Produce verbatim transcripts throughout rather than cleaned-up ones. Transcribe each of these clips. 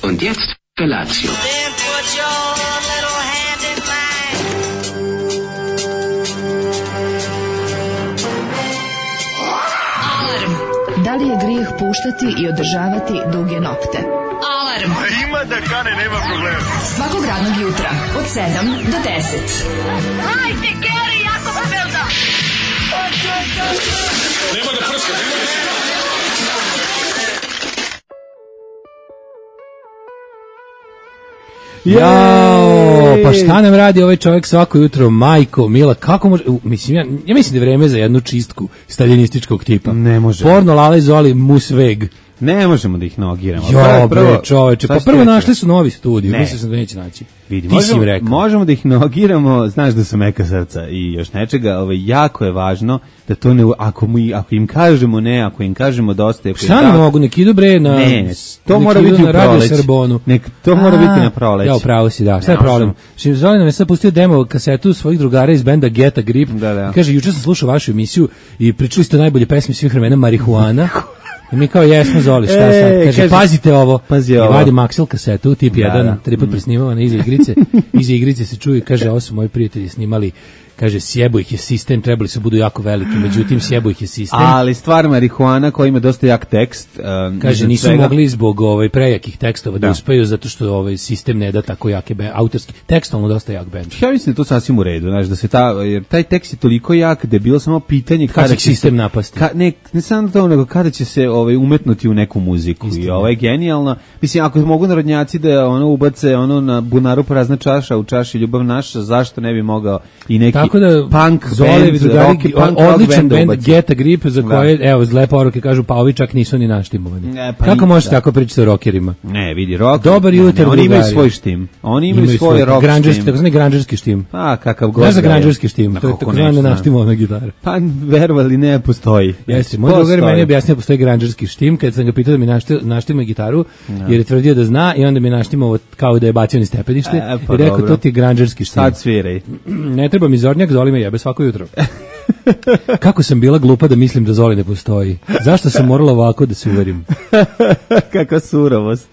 Und jetzt Felatio. Then put your little hand in mine. Alarm. Da li je grijeh puštati i održavati duge nokte? Alarm. A ima da kane, nema problema. Svakog radnog jutra od sedam do deset. Hajde, Geri, jako se velda. Nema da prska, nema da prska. Jao, pa šta nam radi ovaj čovjek svako jutro, majko, mila, kako može, u, mislim, ja, ja mislim da je vreme za jednu čistku staljinističkog tipa. Ne može. Porno, Lala i Zoli, Musveg. Ne možemo da ih nogiramo. Jo, bre, čoveče, pa prvo našli su novi studij, Ne. mislim sam da neće naći. Vidi, Ti si im možemo, rekao. možemo da ih nogiramo, znaš da su meka srca i još nečega, ovaj, jako je važno da to ne, ako, mi, ako im kažemo ne, ako im kažemo dosta, ako im Šta ne da- mogu, nek idu bre na... Ne, ne, to nek mora idu biti u na Radio proleće. Srbonu. Nek, to mora biti na proleće. Ja, upravo si, da. Šta je Ne problem? možemo. Što Zoli nam je sad pustio demo kasetu svojih drugara iz benda Get a Grip. Da, da. I kaže, juče sam slušao vašu emisiju i pričali ste o najbolje pesmi svih vremena, Marihuana. I mi kao jesmo, Zoli, šta E, sad? Kaže, kaže, pazite ovo. pazi I ovo. vadi Maxel kasetu, tip Da, jedan, da. tri put presnimavana iza igrice. Iza igrice se čuje, kaže, ovo su moji prijatelji snimali. Kaže, sjebo ih je sistem, trebali su budu jako veliki, međutim, sjebo ih je sistem. Ali stvar marihuana koja ima dosta jak tekst. Um, Kaže, iznad nisu svega- mogli zbog ovaj prejakih tekstova da, Da. uspeju, zato što ovaj sistem ne da tako jake be, autorski, tekstalno dosta jak bend. Ja mislim da je to sasvim u redu, znaš, da se ta, jer taj tekst je toliko jak da je bilo samo pitanje Kada će će sistem se- napasti? Ka, ne, ne samo to, nego kada će se ovaj, umetnuti u neku muziku. I ovo je genijalno. Mislim, ako mogu narodnjaci da ono ubace ono na bunaru prazna čaša, u čaši ljubav naša, zašto ne bi mogao i neki Tako da punk Zolevi band, drugari, rock, punk rock odličan band da bend ubaci. Get a Grip za Da. koje, evo, zle poruke kažu, pa ovi čak nisu ni naštimovani. Ne, pa Kako i- možete da. tako pričati o rockerima? Ne, vidi, rock. Dobar ne, jutar, ne, oni imaju drugari. svoj štim. Oni imaju, svoj rock granđerski, štim. takozvani granđerski štim. Pa, kakav god. Znaš za da je. granđerski štim? Ma, To je kako takozvana neću, da. naštimovana gitara. Pa, verovali, ne postoji. Jeste, moj drugar je meni objasnio da postoji granđerski štim, kad sam ga pitao da mi našti, naštima gitaru, jer je tvrdio da zna i onda mi naštimao kao da je bacio ni stepenište E, pa i rekao dobro. to ti je granđerski štim. Sad sviraj. Ne treba mi Zornjak, Zoli me jebe svako jutro. Kako sam bila glupa da mislim da Zoli ne postoji. Zašto sam morala ovako da se uverim? Kakva surovost.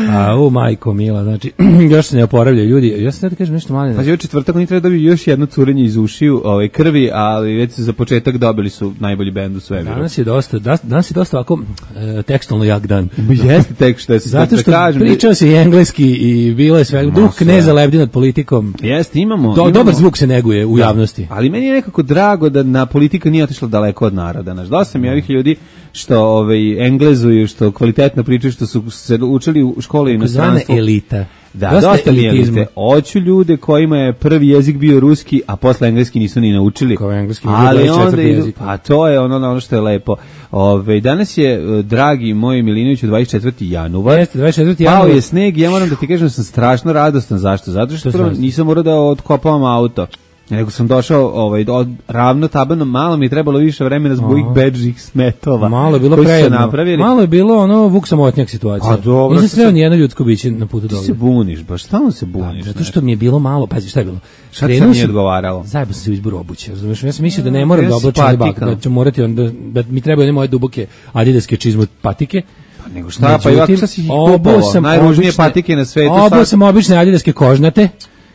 A, u majko mila, znači, još se ne oporavljaju ljudi. Ja sam da kažem nešto malo. Pa je četvrtak, oni treba dobiti još jedno curenje iz ušiju, ovaj, krvi, ali već za početak dobili su najbolji bend u svemiru. Danas je dosta, da- danas je dosta ovako e, tekstalno jak dan. Jeste tek što je se Zato što da kažem, pričao se i engleski i bilo je sve. Duh sve. kneza lebdi nad politikom. Jeste, imamo, Do, imamo. dobar zvuk se neguje u Da. javnosti. Ali meni je nekako drago da na politika nije otišla daleko od naroda. Znaš, dosta mi je ovih ljudi što ovaj, englezuju, što kvalitetno pričaju, što su se učili u školi i Zvana inostranstvu. elita. Da, Dosta dosta mi je elitizma. elite. Hoću ljude kojima je prvi jezik bio ruski, a posle engleski nisu ni naučili. Kao engleski nije bio ali dvadeset onda četvrti idu, jezik. pa to je ono, ono što je lepo. Ove, danas je, e, dragi moj Milinoviću, dvadeset četvrti januar. Jeste, dvadeset četvrti Pao januar. je sneg i ja moram da ti kažem da sam strašno radostan. Zašto? Zato što Što prvo sam- nisam morao da otkopavam auto. Nego sam došao ovaj, od, ravno tabanom, malo mi je trebalo više vremena zbog ovih bedžih smetova. Malo je bilo koji su se prejedno. napravili. Malo je bilo ono Vuk samotnjak situacija. A dobro, Nisam što sreo sam- ni jedno ljudsko biće na putu Ti dole. se buniš, baš stalno se buniš. Zato što mi je bilo malo, pazi šta je bilo. Šta ti Krenuo sad nije sam- odgovaralo? Zajebo sam se u izboru obuće, razumiješ? Ja sam mislio da ne moram Ja da si oblačim ne bak, patika. da ću morati onda, da mi trebaju one moje duboke adidaske čizme od patike. Pa nego šta, pa i ovako šta si ih obuo kupovao? sam Najružnije obične- patike na svetu. Obuo sad- sam obične adidaske kožnate.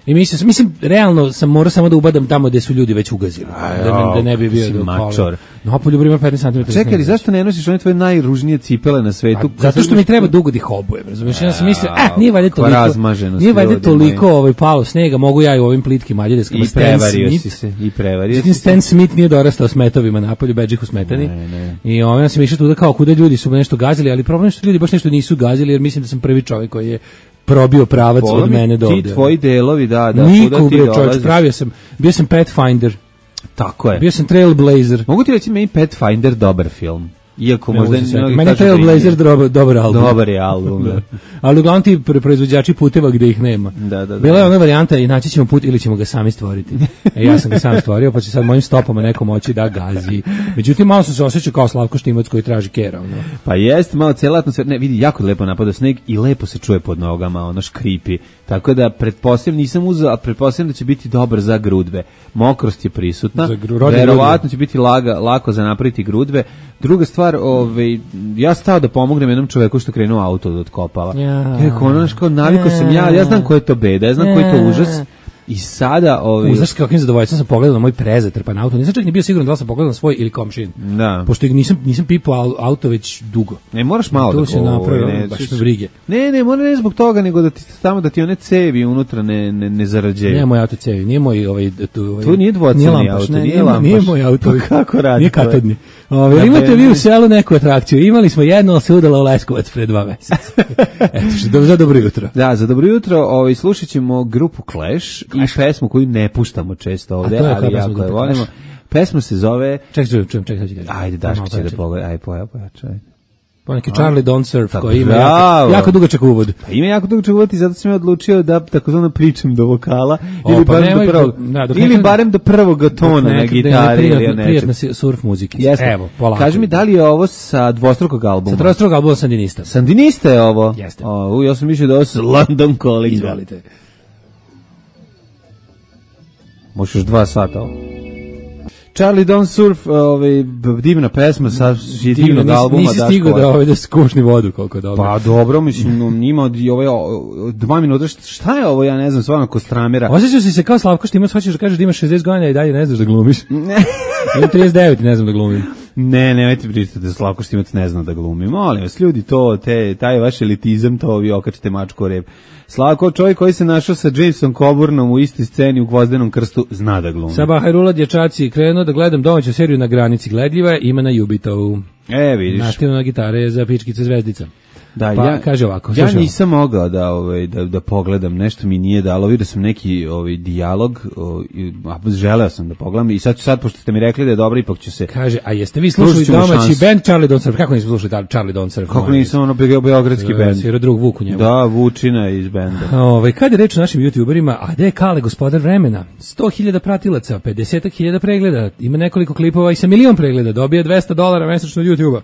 I mislim, sam- mislim, realno sam morao samo da ubadam tamo gde su ljudi već ugazili. Da, ne- da ne bi kako bio si do mačor. No, poljubar ima petnaest centimetara. Čekaj, ali zašto ne nosiš one tvoje najružnije cipele na svetu? Pa, zato što mi treba dugo da ih obujem, razumiješ? Ja sam mislio, a, nije valjda kakva toliko, razmaženost, nije valjda ljudi toliko moji. ovaj, palo snega, mogu ja i u ovim plitkim aljadeskama. I prevario si se, i prevario si se. Stan Smith nije dorastao smetovima napolju, bedžih u smetani. Ne, ne. I ovaj, ja sam išao tuda kao kuda ljudi su nešto gazili, ali problem je što ljudi baš nešto nisu gazili, jer mislim da sam prvi čovjek koji je probio pravac Bolo od mi mene do ti ovde. tvoji delovi, da, da, Niko, kuda ti bre, čovječ, dolaziš. pravio sam, bio sam Pathfinder, Tako je. bio sam Trailblazer. Mogu ti reći meni Pathfinder dobar film. Iako Ne možda mogu se setiti. mnogi Meni je kažu da Trailblazer nije. dobar, dobar album. Dobar je album, da. Ali uglavnom ti pre- proizvođači puteva gde ih nema. Da, da, da. Bila je ona varijanta i naći ćemo put ili ćemo ga sami stvoriti. E, ja sam ga sam stvorio, pa će sad mojim stopama neko moći da gazi. Međutim, malo sam se osjećao kao Slavko Štimac koji traži kera. Ono. Pa jest, malo cijela atmosfera, ne, vidi, jako lepo napada sneg i lepo se čuje pod nogama, ono škripi. Tako da, pretpostavljam, nisam uzeo, a pretpostavljam da će biti dobar za grudve. Mokrost je prisutna, Za gru- rodne verovatno će biti laga, lako za napraviti grudve, Druga stvar, ovaj, ja stao da pomognem jednom čoveku što krenuo auto da otkopava. Ja. Rekao, ono, kao, navikao sam ja, ja znam ko je to beda, ja znam ko je to užas. I sada ovaj Uzaš kakvim zadovoljstvom sam pogledao na moj prezatrpan auto. Nisam čak ni bio siguran da li sam pogledao na svoj ili komšin. Da. Pošto nisam nisam pipao auto već dugo. Ne moraš malo to da se napravio, baš me brige. Ne, ne, mora ne zbog toga, nego da ti tamo da ti one cevi unutra ne ne ne zarađuju. Nije moj auto cevi, nije moj ovaj tu ovaj. To nije dvocevni auto, ne, nije nije, lampaš. nije moj auto. Pa kako radi? Nije katodni. Ovaj ja, imate vi u selu neku atrakciju? Imali smo jedno, ali se udalo u Leskovac pre dva meseca. Eto, što za dobro jutro. Da, za dobro jutro, ovaj slušaćemo grupu Clash, Clash. i pesmu koju ne puštamo često ovde, ali jako je volimo. Pesma se zove... Ček, čujem, čujem, ček, sad ću ga. Ajde, Daško će da pogleda, aj, poja, poja, čaj. Pa neki Charlie Don't Surf, tako, koji ima jako, jako dugačak uvod. Pa ima jako dugačak uvod i zato sam ja odlučio da takozvano pričam do vokala, o, ili, pa barem nemoj, do prvog, da, ili nekada, barem do prvog tona na gitari ili nečeg. Prijatna surf muzika. Evo, kaži mi, da li je ovo sa dvostrukog albuma? Sa dvostrukog albuma Sandinista. Sandinista je ovo? Jeste. O, ja sam mislio da ovo sa London Calling. Izvolite. Možeš dva sata ovo. Charlie Don't Surf, ovaj divna pesma sa divnog albuma. Nisi stigao da ovaj da skušni vodu koliko dobro. Pa dobro, mislim ima ovaj dva minuta, šta je ovo, ja ne znam, stvarno Kostramera. Osjećaš si se kao Slavko Štimac, hoćeš da kažeš da imaš šezdeset godina i dalje ne znaš da glumiš. Ili trideset devet ne znam da glumim. Ne, nemojte pričati da Slavko Štimac ne zna da glumi. Molim vas, ljudi, to, te, taj vaš elitizam, to vi okačite mačku o rep. Slavko, čovjek koji se našao sa Jamesom Coburnom u istoj sceni u Gvozdenom krstu, zna da glumi. Sabah Hajrula, dječaci, krenuo da gledam domaću seriju Na granici gledljiva, ima na Jubitovu. E, vidiš. Nastavno na gitare za pičkice zvezdica. Da, pa, ja, kaže ovako, ja nisam mogao da, ovaj, da, da pogledam, nešto mi nije dalo, vidio sam neki ovaj, dijalog, a želeo sam da pogledam i sad, sad, pošto ste mi rekli da je dobro, ipak ću se... Kaže, a jeste vi slušali domaći band Charlie Don't Surf? Kako nisam slušali Charlie Don't Surf? Kako nisam, ono, beogradski band? Svira drug Vuk u njemu. Da, Vučina iz benda. Ove, kad je reč o našim youtuberima, a gde je Kale, gospodar vremena? sto hiljada pratilaca, pedeset hiljada pregleda, ima nekoliko klipova i sa milion pregleda, dobije dvesta dolara mesečno od YouTube-a.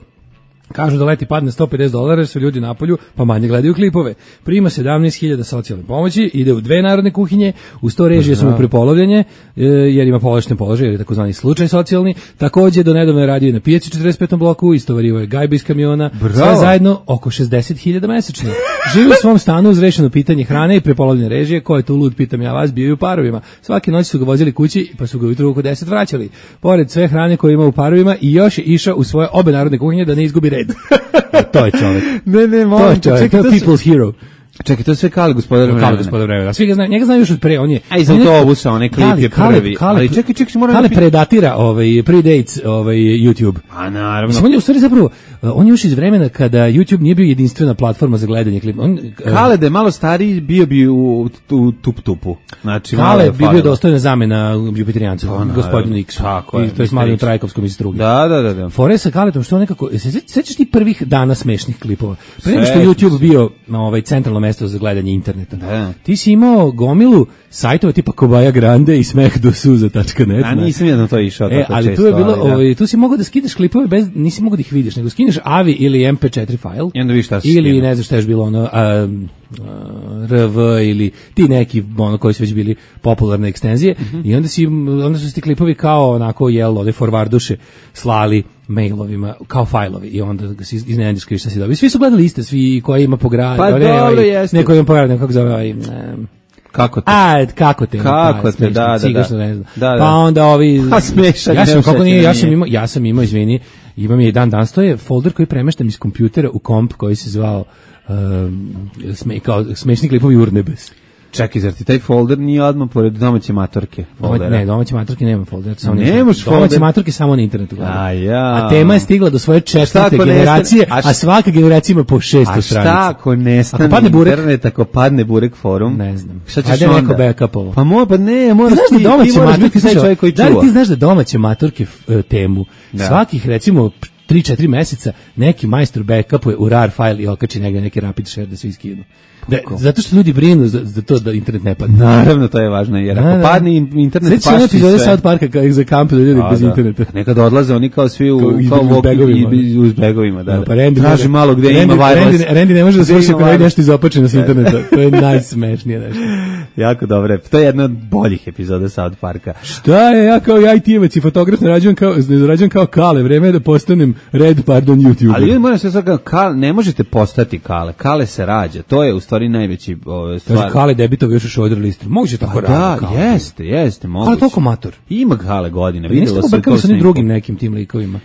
Kažu da leti padne sto pedeset dolara, su ljudi napolju, pa manje gledaju klipove. Prima sedamnaest hiljada socijalne pomoći, ide u dve narodne kuhinje, u sto režije su mu prepolovljanje, jer ima povlašten položaj, jer je takozvani slučaj socijalni. Takođe, do nedavno je radio i na pijaci četrdeset petom bloku, istovario je gajbe iz kamiona, bravo. Sve zajedno oko šezdeset hiljada mesečno. Živi u svom stanu uz rešeno pitanje hrane i prepolovljene režije, ko je tu lud, pitam ja vas, bio u parovima. Svake noći su ga vozili kući, pa su ga ujutru oko deset vraćali. Pored sve hrane koje ima u parovima i još je išao u svoje obe narodne kuhinje da ne izgubi red. To je čovjek. Ne, ne, molim. To je čovjek, to je people's hero. Čekaj, to je sve Kale, gospodar vremena. Kale, gospodar vremena. Svi ga znaju, njega znaju još od pre, on je... A iz autobusa, onaj klip je prvi. Kale, ali čekaj, čekaj, moram... Kale predatira ovaj, predates ovaj, YouTube. A naravno. Mislim, on je u stvari zapravo, on je još iz vremena kada YouTube nije bio jedinstvena platforma za gledanje klipa. On, Kale da je malo stariji, bio bi u, u tup-tupu. Znači, Kale bi bio dostojna zamena Jupiterijancu, gospodinu Iksu. Tako je. To je s Malijom Trajkovskom iz Struge. Da, da, da. da. Fore sa Kaletom, što on nekako... Se sećaš ti prvih dana smešnih klipova? Pre nego što je YouTube bio na ovaj centralno mesto za gledanje interneta. Da. Ti si imao gomilu sajtova tipa Kobaja Grande i smeh do suza tačka net. A nisam jedno to išao e, tako ali često. Tu je bilo, ali, da. ovaj, tu si mogao da skidaš klipove bez, nisi mogao da ih vidiš, nego skineš A V I ili em pe četiri file. I onda vidiš šta si ili skino. ne znam šta je bilo ono, a, a, R V ili ti neki ono koji su već bili popularne ekstenzije mm -hmm. i onda si onda su se ti klipovi kao onako jel ode forwarduše slali mailovima kao fajlovi i onda se iznenadiš kriš šta si dobio. Svi su gledali iste, svi koji ima po gradu, pa ne, ovaj, jeste. neko ima po gradu, kako zove ovaj, um, Kako te? A, kako te? Kako pa, te, da, da, ciga, da. što ne znam. Da, da. Pa onda ovi... Pa smešan. Ja sam, kako nije, ja sam imao, ja sam imao, izvini, imam je i dan danas, to je folder koji premeštam iz kompjutera u komp koji se zvao um, sme, kao smešni klipovi Urnebes. Čekaj, zar ti taj folder nije odmah pored domaće matorke? Foldera? Ne, domaće matorke nema folder. Samo nemaš folder? Domaće matorke samo na internetu. A, ja. A tema je stigla do svoje četvrte generacije, a, a svaka generacija ima po šesto stranica. A šta ako nestane ako padne burek, internet, ako padne burek forum? Ne znam. Šta ćeš onda? neko backupovo. Pa mo, pa ne, moraš ti, ti, da ti moraš biti taj čovjek koji čuva. Da li ti znaš da domaće matorke uh, temu da. Svakih, recimo, tri četiri meseca neki majstor backupuje u rar file i okači negde neki rapid share da svi skinu. Da, zato što ljudi brinu za, za to da internet ne padne. Naravno, to je važno, jer ako da, padne internet, paši sve. Sveći epizode South Parka kao za kamp da ljudi bez da. interneta. Nekada odlaze oni kao svi u, kao uz begovima. I, uz begovima, da. No, da. Pa Randy traži malo gde Randy, ima virus. Randy, Randy ne može da sluša ako je nešto izopačeno s interneta. To je najsmešnije nešto. Jako dobro. To je jedna od boljih epizoda South Parka. Šta je, ja kao I T-evac i fotograf ne rađujem kao, ne rađujem kao Kale, vreme je da postanem red, pardon, YouTuber. Ali ljudi moram sve sada, kale, ne možete postati Kale. Kale se rađa. To je u stvari najveći ove, stvar. Kaže, Kale debitov još u Šoder listu. Moguće tako da, rado. Da, jeste, jeste, moguće. Ali toliko mator. Ima Kale godine. Pa niste obrkali sa onim drugim nekim tim likovima.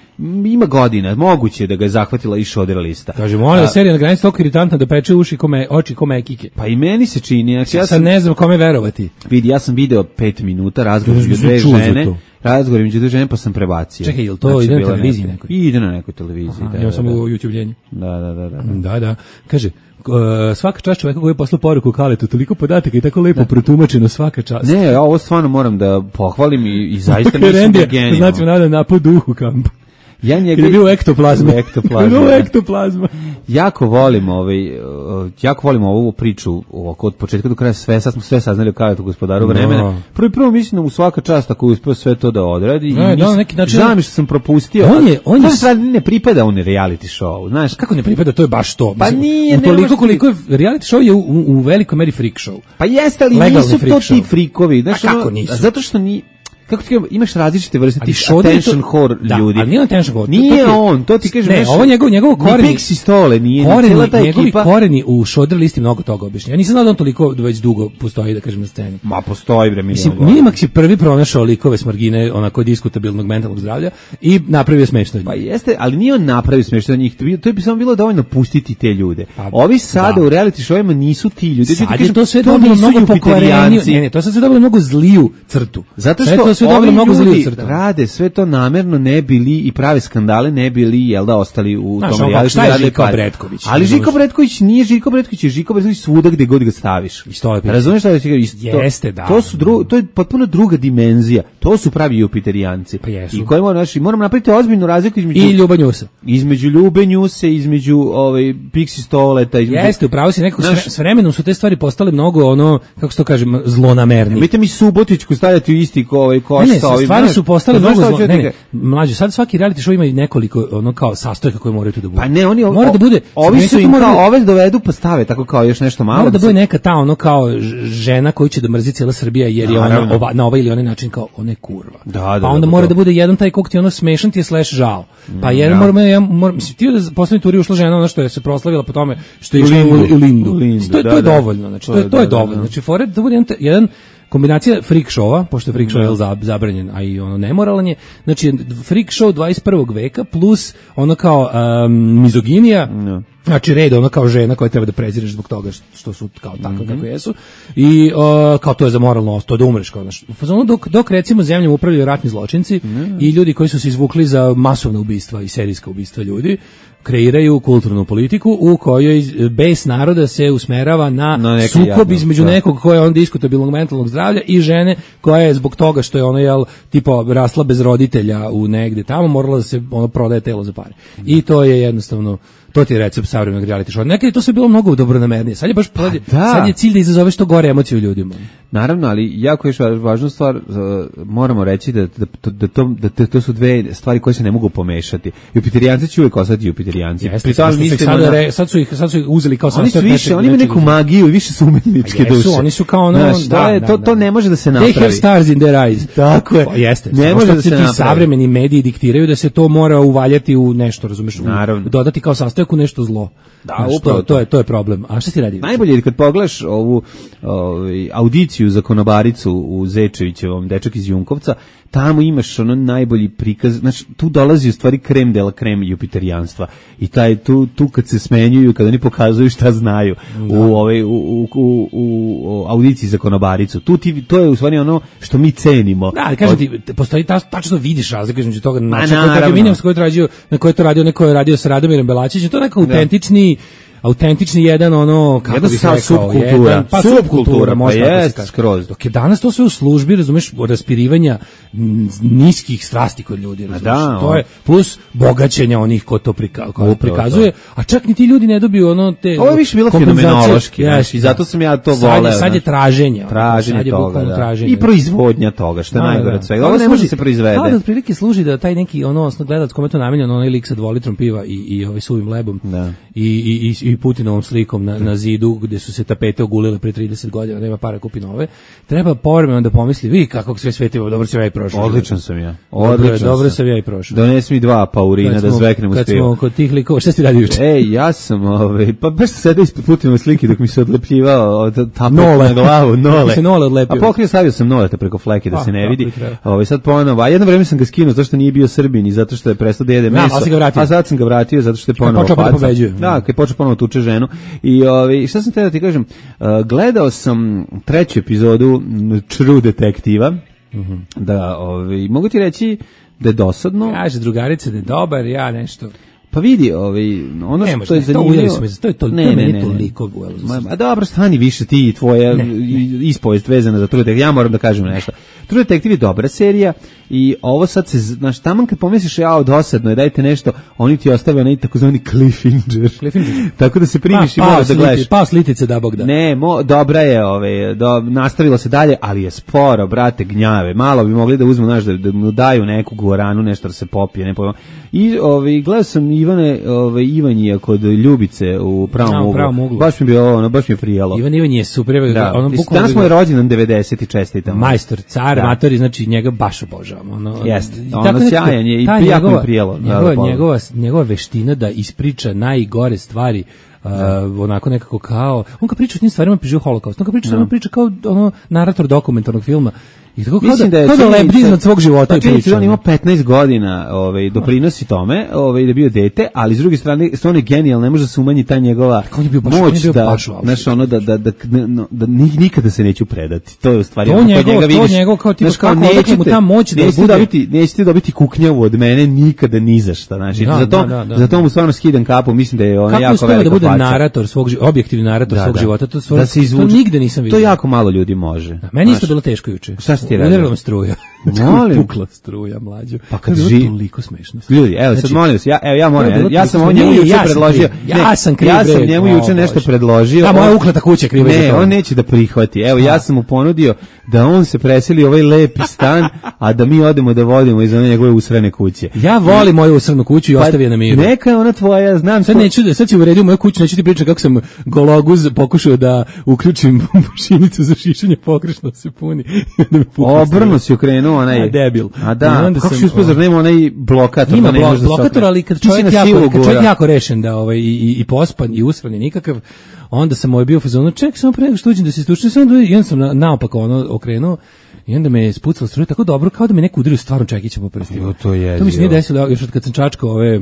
Ima godina, moguće da ga je zahvatila i Šoder lista. Kaže, moja da serija na granici toliko iritantna da peče uši kome, oči kome ekike. Pa i meni se čini. Ja, ja sad ne znam kome verovati. Vidi, ja sam video pet minuta razgovor između dve žene. Razgovor između dve žene pa sam prebacio. Čekaj, jel to znači, ide na televiziji nekoj? Ide na nekoj televiziji. Aha, da, ja da, sam da. u YouTube-ljenju. Da, da, da, da. Da, da. Kaže, Uh, svaka čast čoveka koji je poslao poruku Kaletu, toliko podataka i tako lepo da. Protumačeno, svaka čast. Ne, ja ovo stvarno moram da pohvalim i, i zaista mislim da je genijalno. Znači, nada napad duhu kamp. Ja njega je bio ektoplazma. Ektoplazma. Bilo ektoplazma. Jako volim ovaj jako volim ovu priču oko od početka do kraja sve, sad smo sve saznali o Kaletu, gospodaru vremena. No. Prvo prvo mislim da u svaka čast ako uspeo sve to da odradi no, i no, neki način. Žao mi što sam propustio. On je on je sad ne pripada on reality show, znaš? Kako ne pripada, to je baš to. Pa nije, toliko koliko je reality show je u, u velikoj meri freak show. Pa jeste, ali legalni nisu to show. Ti frikovi, znaš, kako ono, nisu? Zato što ni kako ti kažem, imaš različite vrste tih attention attention horror da, ljudi. Da, nije attention horror. Nije to, to on, to ti kažeš. Ne, ovo njegov, njegov koreni. Ni Pixi Stole, nije, koreni, cijela ta njegovi ekipa. koreni u Šoder listi mnogo toga objašnja. Ja nisam znao da on toliko već dugo postoji, da kažem, na sceni. Ma, postoji, bre, mislim. Minimax je prvi pronašao likove s margine, onako diskutabilnog mentalnog zdravlja i napravio smešno. Pa jeste, ali nije on napravio smešno od njih. To bi samo bilo dovoljno pustiti te ljude. Pa, ovi sada da. U reality showima nisu ti ljudi. Sad je to sve dobilo mnogo pokvareniju. Ne, ne, to sad sve dobilo mnogo zliju crtu. Zato što ovi ljudi rade sve to namerno, ne bili i prave skandale, ne bili, jel da, ostali u znaš, tom realitu. Šta je Žiko Bretković? Ali Žiko Bretković nije Žiko Bretković, je Žiko Bretković svuda gde god ga staviš. Razumeš šta da ti kažem? Jeste, da. To su dru, to je potpuno druga dimenzija. To su pravi Jupiterijanci. Pa jesu. I koji moramo, znači, moramo napraviti ozbiljnu razliku između i Ljuba Njusa. Između Ljube Njuse, između ovaj Pixi Stoleta, između. Jeste, upravo si nekako naš, s vremenom su te stvari postale mnogo ono, kako se to kaže, zlonamerne. Vidite mi Subotićku stavljati u isti ovaj koš sa ovim. Stvari su postale mnogo zlo, ne, ne, mlađe, sad svaki reality show ima i nekoliko ono kao sastojaka koje moraju tu da budu. Pa ne, oni o, mora da bude, ovi su im kao ove dovedu pa stave tako kao još nešto malo. Mora da bude neka ta ono kao žena koju će da mrzi cijela Srbija jer je ona ova, na ovaj ili onaj način kao ona je kurva. Da, da, pa onda da, mora da. da bude jedan taj kog ti ono smešan ti je slash žao. Pa jer ja. moramo ja moram mislim ti da poslednji turi ušla žena ona što je se proslavila po tome što je išla u Lindu. U Lindu. To je to je dovoljno, znači to je to je dovoljno. Znači fore da bude jedan kombinacija freak showa, pošto je freak show je zabranjen, a i ono nemoralan je, znači freak show dvadeset prvog veka plus ono kao um, mizoginija, no. Znači red ono kao žena koja treba da prezireš zbog toga što su kao takve mm-hmm. kako jesu i uh, kao to je za moralno, to da umreš kao znaš. Dok, dok recimo zemljom upravljaju ratni zločinci mm-hmm. i ljudi koji su se izvukli za masovna ubistva i serijska ubistva ljudi, kreiraju kulturnu politiku u kojoj bes naroda se usmerava na, na sukob jadno, između da. Nekog koja je on diskutabilnog mentalnog zdravlja i žene koja je zbog toga što je ona jel tipa rasla bez roditelja u negde tamo morala da se ono prodaje telo za pare. I to je jednostavno to ti je recept savremenog reality show. Nekad je to sve bilo mnogo dobronamernije. Sad je baš pa da. Sad je cilj da izazove što gore emocije u ljudima. Naravno, ali jako je važna stvar, uh, moramo reći da, da, da, to, da to su dve stvari koje se ne mogu pomešati. Jupiterijanci će uvijek ostati Jupiterijanci. Jeste, sad, sad, na... re, sad, su ih, sad su ih uzeli kao oni su više, oni imaju neku magiju i više su umetničke jesu, duše. Oni su kao ono, znaš, da, to, je, da, to, da, to ne može da se napravi. They have stars in their eyes. Tako je. O, jeste. Ne može da se napravi. Savremeni mediji diktiraju da se to mora uvaljati u nešto, razumeš? Naravno. Dodati kao sastojak u nešto zlo. Da, upravo to, to je to je problem. A šta si radi? Najbolje je kad pogledaš ovu ovaj audiciju za konobaricu u Zečevićevom Dečak iz Junkovca, tamo imaš ono najbolji prikaz, znači tu dolazi u stvari krem de la krem jupiterijanstva. I taj tu tu kad se smenjuju, kad oni pokazuju šta znaju da. u ovaj u, u, u, u audiciji za konobaricu. Tu ti to je u stvari ono što mi cenimo. Da, ali kažem ti, postoji ta, tačno vidiš razliku između toga načina koji je radio, na koji je to radio, neko je radio sa Radomirom Belačićem, to je neko autentični autentični jedan ono kako jedan bih rekao subkultura, jedan, pa subkultura može pa jest skroz. Dok je danas to sve u službi, razumeš, raspirivanja niskih strasti kod ljudi, razumeš. Da, to je plus bogaćenja onih ko to prika, ko prikazuje, a čak ni ti ljudi ne dobiju ono te. Ovo je više bilo fenomenološki, yes, i zato sam ja to voleo. Sad je traženje, traženje sad je toga, da. traženje. I proizvodnja toga, što je da, najgore od svega. Ovo ne može se proizvede. Da, otprilike služi da taj neki ono gledalac kome to namenjeno, onaj lik sa dvolitrom piva i i ovaj suvim lebom. Da. I i i i Putinovom slikom na, na zidu gde su se tapete ogulile pre trideset godina, nema para kupi nove. Treba povremeno da pomisli, vi kako sve svetiva, dobro sam ja i prošao. Odličan sam ja. Odličan Odličan dobro sam. sam ja i prošao. Donesi mi dva paurina da zveknem uz Kad pivo. smo kod tih likova, šta si radio juče? Ej, ja sam, ovaj, pa baš sam sedao ispod Putinove slike dok mi se odlepljivao od tapak Nole. na glavu, nole. Se Nole odlepio. A pokrio stavio sam nolete preko fleke da Pa, se ne tako vidi. i treba. Ovaj sad ponovo, a jedno vreme sam ga skinuo zato što nije bio Srbin i zato što je prestao da jede Da, meso. ali si ga vratio. A sad sam ga vratio zato što je ponovo počeo opet da faca. pobeđuje. Da, kad je počeo ponovo tuče ženu. I ovaj šta sam te da ti kažem, uh, gledao sam treću epizodu m, True Detektiva. Mhm. Da, ovaj mogu ti reći da je dosadno. Kaže drugarica da je dobar, ja nešto. Pa vidi, ovaj ono Ne što može, je ne, to zanimljivo. ujeli su me, to je to- to je meni toliko ujelo za srce. Ma dobro, stani više ti i tvoja i- ispovest vezana za True Detective. Ja moram da kažem nešto. True Detective je dobra serija i ovo sad se, znaš, taman kad pomisliš ja dosadno je, dajte nešto, oni ti ostave onaj takozvani cliffhanger. Cliffhanger. Tako da se primiš i Pa, moraš da pao gledaš. sliti- Pao slitice da Bog da. Ne, mo, dobra je, ove, do, nastavilo se dalje, ali je sporo, brate, gnjave. Malo bi mogli da uzmu, znaš, da, da mu daju neku guaranu, nešto da se popije, ne pojma. I ove, gledao sam Ivane, ove, Ivanjija kod Ljubice u pravom A, u uglu. pravom uglu. Baš mi je bilo, ono, baš mi je prijelo. Ivan Ivan je super, Da, ono mislim, bukvalno danas mu je rođendan devedeset i čestitam. majstor, car, Da. matori, znači njega baš obožavam. Ono, Jeste, i ono tako nekako, sjajan je i ta jako mi je njegova- prijelo, da, Njegova, da, njegova, njegova veština da ispriča najgore stvari, uh, onako nekako kao, on kad priča o tim stvarima priživa holokaust, on kad priča, on priča kao ono narator dokumentarnog filma. I tako kao Mislim da, da je kao da činjenica- lebdi iznad svog života pa i činjenica priča. da on ima petnaest godina, ovaj doprinosi tome, ovaj da je bio dete, ali s druge strane stvarno je genijalno, ne može da se umanji ta njegova on je bio baš- on moć je bio da, baš u Auschwitzu. znaš, ono da da da, da, da ni- nikada se neću predati. To je u stvari To ono, kod njegov- njega to vidiš, njegov kao tipa znaš, kao kako odakle mu nećete- ta moć da nećete bude- dobiti, nećete dobiti kuknjavu od mene nikada ni za šta, znači Da, zato da, da, da. zato mu stvarno skidam kapu, mislim da je ona Kako jako uspeva velika da bude faca. narator svog života, objektivni narator Da, svog da. života, to, stvarno, Da se to izvuče. nigde nisam vidio. To jako malo ljudi može. Meni isto Znaš, bilo teško juče. Šta si ti radio? Udarila me struja. Molim. Pukla struja, mlađo. Pa kad To je bilo ži- toliko smešno. Ljudi, evo sad Znači, molim vas, ja evo ja moram, to je bilo ja, ja sam toliko on njemu smešno. juče Ja sam predložio. kriv. Ja sam kriv, Ja sam bre. njemu O, juče nešto Bože. predložio. Da, moja on- ukleta kuća je kriva za Ne, to. on neće da prihvati. Evo ja sam mu ponudio da on se preseli u ovaj lepi stan, a da mi odemo da vodimo iz one njegove usrane kuće. Ja volim moju usrnu kuću i ostavi je na miru. Neka je ona tvoja, znam Sad to- neću da sad si uredio moju kuću, neću ti pričati kako sam gologuz pokušao da uključim mašinicu za šišanje, pogrešno se puni. I onda me pukla Obrnu si okrenuo onaj. A, debil. A I da, onda kako sam, si uspio, zar nema onaj blokator? Ima da ne blok, može da se blokator, okrene? ali kad Ti si čovjek na jako, silu kad čovjek gura. jako rešen da ovaj, i, i, i pospan i usran i nikakav, onda sam ovaj bio u fazonu, ček, samo pre nego što uđem da se istučem, samo da i onda sam na, naopako ono okrenuo i onda me je spucala struja tako dobro kao da me neko udario stvarno čekićem po prstima. Jo, to je To mi se nije jezivo. desilo još od kad sam čačkao ove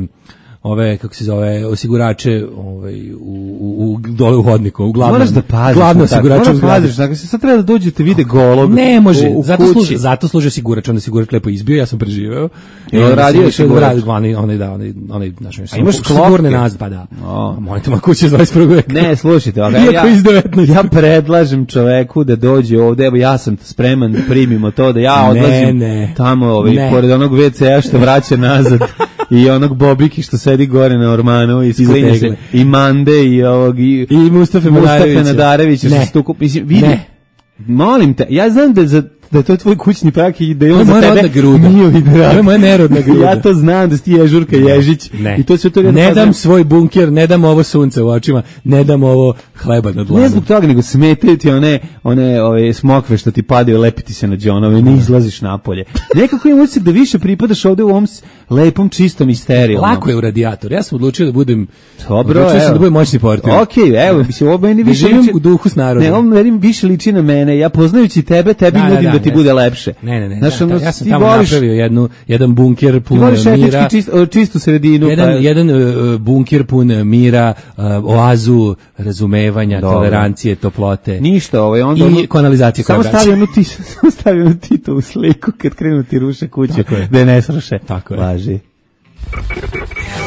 ove kako se zove osigurače ovaj u, u, u dole u hodniku uglavnom Moraš da paziš. glavno na tako. osigurače u Moraš da zgradi. paziš, dakle, sad treba da dođete vide golog. Ne može, u, u zato kući. služi, zato služi osigurač, onda osigurač lepo izbio, ja sam preživeo. Jel onda radio sam je išao da osigurač? radim, onaj, onaj, da, onaj, onaj, znaš, A imaš sigurne klopke? nazad, pa da. O. A mojte ma kuće iz dvadeset prvog veka. Ne, slušajte, okay, Iako iz devetnaestog. ja predlažem čoveku da dođe ovde, evo ja sam spreman da primimo to, da ja Ne, odlazim ne. tamo, ovaj, Ne. pored onog ve ce a što vraća nazad i onog Bobiki što sedi gore na Ormanu i sklinje se, Tegle. i Mande i ovog i, I Mustafa Nadarevića. Nadarevića što Ne. se tu kup- mislim, vidi, Ne. molim te, ja znam da je za da je to tvoj kućni prak i da je To on je za moja tebe rodna gruda. mili drag. To je moja nerodna gruda. Ja to znam da si ti Ježurka Ježić Ne. i to sve to ne dam svoj bunker, ne dam ovo sunce u očima, ne dam ovo hleba na dlanu. Ne zbog toga, nego smetaju ti one, one ove, smokve što ti padaju, lepiti se na džonove, ne izlaziš napolje. Nekako imam utisak da više pripadaš ovde u ovom s- lepom, čistom i sterilnom. Lako je u radijator. Ja sam odlučio da budem Dobro, odlučio sam evo. da budem moćni portir. Okej, evo, mislim, ovo meni Da više živim liči- u duhu s narodom. Ne, ovo meni više liči na mene. Ja poznajući tebe, tebi Da, da, nudim da, da, ti ne. bude lepše. Ne, ne, ne. Znaš, da, ono, da, ja sam ti tamo voliš- napravio jednu, jedan bunker Ti pun voliš mira. etički čist, o, čistu sredinu. Jedan, pa- jedan uh, bunker pun mira, uh, oazu, razumevanja, Dobro. tolerancije, toplote. Ništa, ovaj onda I ono- kanalizacije koja Samo vraća. stavi onu ti, samo stavi onu Tito u sliku kad krenu ti ruše kuću, Tako je. da je ne sruše. Tako je. Važi.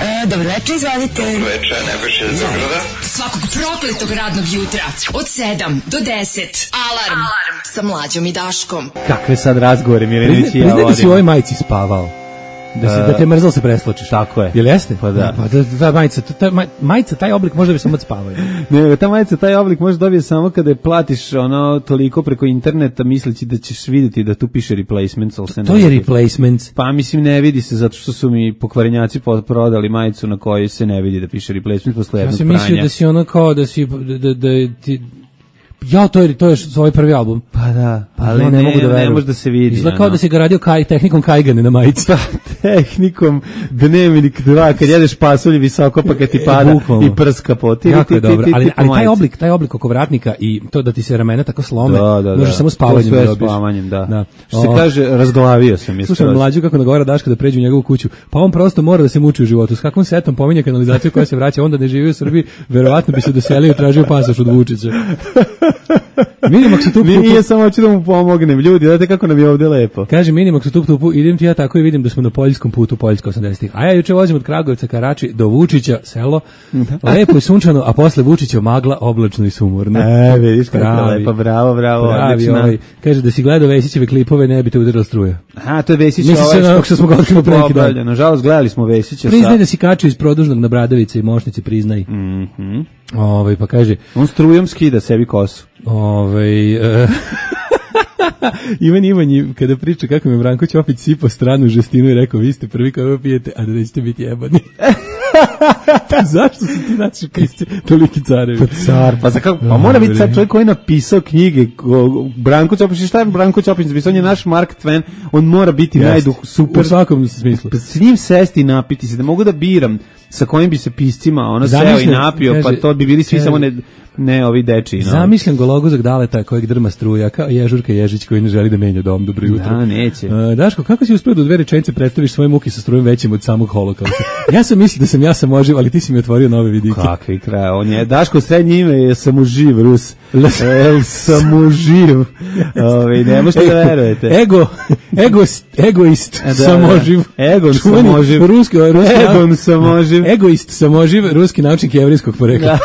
E, dobro večer, izvolite. Veče, Nebojša iz Beograda. Svakog prokletog radnog jutra od sedam do deset. Alarm. Alarm. Sa mlađom i Daškom. Kakve sad razgovore Mirjanić Priznaj, i ja priznaj da si u ovoj vodimo. majici spavao. Da, se, da te mrzalo se presločiš. Tako je. Jel jeste? Pa da. Pa da, ta majica, ta maj- majica, taj oblik možda bi samo od spavanja. Ne, ta majica, taj oblik možeš dobije samo kada je platiš ono toliko preko interneta misleći da ćeš vidjeti da tu piše replacements, ali se ne To je vidi. replacements. Pa mislim ne vidi se zato što su mi pokvarenjaci prodali majicu na kojoj se ne vidi da piše replacements posle Ja jednog sam pranja. mislio da si ono kao da si da da, da ti ja to je to je svoj prvi album. Pa da, Pa ali ja ne, ne mogu da ne verujem. može da se vidi. Izgleda kao ono. da si ga radio kaj tehnikom kajgane na majici. Tehnikom dnevnik dva, kad jedeš pasulj visoko pa kad ti pada bukvalno. i prska po ti. Jako ti- je ti- dobro, ti- ali, ti po ali taj majici. oblik, taj oblik oko vratnika i to da ti se ramena tako slome, Da, da, možeš da. samo spavanjem To sve da dobiješ. spavanjem, da. Da. Što se O, kaže, razglavio sam je. Slušam skroz. mlađu kako nagovara Daška da pređe u njegovu kuću, pa on prosto mora da se muči u životu. S kakvom setom pominje kanalizaciju koja se vraća, onda ne živi u Srbiji, verovatno bi se doselio i tražio pasoš od Vučića. Minimak se tu Mi nije samo hoću da mu pomognem. Ljudi, znate kako nam je ovde lepo. Kaže Minimak se tup tupu, idem ti ja tako i vidim da smo na poljskom putu, Poljska osamdesetih. A ja juče vozim od Kragujevca ka Rači do Vučića, selo, lepo i sunčano, a posle Vučića magla, oblačno i sumorno. E, vidiš kako je Pravi. lepo, bravo, bravo, Pravi, odlična. ovaj, kaže da si gledao Vesićeve klipove, ne bi te udarila struja. Aha, to je Vesić. Misli se na onog što smo ga otkrili pre neki dan. Obalja. Nažalost, gledali smo Vesića Priznaj sa... da si kačio iz Produžnog na Bradavice i Mošnici, priznaj. Mhm. Ovaj, pa kaže, On strujom skida sebi kosu. ovaj... e, Ivan Ivanji, kada priča kako mi Branko Ćopić sipao stranu žestinu i rekao, vi ste prvi koji ovo pijete, a da nećete biti jebani. Pa zašto su ti naši pisci toliki carevi? Pa car, pa, za kako, pa mora biti sad čovjek koji je napisao knjige, ko- Branko Ćopić, šta je Branko Ćopić napisao, on je naš Mark Twain, on mora biti Jeste. najduh, super. U svakom smislu. Pa s njim sesti i napiti se, da mogu da biram sa kojim bi se piscima ono seo i Zamišljam, napio, pa kaže- to bi bili svi kaže- samo ne, ne ovi deči. No. Zamišljam gologuzog Daleta kojeg drma struja, kao Ježurka Ježić koji ne želi da menja dom. Dobro jutro. Da, neće. E, Daško, kako si uspeo da u dve rečenice predstaviš svoje muke sa strujom većim od samog holokausta? Ja sam mislio da sam ja samoživ, ali ti si mi otvorio nove vidike. Kakvi kraj, on je, Daško srednje ime je samoživ, Rus. El samoživ. Ove, ne možete da verujete. Ego, egoist, egoist, Da, samoživ. da. Egon Čuveni samoživ. Ruski, ruski Egon samoživ. Egoist, samoživ, ruski naučnik jevrijskog porekla.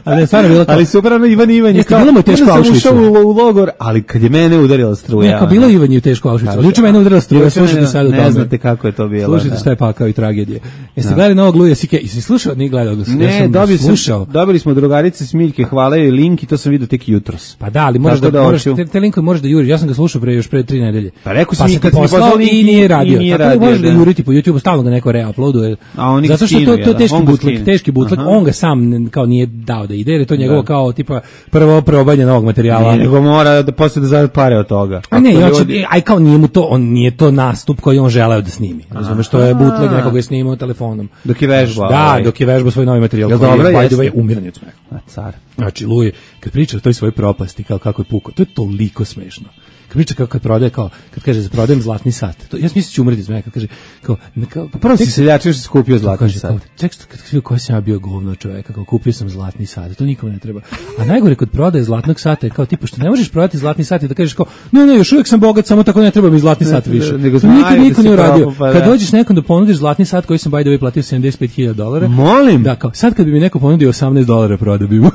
Ali je stvarno bilo to. Ali super, ono Ivan Ivan je Jeste, bilo mu je teško u onda sam Auschwitzu. ušao u, u logor, ali kad je mene udarila struja. Ne, kao bilo je Ivan je u teško Auschwitzu. Ali juče mene udarila struja, Juče mene- slušajte sad o Ne tome. znate kako je to bilo. Slušajte da. šta je pakao i tragedije. Jeste gledali novog Luja Sike? Jesi slušao? Nije gledao. Ja Ne, sam dobili, sam, slušao. dobili smo drugarice Smiljke, hvala joj link i to sam vidio tek jutros. Pa da, ali moraš Tako da, da moraš, hoću. te, te linkove možeš da juriš. Ja sam ga slušao pre još pre tri nedelje. Pa rekao sam pa i sam kad ti si mi poslao poslao link i nije radio. i nije Tako da radio, možeš ga da. juriti po YouTubeu, stalno ga neko reuploaduje. A oni ga Zato što to, skinu, to je jel da? teški On ga bootleg, skine. teški bootleg. Aha. On ga sam n- kao nije dao da ide, jer je to njegovo Da. kao tipa prvo probanje novog materijala. Nije, nego mora da posle da zaradi pare od toga. A ne, Ako ja ljudi- će, aj kao nije mu to, on nije to nastup koji on želeo da snimi. Razumeš, to je bootleg nekoga je snimao telefonom. Dok je vežbao. Da, ovaj. dok je vežbao svoj novi materijal. Jel koji dobro, je, by the jeste? way, umiranje od smeha. A, car. Znači, Luje, kad priča o toj svojoj propasti, kao kako je pukao, to je toliko smešno. Kad priča kao kad prodaje, kao, kad kaže, prodajem zlatni sat. To, ja sam mislio ću umreti iz meka, kad kaže, kao, ne, kao, Prvo si tek- seljačio što si kupio zlatni kaže, sat. kao, tek što- kad vidio koji sam ja bio govno čoveka, kao kupio sam zlatni sat, to nikom ne treba. A najgore kod prodaje zlatnog sata je kao tipa što ne možeš prodati zlatni sat i da kažeš kao, ne, ne, još uvijek sam bogat, samo tako ne treba mi zlatni sat Ne, više. nego To nikad znaju da niko si nije uradio. propao, pa Kad da. dođeš nekom da ponudiš zlatni sat koji sam by the way platio sedamdeset pet hiljada dolara, Molim. da, kao, sad kad bi mi neko ponudio osamnaest dolara prodao bi mu.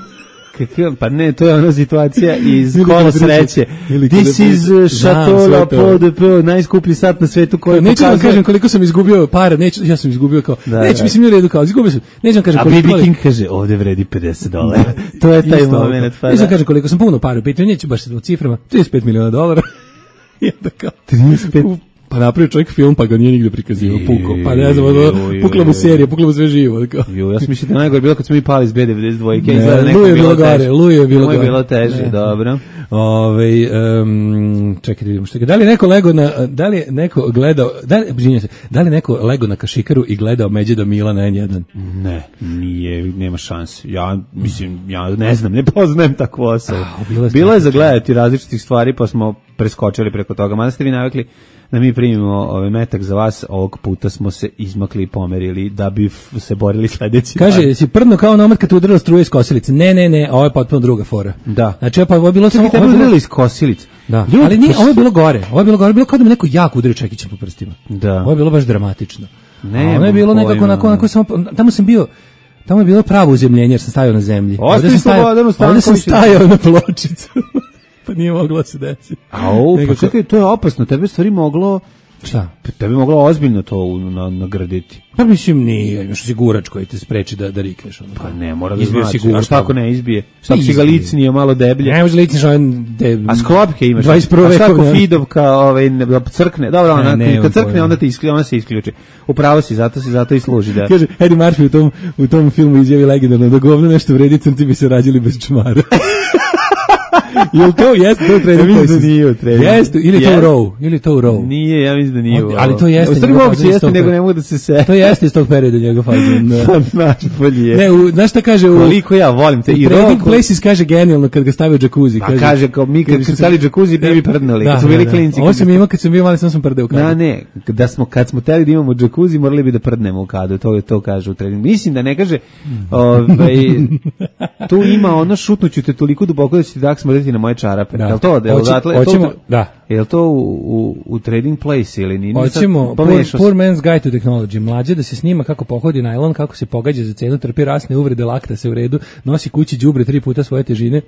Kakav, pa ne, to je ona situacija iz Ili kola kada priča- sreće. ili kada This is priča- uh, Znam Chateau sve La to. Peau de Peau, najskuplji sat na svetu koji Neću vam pokazuje... kažem koliko sam izgubio para, neću, ja sam izgubio kao, Da, neću da. mislim u redu kao, izgubio sam, neću vam kažem A koliko... B B ali- King kaže, ovde vredi pedeset dolara. To je taj Isto ovo. moment. Pa Neću vam da. kažem koliko sam puno para u pitanju, neću baš u ciframa, trideset pet miliona dolara. I onda kao, trideset pet u- pa napravio čovjek film, pa ga nije nigde prikazivao, pukao, pa ne znam, ono, Ju, ju, pukla mu ju. serija, pukla mu sve živo. Kao. Jo, ja sam mislio da je najgore bilo kad smo mi pali iz B devedeset dva. Ne, Izgleda neko Luj je bilo teže. gore, Luj je bilo Luj je gore. bilo teže, Ne. dobro. Ove, um, čekaj da vidimo što je. Da li je neko lego na, da li je neko gledao, da li, izvinjavam se, da li je neko lego na kašikaru i gledao Međeda Mila na N jedan? Ne, nije, nema šanse. Ja, mislim, ja ne znam, ne poznajem takvu osobu. A, bilo je Bilo je za strašno. gledati različitih stvari, pa smo preskočili preko toga. Mada ste vi navikli da mi primimo ovaj metak za vas, ovog puta smo se izmakli i pomerili da bi f- se borili sledeći Kaže, dan. si prdno kao nomad kad te udarila struja iz kosilice. Ne, ne, ne, ovo je potpuno druga fora. Da. Znači, pa ovo je bilo samo... Čekaj, tebe ovo je bilo- udarili iz kosilice. Da, Ljudi, ali nije, pa ovo je bilo gore. Ovo je bilo gore, bilo kao da me neko jako udario čekićem po prstima. Da. Ovo je bilo baš dramatično. Nemam A ono je bilo pojma. nekako onako, onako samo, tamo sam bio, tamo je bilo pravo uzemljenje jer sam stajao na zemlji. Ostavi Ovdje sam stajao- Slobodanu ovdje sam Stankoviću. stajao na pločicu. Pa nije moglo se desiti. Au, pa Nekako- čekaj, to je opasno. Tebe je stvari moglo Šta? Tebi moglo ozbiljno to u- na, nagraditi. Pa mislim nije, imaš osigurač koji te spreči da, da rikneš. Ono. Pa ne, mora da Izbio znači. si A šta ako ne izbije? Šta ako si ga izbije. licnije malo deblje? Ne može licniš ovaj... De, A sklopke imaš. dvadeset prve A šta ako vekovne. Fidovka ovaj, ne- da crkne? Dobro, Ne, ona, nemam kad crkne, pojma. onda, te isključi, ona se isključi. Upravo si, zato si, zato i služi. Da. Kaže, Eddie Murphy u tom, u tom filmu izjavi legendarno da govno nešto vredi, crnci bi se rađali bez čmara. Jel to jeste to u Trading Ja mislim da Places? nije u Trading. Jeste, ili to u Jeste. Row, ili to u Row. Nije, ja mislim da nije. Ali- u ali ovo. to jeste U stvari njegov moguće fazon iz jeste, tog nego perioda. ne mogu da se se... To jeste iz tog perioda njegov fazon. da. Naš bolje. Ne, u, znaš šta kaže u... Koliko ja volim te u i Trading Row. Places kaže genijalno kad ga stavio u džakuzi. A kaže, kao mi kad bi se stali džakuzi, ne bi prdnuli. Da, Kad smo da, bili da. klinci. Ovo kad sam bi- imao kad sam bio mali, sam sam prdeo u Da, kadu. ne, da smo, kad smo teli da imamo džakuzi, morali bi da prdnemo u kadu, to, to kaže u treningu. Mislim da ne kaže, ovaj, tu ima ono šutnuću te toliko duboko da će ti dak smrditi na moje čarape. Da. Je li to? Da, Hoće- odatle, je to- hoćemo- da. Je li to u, u, u Trading Place ili nije? Nisam- Hoćemo poor, pomešao poor sam. Man's Guide to Technology. Mlađe da se snima kako pohodi najlon, kako se pogađa za cenu, trpi rasne uvrede, lakta se u redu, nosi kući đubre tri puta svoje težine.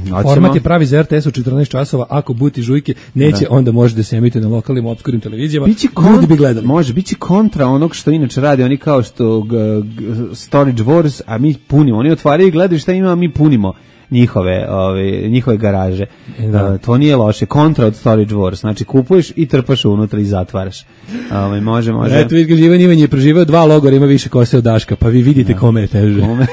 Hoćemo. Format je pravi za R T S u četrnaest časova, ako buti žujke neće, onda može da se emituje na lokalnim obskurnim televizijama. Biće Ljudi bi gledali. Može, biće kontra onog što inače radi, oni kao što g, g, Storage Wars, a mi punimo. Oni otvaraju i gledaju šta ima, a mi punimo njihove, ove, njihove garaže. Da. Uh, to nije loše. Kontra od Storage Wars. Znači kupuješ i trpaš unutra i zatvaraš. Ove, može, može. Eto, vidiš ga Živan Ivan je preživeo dva logora, ima više kose od Daška, pa vi vidite kome je teže. Kome?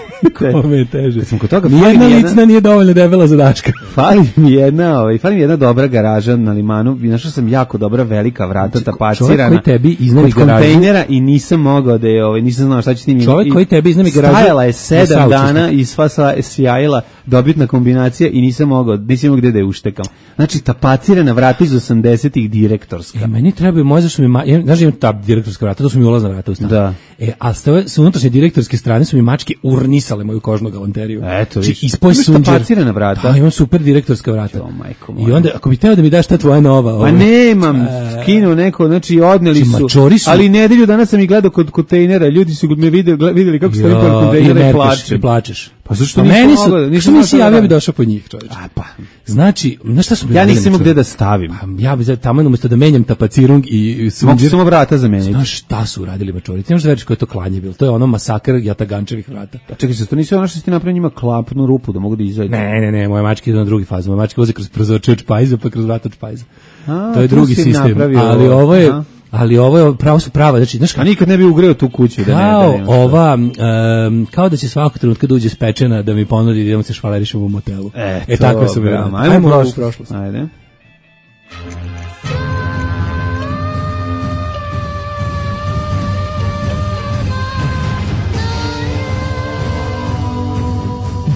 Kome je teže. Kad smo kod toga, fali Nijedna mi jedna- licna nije dovoljno debela za Daška. Fali mi jedna, ovaj, fali mi jedna dobra garaža na limanu. Našao sam jako dobra velika vrata tapacirana. čovjek koji tebi iznajmi kod garažu- kontejnera i nisam mogao da je, ovaj, nisam znao šta ću s njim. Čovjek I- koji tebi iznajmi garažu- Stajala je na sedam saučesnik. dana i sva sa sjajila, dobitna kombinacija i nisam mogao, nisam imao gde da je uštekam. Znači tapacirana vrata iz osamdesetih direktorska. E, meni treba možda što mi, ma, ja, znaš, imam ta direktorska vrata, to su mi ulazna vrata u stan. Da. E, a s, ove, s unutrašnje direktorske strane su mi mačke urnisale moju kožnu galanteriju. Eto, Znači, vidiš. ispoj Imaš sunđer. tapacirana vrata? Da, imam super direktorska vrata. Jo, majko I moja. onda, ako bi teo da mi daš ta tvoja nova... Pa ovaj, nemam, skinuo neko, znači odneli Znači, su, mačori su- ali nedelju danas sam ih gledao kod kontejnera, ljudi su me videli, videli kako stojim pored Ja, i kontejnera i merkaš, plačem. i plačeš. Pa zašto Pa nisam meni su, mogao da- nisam što znao nisi šta da javio, bi radim. došao po njih, čovječe. A pa, Znači, znaš šta su mi ja radili, nisam imao čovječe? gde da stavim. Pa, ja bi za tamo umjesto da menjam tapacirung i Mogu sunđer. samo vrata zameniti. Znaš šta su uradili mačorici? Ne možeš da veriš koje je to klanje bilo. To je ono masakr jatagančevih vrata. Pa čekaj, se to nisu ono što ste napravili njima klapnu rupu da mogu da izađu. Ne, ne, ne, moje mačke idu na drugi faz. Moje mačke voze kroz prozorče od špajza pa kroz vrata od špajza. A, To je tu drugi si im sistem. napravio Ali ovo, ovo je, aha. ali ovo je pravo su prava. Znači, znaš A kako? nikad ne bi ugreo tu kuću da ne da Kao nema šta. ova, um, kao da će svakog trenutka da uđe spečena da mi ponudi da idemo se švalerišemo u motelu. E, e to, tako su bravo. bili. Ajmo, Ajmo u u prošlost. prošlost. Ajde.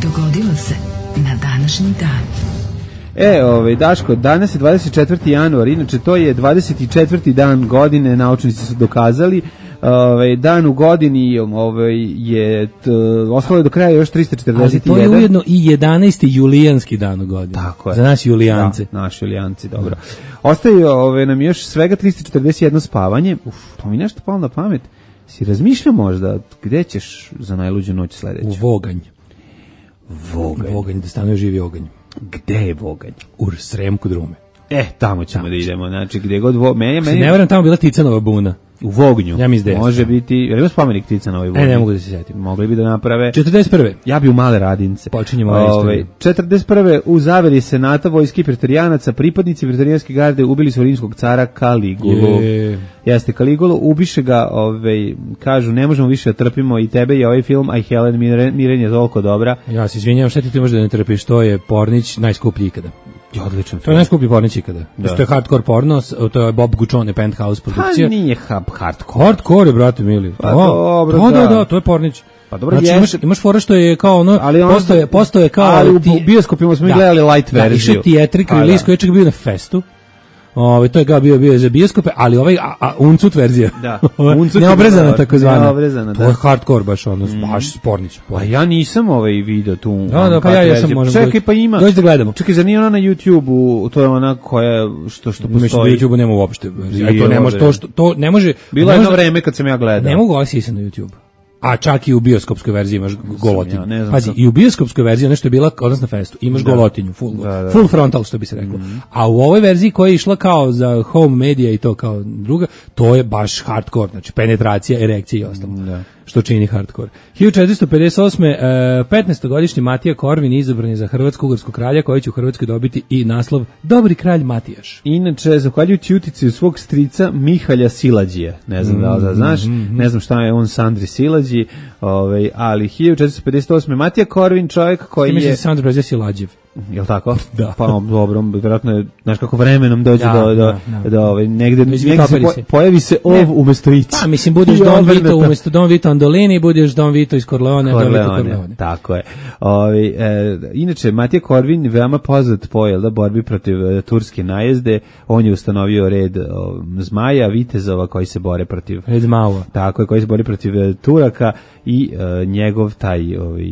Dogodilo se na današnji dan. E, ovaj, Daško, danas je dvadeset četvrti januar, inače to je dvadeset četvrti dan godine, naučnici su dokazali. Ovaj, dan u godini ovaj, je, t, ostalo je do kraja još trista Ali četrdeset to je jedan. ujedno i jedanaesti julijanski dan u godini. Tako je. Za nas julijance. Da, naši julijanci, dobro. Ostaje ove, nam još svega trista četrdeset jedno spavanje. Uf, to mi nešto palo na pamet. Si razmišljao možda gde ćeš za najluđu noć U sledeću? Voganj. Voganj. Voganj, da stanuje živi oganj. Gde je Voganj? U Sremku drume. E, tamo ćemo da idemo. Znači, gde god... Vo... Meni, Se meni... ne varam, tamo bila Ticanova buna. U Vognju. Ja mislim da jeste. Može biti... Jel ima spomenik Tica na ovoj Vognju? E, ne mogu da se sjetim. Mogli bi da naprave... četrdeset prve. Ja bi u Male Radince. Počinjemo ovu Ove, istoriju. četrdeset prve u zaveri senata vojski preterijanaca, pripadnici preterijanske garde ubili su rimskog cara Kaligulu. Je. Jeste, Kaligulu, ubiše ga, ovaj, kažu, ne možemo više da trpimo i tebe i ovaj film, a i Helen Mirren, Mirren je toliko dobra. Ja se izvinjavam, šta ti ti možda da ne trpiš, to je pornić najskuplji ikada. Je odličan To je film. najskuplji pornić ikada. Da. To je hardcore porno, s- to je Bob Guccione Penthouse Pa produkcija. nije hub hardcore. Hardcore je, brate mili. Pa Da, dobro, da, da, da. da, to je pornić. Pa dobro, znači, imaš, jeste. imaš fora što je kao ono, Ali on- postoje, postoje kao... ali u ti- bioskopima smo mi gledali light Da, verziju. išao Theatric Pa, release da. koji je čak bio na festu. Ove, to je ga bio, bio je za bioskope, ali ovaj a, a, uncut verzija. Da. Ova, Uncut je neobrezana bila, takozvana. neobrezana, To da. je hardcore baš ono, baš spornić. A ja nisam ovaj video tu. Da, da, pa ja jesam, možemo Čekaj, doći- pa ima. doći da gledamo. Čekaj, zar nije ona na YouTubeu, to je ona koja, što, što Mislim da postoji. YouTube nema uopšte. Bilo to ne može je. to što to ne može. Bilo ne je jedno može- vreme kad sam ja gledao. Ne mogu osjeti se na YouTube. a čak i u bioskopskoj verziji imaš golotinju. Ja, ne znam Pazi, sam. i u bioskopskoj verziji, ono što je bila odnosno na festu, imaš Da. golotinju, full, Da, da. full frontal, što bi se reklo. Mm-hmm. A u ovoj verziji koja je išla kao za home media i to kao druga, to je baš hardcore, znači penetracija, erekcija i ostalo. Da. Što čini hardcore. hiljadu četiristo pedeset osme. Uh, petnaestogodišnji Matija Korvin izabran je za hrvatsko-ugarskog kralja, koji će u Hrvatskoj dobiti i naslov Dobri kralj Matijaš. Inače, zahvaljujući utici svog strica Mihalja Silađija, ne znam da li da znaš, ne znam šta je on Sandri Silađi, ovaj, ali hiljadu četiristo pedeset osme. Matija Korvin, čovjek koji Mislim je... da se Sandra Prezija Silađev. Jel tako? Da. Pa dobro, vjerojatno je, znaš kako vremenom dođe Da, do, do, da, da. do ovaj, negde, negde se Izvitoperi po, se. pojavi se ov Ne. umesto ić. Pa, mislim, budeš I Don obrnuto. Vito umesto Don Vito Andolini, budeš Don Vito iz Corleone, Don Vito Corleone, Corleone. tako je. Ovi, e, inače, Matija Korvin veoma poznat po jel da, borbi protiv e, turske najezde. On je ustanovio red o, zmaja, vitezova koji se bore protiv... Red Mao. Tako je, koji se bori protiv e, Turaka i e, njegov taj, ovaj,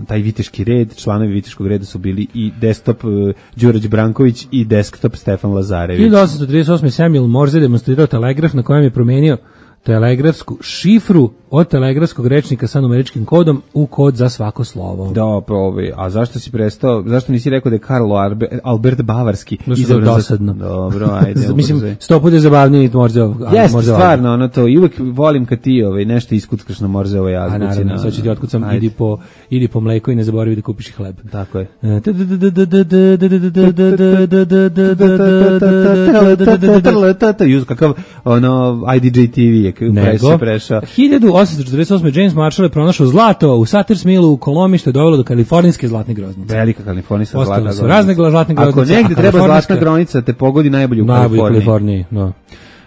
taj viteški red, članovi viteškog reda su bili i desktop e, Đurađ Branković i desktop Stefan Lazarević. hiljadu osamsto trideset osme. Samuel Morse demonstrirao telegraf na kojem je promenio telegrafsku šifru od telegrafskog rečnika sa numeričkim kodom u kod za svako slovo. Da, probi. A zašto si prestao? Zašto nisi rekao da je Karlo Arbe, Albert Bavarski Da su izabran za- dosadno. Dobro, ajde. Mislim, ubrzaj. sto puta je zabavniji Morzeo. Jeste, stvarno, ono to, i uvek volim kad ti ovaj, nešto iskuckaš na Morzeovoj A azbuci. naravno, na- sad ću ti otkucam, Ajde. idi po, idi po mleko i ne zaboravi da kupiš i hleb. Tako je. Juz, kakav ono I D J T V je pre Nego, se prešao. hiljadu osamsto četrdeset osme. James Marshall je pronašao zlato u Sutter's Millu u Kolomiji, što je dovelo do kalifornijske zlatne groznice. Velika kalifornijska Ostale zlatna su groznica. razne gla- zlatne Ako groznice, negde a treba kalifornijska- zlatna gronica, te pogodi najbolje u Najbolje u Kaliforniji. Kaliforniji, no.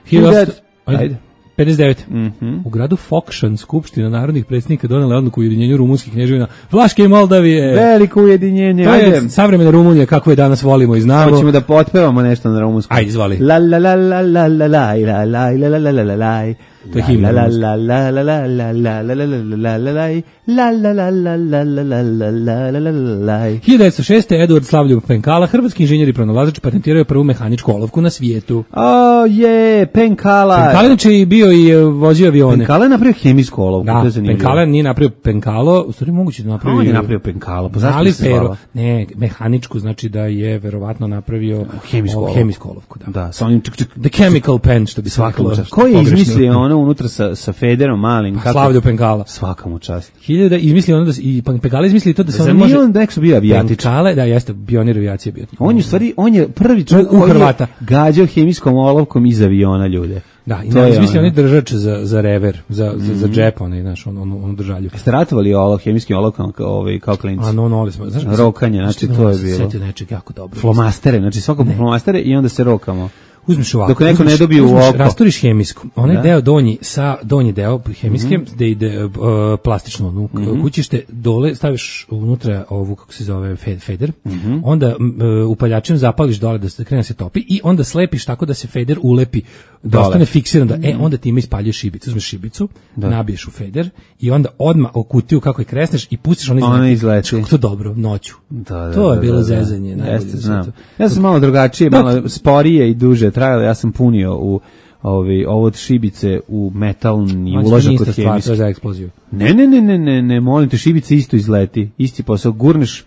Hiljadu- hiljadu osamsto Ajde. Ajde. pedeset devet. Mhm. U gradu Fokšan skupština narodnih predsjednika donela odluku o ujedinjenju rumunskih kneževina Vlaške i Moldavije. Veliko ujedinjenje. To Ajde. je savremena Rumunija kako je danas volimo i znamo. Hoćemo da potpevamo nešto na rumunskom. Ajde, izvoli. La la la la la la la la la la la la la la. To je himna La la rumunska. la la la la la la la la la la la la. La la la la la la la la la la la la. hiljadu devetsto šeste. Eduard Slavljub Penkala, hrvatski inženjer i pronalazač, patentirao je prvu mehaničku olovku na svijetu. O je, Penkala. Penkala inače i bio i e, vozio avione. Penkala je napravio hemijsku olovku, to Da, je zanimljivo. Penkala nije napravio Penkalo, u stvari moguće da napravio. On je napravio Penkalo, pa zašto Ali bi se zvala? pero, ne, mehaničku, znači da je verovatno napravio Hemijsku o, olovku. hemijsku olovku, da. Da, sa onim čik čik. The chemical pen, što bi se Svaka reklo. mu čast. Ko je pogrešno. izmislio ono unutra sa, sa Federom malim? Kako? Slavljo Penkala. Svaka mu čast. Hiljada izmislio ono da se, i Penkala izmislio to da se Zar ono nije može... on nekako bio avijatič? Penkale, da, jeste, pionir avijacije bio. On je u stvari, on je prvi čovjek U- u koji je Hrvata. gađao hemijskom olovkom iz aviona ljude. Da, i To na, je izmislio ono. onaj držač za, za rever, za, za, za džep, onaj, znaš, on, on, on držalju. Ste ratovali ovo hemijskim olovkama kao, ovaj, kao klinci? A no, no, smo, znaš, Rokanje, znači, znaš, to je sam se bilo. setio nečeg jako dobro. Flomastere, znači svako po flomastere i onda se rokamo. Uzmeš ovako. Dok neko ne uzmeš- dobije u uzmeš, oko. Rasturiš hemijsku. Onaj Da. deo donji sa donji deo hemijske Mhm. gde ide uh, plastično ono, mm kućište dole staviš unutra ovu kako se zove fe- feder. Mhm. Onda m, uh, upaljačem zapališ dole da se krene da se topi i onda slepiš tako da se feder ulepi da Dole. ostane fiksiran da e onda time ispaljuješ šibicu. Uzmeš šibicu, nabiješ u feder i onda odmah u kutiju kako je kresneš i pustiš ono Ona izleti. Kako to dobro noću. Da, da, to je da, bilo da, da. zezanje, najbolje Jeste, na znam. svijetu. Ja sam malo drugačije, malo sporije i duže trajalo. Ja sam punio u ovi, ovo od šibice u metalni Znači, to uložak nije od ista stvar, to hemijske. je za eksploziju. Ne, ne, ne, ne, ne, ne, molim te, šibica isto izleti. Isti posao, gurneš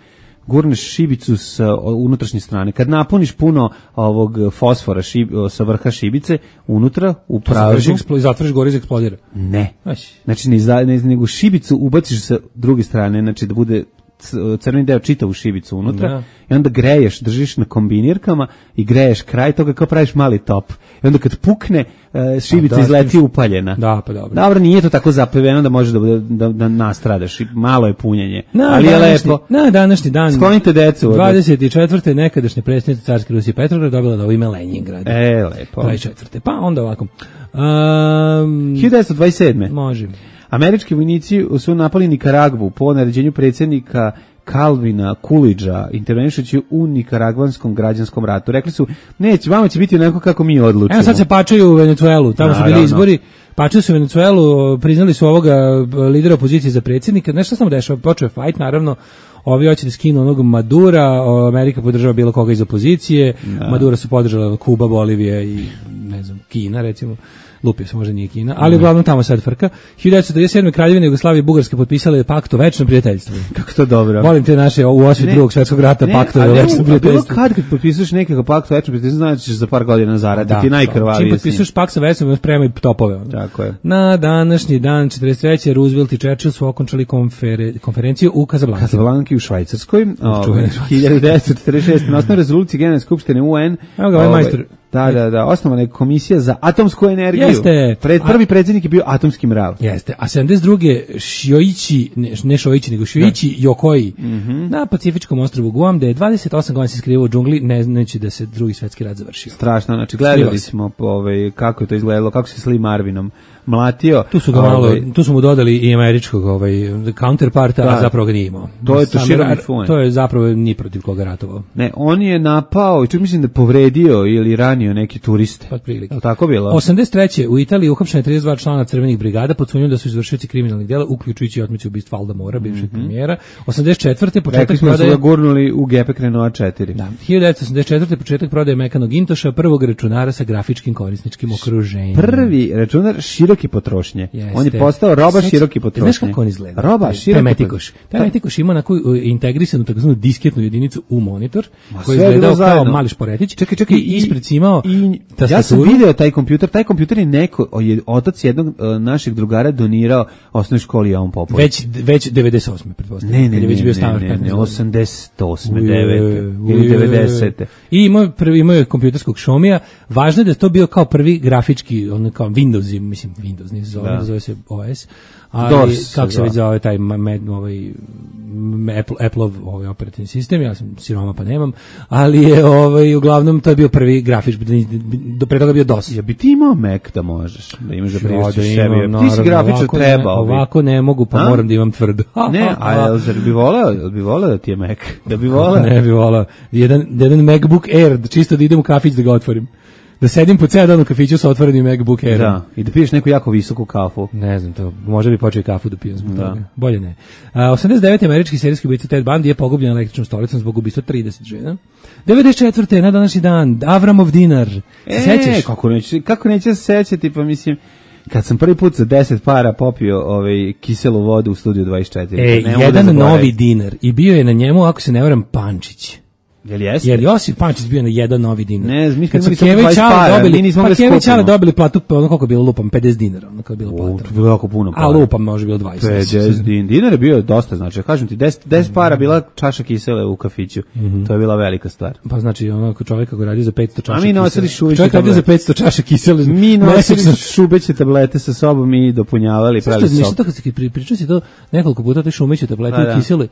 gurneš šibicu sa o, unutrašnje strane. Kad napuniš puno ovog fosfora šib, o, sa vrha šibice, unutra, u pražu, Eksplo- zatvoriš gore i eksplodira. ne. Aj. Znači, ne, izda- ne, nego šibicu ubaciš sa druge strane, znači da bude c- crveni deo čitavu šibicu unutra Da. i onda greješ, držiš na kombinirkama i greješ kraj toga kao praviš mali top. I onda kad pukne, e, šibica A da, izleti stiš- upaljena. Da, pa dobro. Dobro, nije to tako zapeveno da može da, bude- da, da nastradaš. I malo je punjenje, Na ali je današnji- lepo. Na današnji dan. Sklonite decu od- dvadeset četvrte nekadašnja predsjednica carske Rusije Petrograd dobila novo ime Leningrad. E, lepo. dvadeset četvrte Pa onda ovako. Um, hiljadu devetsto dvadeset sedme može. Američki vojnici su napali Nikaragvu po naređenju predsjednika Kalvina Kulidža, intervenišući u nikaragvanskom građanskom ratu. Rekli su, neće, vama će biti onako kako mi odlučimo. Evo sad se pačaju u Venecuelu, tamo su bili Naravno. izbori, pačaju se u Venecuelu, priznali su ovoga lidera opozicije za predsjednika, nešto samo dešava, počeo je fajt, naravno, ovi hoće da skinu onog Madura, o, Amerika podržava bilo koga iz opozicije, Madura su podržala Kuba, Bolivija i ne znam, Kina recimo. lupio se, možda nije Kina, ali uglavnom tamo sad frka. hiljadu devetsto trideset sedme Kraljevina Jugoslavije i Bugarska potpisale pakt o večnom prijateljstvu. Kako to dobro. Volim te naše u osvit Ne. drugog svjetskog rata Ne, pakta o ali večnom u- prijateljstvu. Bilo kad kad potpisuješ nekakav pakt o večnom prijateljstvu, znači ćeš za par godina zaraditi najkrvavije. Čim potpisuješ pakt sa večnom, spremaj topove. Ono. Tako je. Na današnji dan četrdeset treće Roosevelt i Churchill su okončali konfere, konferenciju u Kazablanki. Kazablanki u Švajcarskoj, ovaj, čuvene Švajcarske. hiljadu devetsto četrdeset šeste na osnovu rezolucije Generalne skupštine U N. Evo ga, ovaj majstor. Da, da, da, osnovana je komisija za atomsku energiju. Jeste. Pred, prvi predsjednik je bio atomski mrav. Jeste, a sedamdeset druge Šioići, ne, ne Šoići, nego Šioići Jokoi Mhm. na Pacifičkom ostrvu Guam, da je dvadeset osam godina se skrivao u džungli, ne znajući da se drugi svetski rat završio. Strašno, znači gledali Skriva se. smo ovaj, kako je to izgledalo, kako se s Lee Marvinom mlatio. Tu su ga malo, Ovaj, tu su mu dodali i američkog ovaj counterparta, Da. a zapravo ga nije imao. To je Sam Toshiro ra- Mifune. To je zapravo ni protiv koga ratovao. Ne, on je napao i čak mislim da je povredio ili ranio neki turiste. Pa otprilike. Je li tako bilo? osamdeset treće u Italiji uhapšeno je trideset dva člana crvenih brigada pod sumnjom da su izvršioci kriminalnih dela, uključujući i otmicu ubistva Alda Mora, bivšeg premijera. osamdeset četvrte Rekli početak smo da su prodaje. ga gurnuli u Gepek Renault četiri. Da, hiljadu devetsto osamdeset četvrte početak prodaje Mekanog Intoša, prvog računara sa grafičkim korisničkim okruženjem. Prvi računar široke potrošnje. Jeste. On je postao roba Seća- široke potrošnje. Znaš kako on izgleda? Roba Taj- široke Taj Metikoš. Taj Metikoš ima na koju integrisanu takozvanu disketnu jedinicu u monitor, koji sve je izgledao bilo kao zajedno. mali šporetić. Čekaj, čekaj, i ispred si imao i, ja sam tastaturu. video taj kompjuter, taj kompjuter je neko, je otac jednog uh, našeg drugara donirao osnovnoj školi Jovan Popović. Već, već devedeset osme pretpostavljam. Ne, ne, kad je ne, već bio ne, star ne, petnaest ne, godina. osamdeset osme, Uje, devete ili uje. devedesete. I imao je prvi imao je kompjuterskog Xiaomija. Važno je da je to bio kao prvi grafički, on kao Windows, mislim Windows, ne se zove, Da. zove se O S. Ali DOS se kako se zove. već zove taj ma- med, ovaj m, Apple Appleov ovaj operativni sistem, ja sam siroma pa nemam, ali je ovaj uglavnom to je bio prvi grafički, do pre toga bio DOS. Ja bi ti imao Mac da možeš, da imaš da Ja, priuštiš da sebi. imam, Ti si naravno, grafičar, ovako ne- trebao bi. Ovako ne mogu, pa A? moram da imam tvrdo. Ne, a jel, zar bi voleo, jel bi voleo da ti je Mac? Da bi voleo? Ne bi volao. Jedan, jedan MacBook Air, da čisto da idem u kafić da ga otvorim. Da sedim po ceo dan u kafiću sa otvorenim MacBook Airom. Da, i da piješ neku jako visoku kafu. Ne znam to, možda bi počeo i kafu da pijem zbog Da. toga. Bolje ne. A, osamdeset devete američki serijski ubica Ted Bundy je pogubljen električnom stolicom zbog ubistva trideset žena. devedeset četvrte na današnji dan Avramov dinar. Se E, sećaš? kako neće, kako neće se sećati, pa mislim, kad sam prvi put za deset para popio ovaj kiselu vodu u studiju dvadeset četiri. E, ne mogu da jedan zaboravim. novi dinar i bio je na njemu, ako se ne varam, Pančić. Jel jeste? Jer Josip Pančić bio na jedan novi dinar. Ne, mi smo Kad su imali samo Keva i dvadeset Ćale para, dobili, mi nismo pa mogli Keva i skupimo. Ćale dobili platu, pa ono koliko je bilo lupam, pedeset dinara, ono kao je bila U, plata. to je bilo jako puno para. A lupam, može bilo dvadeset. pedeset din- dinar je bio dosta, znači, kažem ti, deset, deset para bila čaša kisele u kafiću. To je bila velika stvar. Pa znači, ono, čovjek kako radi za petsto čaša A mi nosili kisele. šuviće Čovjek radi za tablete. petsto čaša kisele. Mi nosili mesečno. šubeće tablete sa sobom i dopunjavali, Zašto pravili ništa sok. to kad si pri- pričao si to nekoliko puta, te šumeću tablete Pa da. u kisele.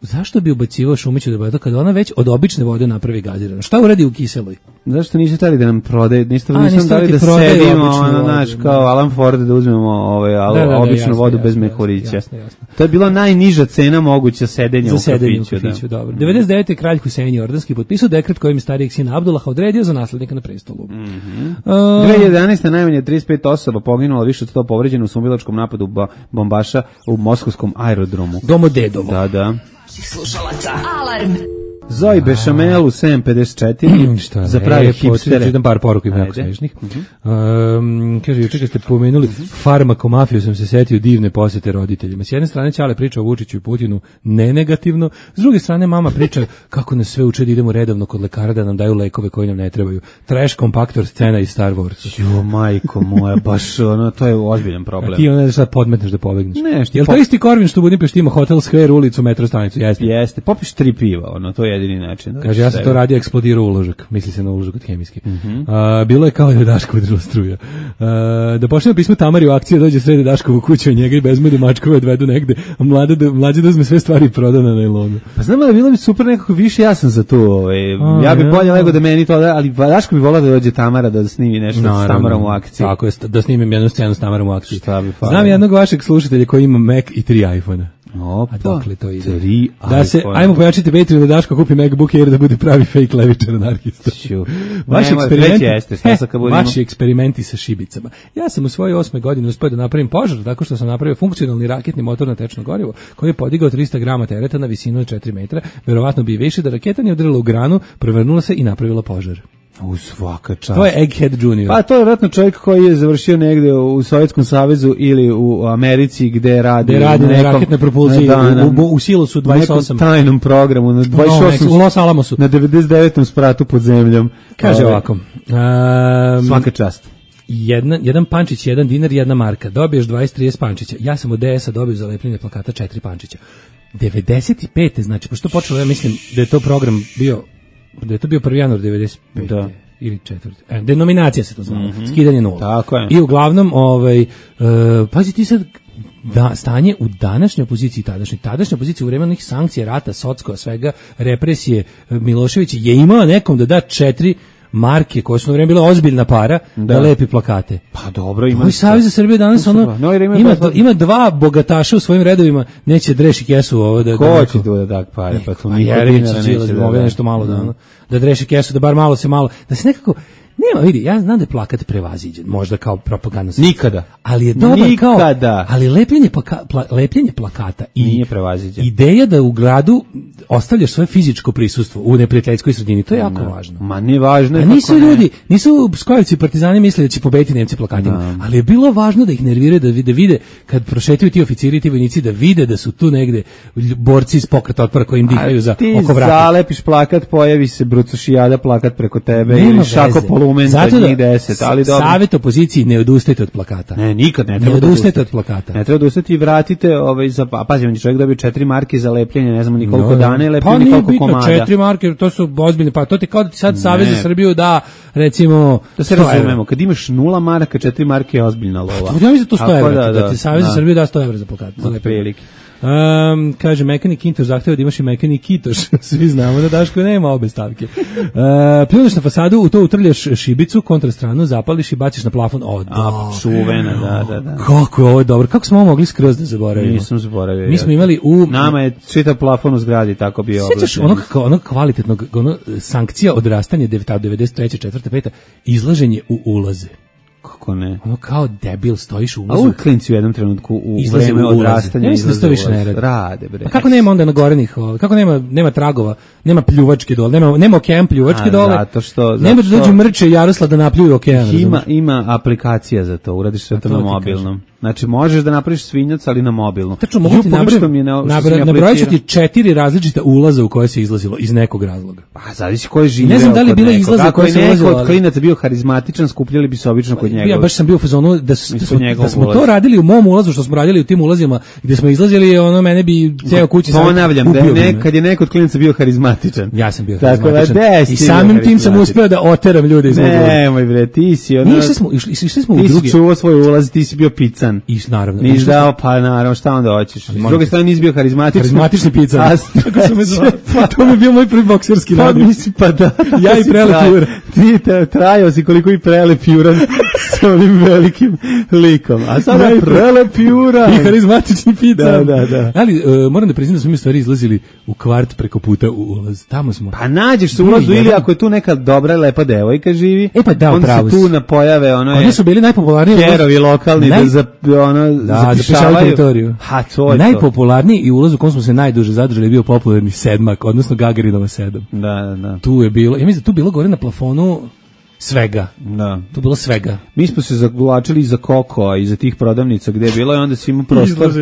Zašto bi ubacivao šumeću tabletu kada ona već od obične vode napravi gaziranu? Šta uradi u kiseloj? Zašto nisu hteli da nam prodaje, nisu A, nisu nisu nam dali hteli da ti prodaju sedimo, običnu ono, vodu, znaš, da. kao Alan Ford da uzmemo ovaj, al, Da, da, da, običnu jasno, vodu jasno, bez jasno, mehurića. jasno, jasno. To je bila najniža cena moguća sedenja Za u sedenje u kafiću. kafiću, da. dobro. devedeset devete kralj Husein Jordanski potpisao dekret kojim je starijeg sina Abdullaha odredio za naslednika na prestolu. Mhm. Uh, dve hiljade jedanaeste najmanje trideset pet osoba poginulo, više od sto povređeno u sumbilačkom napadu ba- bombaša u moskovskom aerodromu. Domodedovo. Da, da. Slušalaca. Alarm. Zoe Bešamel u sedam pedeset četiri Šta za pravi ne, hipstere. Jedan par poruka ima jako Ajde. smešnih. Um, kaže, juče kad ste pomenuli farmakomafiju, sam se setio divne posete roditeljima. S jedne strane Ćale priča o Vučiću i Putinu ne negativno, s druge strane mama priča kako nas sve uče da idemo redovno kod lekara da nam daju lekove koji nam ne trebaju. Trash kompaktor scena iz Star Wars. Jo, majko moja, baš ono, to je ozbiljan problem. A ti onda sad podmetneš da pobegneš. Ne, što Jel to pop- isti Korvin što u Budimpešti ima Hotel Square, ulicu, metro stanicu? Jeste. Jeste, popiš tri piva, ono, to je jedini način. Da Kaže, ja sam sebe. to radio, eksplodirao uložak. Misli se na uložak od hemijski. A, bilo je kao da je Daško udrila struja. A, da pošljemo pismo Tamari u akciju, dođe sredi Daškovu kuću, a njega i bezmedu mačkove odvedu negde, a mlade da, mlađe da uzme sve stvari proda na najlonu. Pa znam da bilo bi super nekako više, ja sam za to. Ovaj. A, ja bi ja. bolje nego da meni to da, ali Daško bi volao da dođe Tamara da snimi nešto s Tamarom u akciji. Tako je, st- da snimim jednu scenu s Tamarom u akciji. Šta bi falilo? Znam jednog vašeg slušatelja koji ima Mac i tri iPhone-a. Opa, A dokle to ide? tri Da se, iPhone. ajmo pojačiti Patreon da Daško kupi MacBook Air da bude pravi fake levičar anarhista. Ću. Vaši Nemoj, eksperimenti, već jeste, šta sad kad budemo- vaši eksperimenti sa šibicama. Ja sam u svojoj osme godini uspio da napravim požar tako što sam napravio funkcionalni raketni motor na tečno gorivo koji je podigao trista grama tereta na visinu od četiri metra. Verovatno bi i više da raketa nije udarila u granu, prevrnula se i napravila požar. U svaka čast. To je Egghead junior. Pa to je vjerojatno čovjek koji je završio negde u Sovjetskom savezu ili u Americi gde radi, gde radi na nekom, raketne propulzije da, na, u, u, u silosu dvadeset osam. U nekom tajnom programu na dvadeset osam, no, u Los Alamosu. Na devedeset devetom spratu pod zemljom. Kaže Ove, ovako. Um, svaka čast. Jedna, jedan pančić, jedan dinar, jedna marka. Dobiješ dvadeset trideset pančića. Ja sam od D S-a dobio za lepljenje plakata četiri pančića. devedeset pete znači, pošto počelo, ja mislim da je to program bio, da je to bio prvi januar devedeset pete Da. ili četvrti. E, denominacija se to zvala, mm-hmm. skidanje nula. Tako je. I uglavnom, ovaj, uh, pazi ti sad, da, stanje u današnjoj opoziciji, tadašnjoj, tadašnjoj opoziciji u vreme onih sankcija, rata, socko, svega, represije, Milošević je imao nekom da da četiri marke koje su na vreme bile ozbiljna para da, da lepi plakate. Pa dobro, ima. Moj Savez za Srbiju danas ono no, ima, ima, pa, ima dva bogataša u svojim redovima, neće dreši kesu ovo da. Ko će tu da tak pare, pa to niko dinara neće da da. Nešto malo da ono, da dreši kesu, da bar malo se malo, da se nekako nema, vidi, ja znam da je plakat prevaziđen, možda kao propagandno. Nikada. Ali je dobar Nikada. kao, ali lepljenje, plaka, pla, lepljenje plakata i nije prevaziđen. Ideja da u gradu ostavljaš svoje fizičko prisustvo u neprijateljskoj sredini, to je jako no. važno. Ma ne važno je. A nisu ljudi, nisu skojevci partizani mislili da će pobediti Nemci plakatima, no. ali je bilo važno da ih nerviraju, da vide, vide kad prošetaju ti oficiri i ti vojnici, da vide da su tu negde borci iz pokreta otpora koji im dihaju za oko vrata. Ti zalepiš plakat, pojavi se Brucošijada plakat preko tebe nema ili šako polumen za njih deset, ali dobro. Savet opoziciji, ne odustajte od plakata. Ne, nikad ne treba ne odustajte od plakata. Ne treba odustati i vratite, ovaj, za, pazi, on je čovjek dobio četiri marke za lepljenje, ne znamo ni koliko no, dana je lepljenje, pa koliko bitno, komada. Četiri marke, to su ozbiljne, pa to ti kao da ti sad Savez za Srbiju da, recimo, da se razumemo, kad imaš nula maraka, četiri marke je ozbiljna lova. Ja mislim da to sto evra, da, da, da ti Savez za Srbiju da sto evra za plakat. Za lepljenje. Um, kaže, mekani kintoš zahteva da imaš i mekani kitoš. Svi znamo da Daško nema obe stavke. Uh, pljuneš na fasadu, u to utrljaš šibicu, kontrastranu, zapališ i baciš na plafon. O, A, čuvena, da, da, da. Kako je ovo dobro. Kako smo ovo mogli skroz da zaboravimo? Nisam zaboravio. Mi smo imali u... Nama je čitav plafon u zgradi tako bio oblačen. Sjećaš onog, onog kvalitetnog, ono, sankcija odrastanja devedeset treće, četvrte, pete izlaženje u ulaze. Kako ne? Ono kao debil stojiš u ulazu. A uvijek klinci u jednom trenutku u vreme odrastanja izlaze u ulaz. Rade, bre. A kako nema onda na gorenih, kako nema, nema tragova, nema pljuvačke dole, nema, nema okean pljuvačke dole. Zato što... Nema da dođu mrče Jarosla da napljuju okean. Ima, ima aplikacija za to, uradiš sve to na mobilnom. Znači, možeš da napraviš svinjac, ali na mobilnom. Tačno, mogu ti nabrojati ti četiri različita ulaza u koje se izlazilo iz nekog razloga. Pa, zavisi ko je živeo. Ne znam da li bila izlaza koje se izlazilo. Ako je neko od klinaca bio harizmatičan, skupljali bi se obično kod njega. Ja baš sam bio u fazonu da, su, da, smo, da smo to radili u mom ulazu, što smo radili u tim ulazima, gde smo izlazili, ono, mene bi ceo kući sad ponavljam, da je nek, kad je neko od klinaca bio harizmatičan. Ja sam bio tako harizmatičan. I samim tim sam uspeo da oteram ljude iz mog ulaza. Nemoj bre, ti si ono... Išli smo, išli, išli smo u drugi. Ti si čuvao svoj ulaz, ti si bio pican. I naravno. Nisi dao, pa naravno, šta onda hoćeš? S druge strane nisi bio harizmatičan. Harizmatični pican. Kako su me zvali? To mi je bio moj prvi bokserski radio. Pa nisi, pa da. Ja i Prelep Juran. Ti trajao si koliko i Prelep Juran sa onim velikim likom. A sada Prelep Juran. I harizmatični pican. Da, da, da. Ali uh, moram da priznam da smo mi stvari izlazili u kvart preko puta u ulaz. Tamo smo. Pa nađeš se u ulazu ili ako je tu neka dobra, lepa devojka živi, e pa da, onda se tu napojave, ono je... Oni su bili najpopularniji... Kerovi lokalni naj... da, za, ono, da zapišavaju teritoriju. Ha, to je najpopularniji i ulaz u kom smo se najduže zadržali je bio popularni Sedmak, odnosno Gagarinova sedam. Da, da, da. Tu je bilo, ja mislim da tu bilo gore na plafonu svega. Da. Tu bilo svega. Mi smo se zavlačili iza Kokoa, iza tih prodavnica gde je bilo i onda si imao prostor.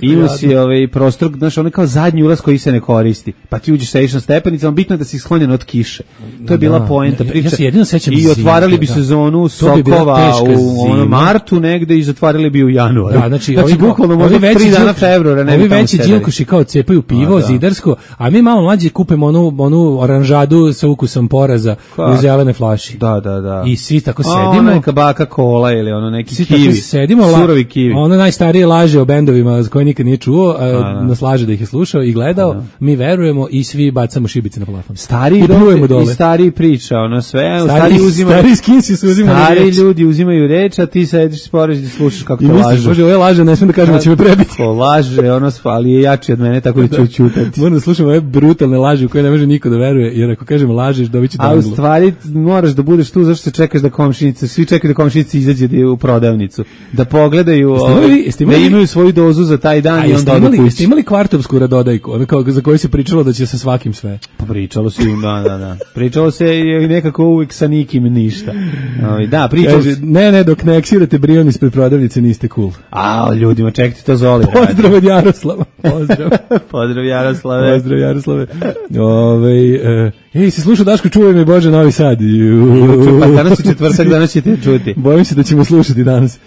Imao si ovaj prostor, znaš, ono kao zadnji ulaz koji se ne koristi. Pa ti uđeš sediš na stepenicama, bitno je da si sklonjen od kiše. To je bila da, poenta priče. Ja se jedino sećam i otvarali bi da. sezonu sokova bi u ono, martu negde i zatvarali bi u januaru. Da, znači, znači ovi, bukvalno možda tri dana februara. Ovi veći džilkoši kao cepaju pivo, a, da. zidarsko, a mi malo mlađi kupimo onu, onu oranžadu sa ukusom poraza u zelene flaši. Da, da, da. I svi tako sedimo. A ona neka baka kola ili ono neki svi kivi. Sedimo, surovi kivi. Ono najstarije laže o bendovima koje nikad nije čuo, a, a, nas laže da ih je slušao i gledao. A, mi verujemo i svi bacamo šibice na plafon. Stari dole. I stari priča, ono sve. Stari, stari uzimaju. Stari skinsi su uzimali stari reč. ljudi uzimaju reč, a ti sediš spoređ i slušaš kako to laže. Može, ovo je laže, ne smijem da kažem da će me prebiti. To laže, ono, ali je jači od mene, tako da ću ćutati. Moram da slušam ove brutalne laže u koje ne može niko da veruje, jer ako kažem lažeš, dobit će a u stvari moraš da budeš tu zašto se čekaš da komšinice, svi čekaju da komšinice izađe da je u prodavnicu, da pogledaju, imali, da imaju svoju dozu za taj dan i onda odu kući. Jeste imali kvartovsku radodajku, ono kao za koju se pričalo da će sa svakim sve? Pa pričalo se, da, da, da. Pričalo se i nekako uvijek sa nikim ništa. Da, pričalo se. Ne, ne, dok ne eksirate brion ispred prodavnice niste cool. A, ljudima, čekajte, to Zoli radi. Pozdrav od Jaroslava. Pozdrav. Pozdrav Jaroslave. Pozdrav Jaroslave. Ove, e, ej, se sluša Daško, čuvaj me Bože Novi Sad. Pa danas je četvrtak, danas ćete čuti. Bojim se da ćemo slušati danas.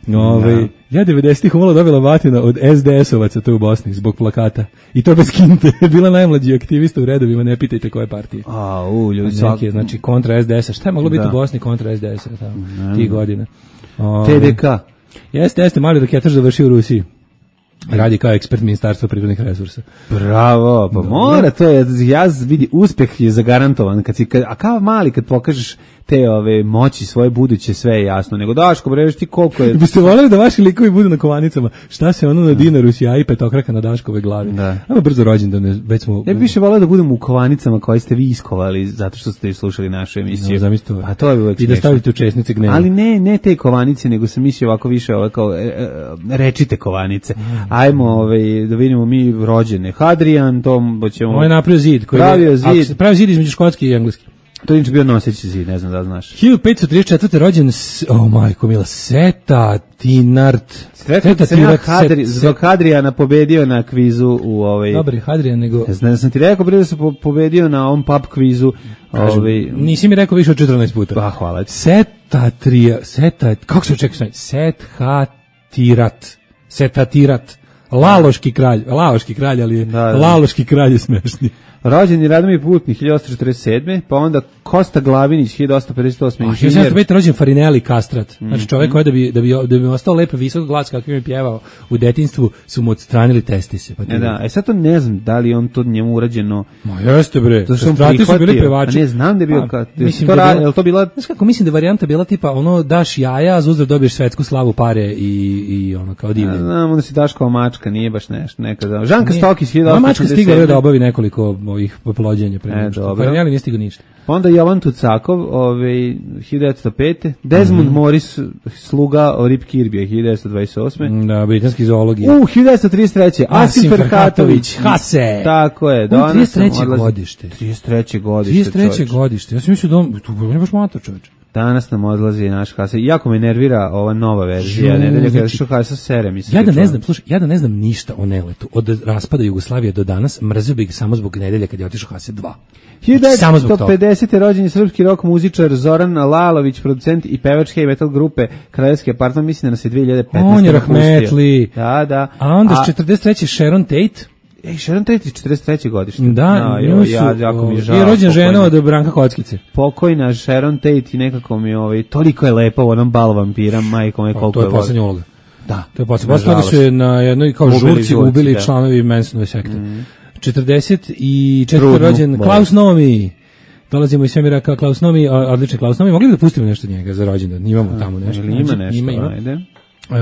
Ove, no. Ja devedesetih umalo dobila batina od es de es-ovaca to u Bosni zbog plakata. I to bez kinte. Bila najmlađi aktivista u redovima, ne pitajte koje partije. A, u, ljudi. Neke, znači kontra es de es-a. Šta je moglo biti u Bosni kontra es de es-a? Tih godina. te de ka. Jeste, jeste, mali raketaš završio u Rusiji. Radi kao ekspert ministarstva prirodnih resursa. Bravo, pa mora to je, ja vidi, uspeh je zagarantovan, kad si, kad, a kao mali kad pokažeš te ove moći svoje buduće, sve je jasno, nego Daško, breš ti koliko je... Biste voljeli da vaši likovi budu na kovanicama, šta se ono na dinaru sija i petokraka na Daškove glavi. Da. Ajmo brzo rođendan, već smo... Ja bih više volio da budemo u kovanicama koje ste vi iskovali zato što ste slušali našu emisiju. No, zamislite, a to je uvek i da stavite u česnice gneva. Ali ne, ne te kovanice, nego sam mislio ovako više ove kao, e, e, rečite kovanice. Ajmo ovaj, da vidimo mi rođene. Hadrian, to ćemo... Ovo je napravio zid. Koji pravio je, zid. Pravio zid između škotski i engleski. To je inače bio noseći zid, ne znam da znaš. hiljadu petsto trideset četvrte rođen, oh majko mila, Seta Tinart. Seta Tinart, Hadri, zbog Hadrijana pobedio na kvizu u ovaj... Dobri, Hadrijan, nego... Ne znam, da sam ti rekao, bre da se po, pobedio na ovom pub kvizu. Kažem, ovaj... Nisi mi rekao više od četrnaest puta. Pa, hvala ti. Seta Trija, Seta, kako se očekuje? Seta Tirat, Seta Tirat. Laloški kralj, Laloški kralj, ali je, da, da. Laloški kralj je smešni. Rođen je Radomir Putnik hiljadu osamsto četrdeset sedme, pa onda Kosta Glavinić hiljadu osamsto pedeset osme. A hiljadu osamsto pete rođen Farinelli Kastrat. Znači čovjek koji da bi da bi da bi ostao lep visok glas kakvim je pjevao u detinjstvu su mu odstranili testise. Pa e da, e sad to ne znam da li on to njemu urađeno. Ma jeste bre. To su bili pevači. Ne znam da je bio pa, mislim to radi, je to bila. Znaš kako mislim da je varijanta bila tipa ono daš jaja, a uzdrav dobiješ svetsku slavu, pare i i ono kao divno. Znam, onda si Daškova mačka, nije baš nešto, nekada. Žanka Stokić hiljadu osamsto mačka stigla da obavi nekoliko ovih poplođenja pre nego. Farinelli nije stigao ništa. Onda Jovan Tucakov, ovaj hiljadu devetsto pete, Desmond mm-hmm. Morris, sluga Rip Kirby, hiljadu devetsto dvadeset osme. Da, britanski zoolog. U hiljadu devetsto trideset treće. Asim Ferhatović, Hase. Tako je, danas trideset treće godište. trideset treće godište. trideset treće godište. Ja sam mislio da on, tu je baš mator, čoveče. Danas nam odlazi naš Hase. Iako me nervira ova nova verzija, nedelja kada što Hase sere mi se. Ja da ne znam, slušaj, ja da ne znam ništa o Neletu. Od raspada Jugoslavije do danas mrzio bih samo zbog nedelje kad je otišao Hase dva. hiljadu devetsto pedesete. rođen je srpski rock muzičar Zoran Lalović, producent i pevač heavy metal grupe Kraljevski apartman, mislim da nas je dve hiljade petnaeste. On je rahmetli. Da, da. A onda s četrdeset treće. Sharon Tate. Ej, Sharon Tate je četrdeset treće godište. Da, no, jo, ja, jako mi žao. I rođen žena od Branka Kockice. Pokojna Sharon Tate i nekako mi ovaj, toliko je lepa u onom bal vampira, majko me koliko je. To je poslednja uloga. Da. To je poslednja. Posle toga su je na jednoj kao žurci ubili članovi Mansonove sekte. Mm. četrdeset četvrte. rođen Klaus Nomi. Dolazimo iz svemira kao Klaus Nomi, odličan Klaus Nomi. Mogli bi da pustimo nešto njega za rođendan? Imamo tamo nešto. Ili ima nešto, ima, ima. Ajde. Uh,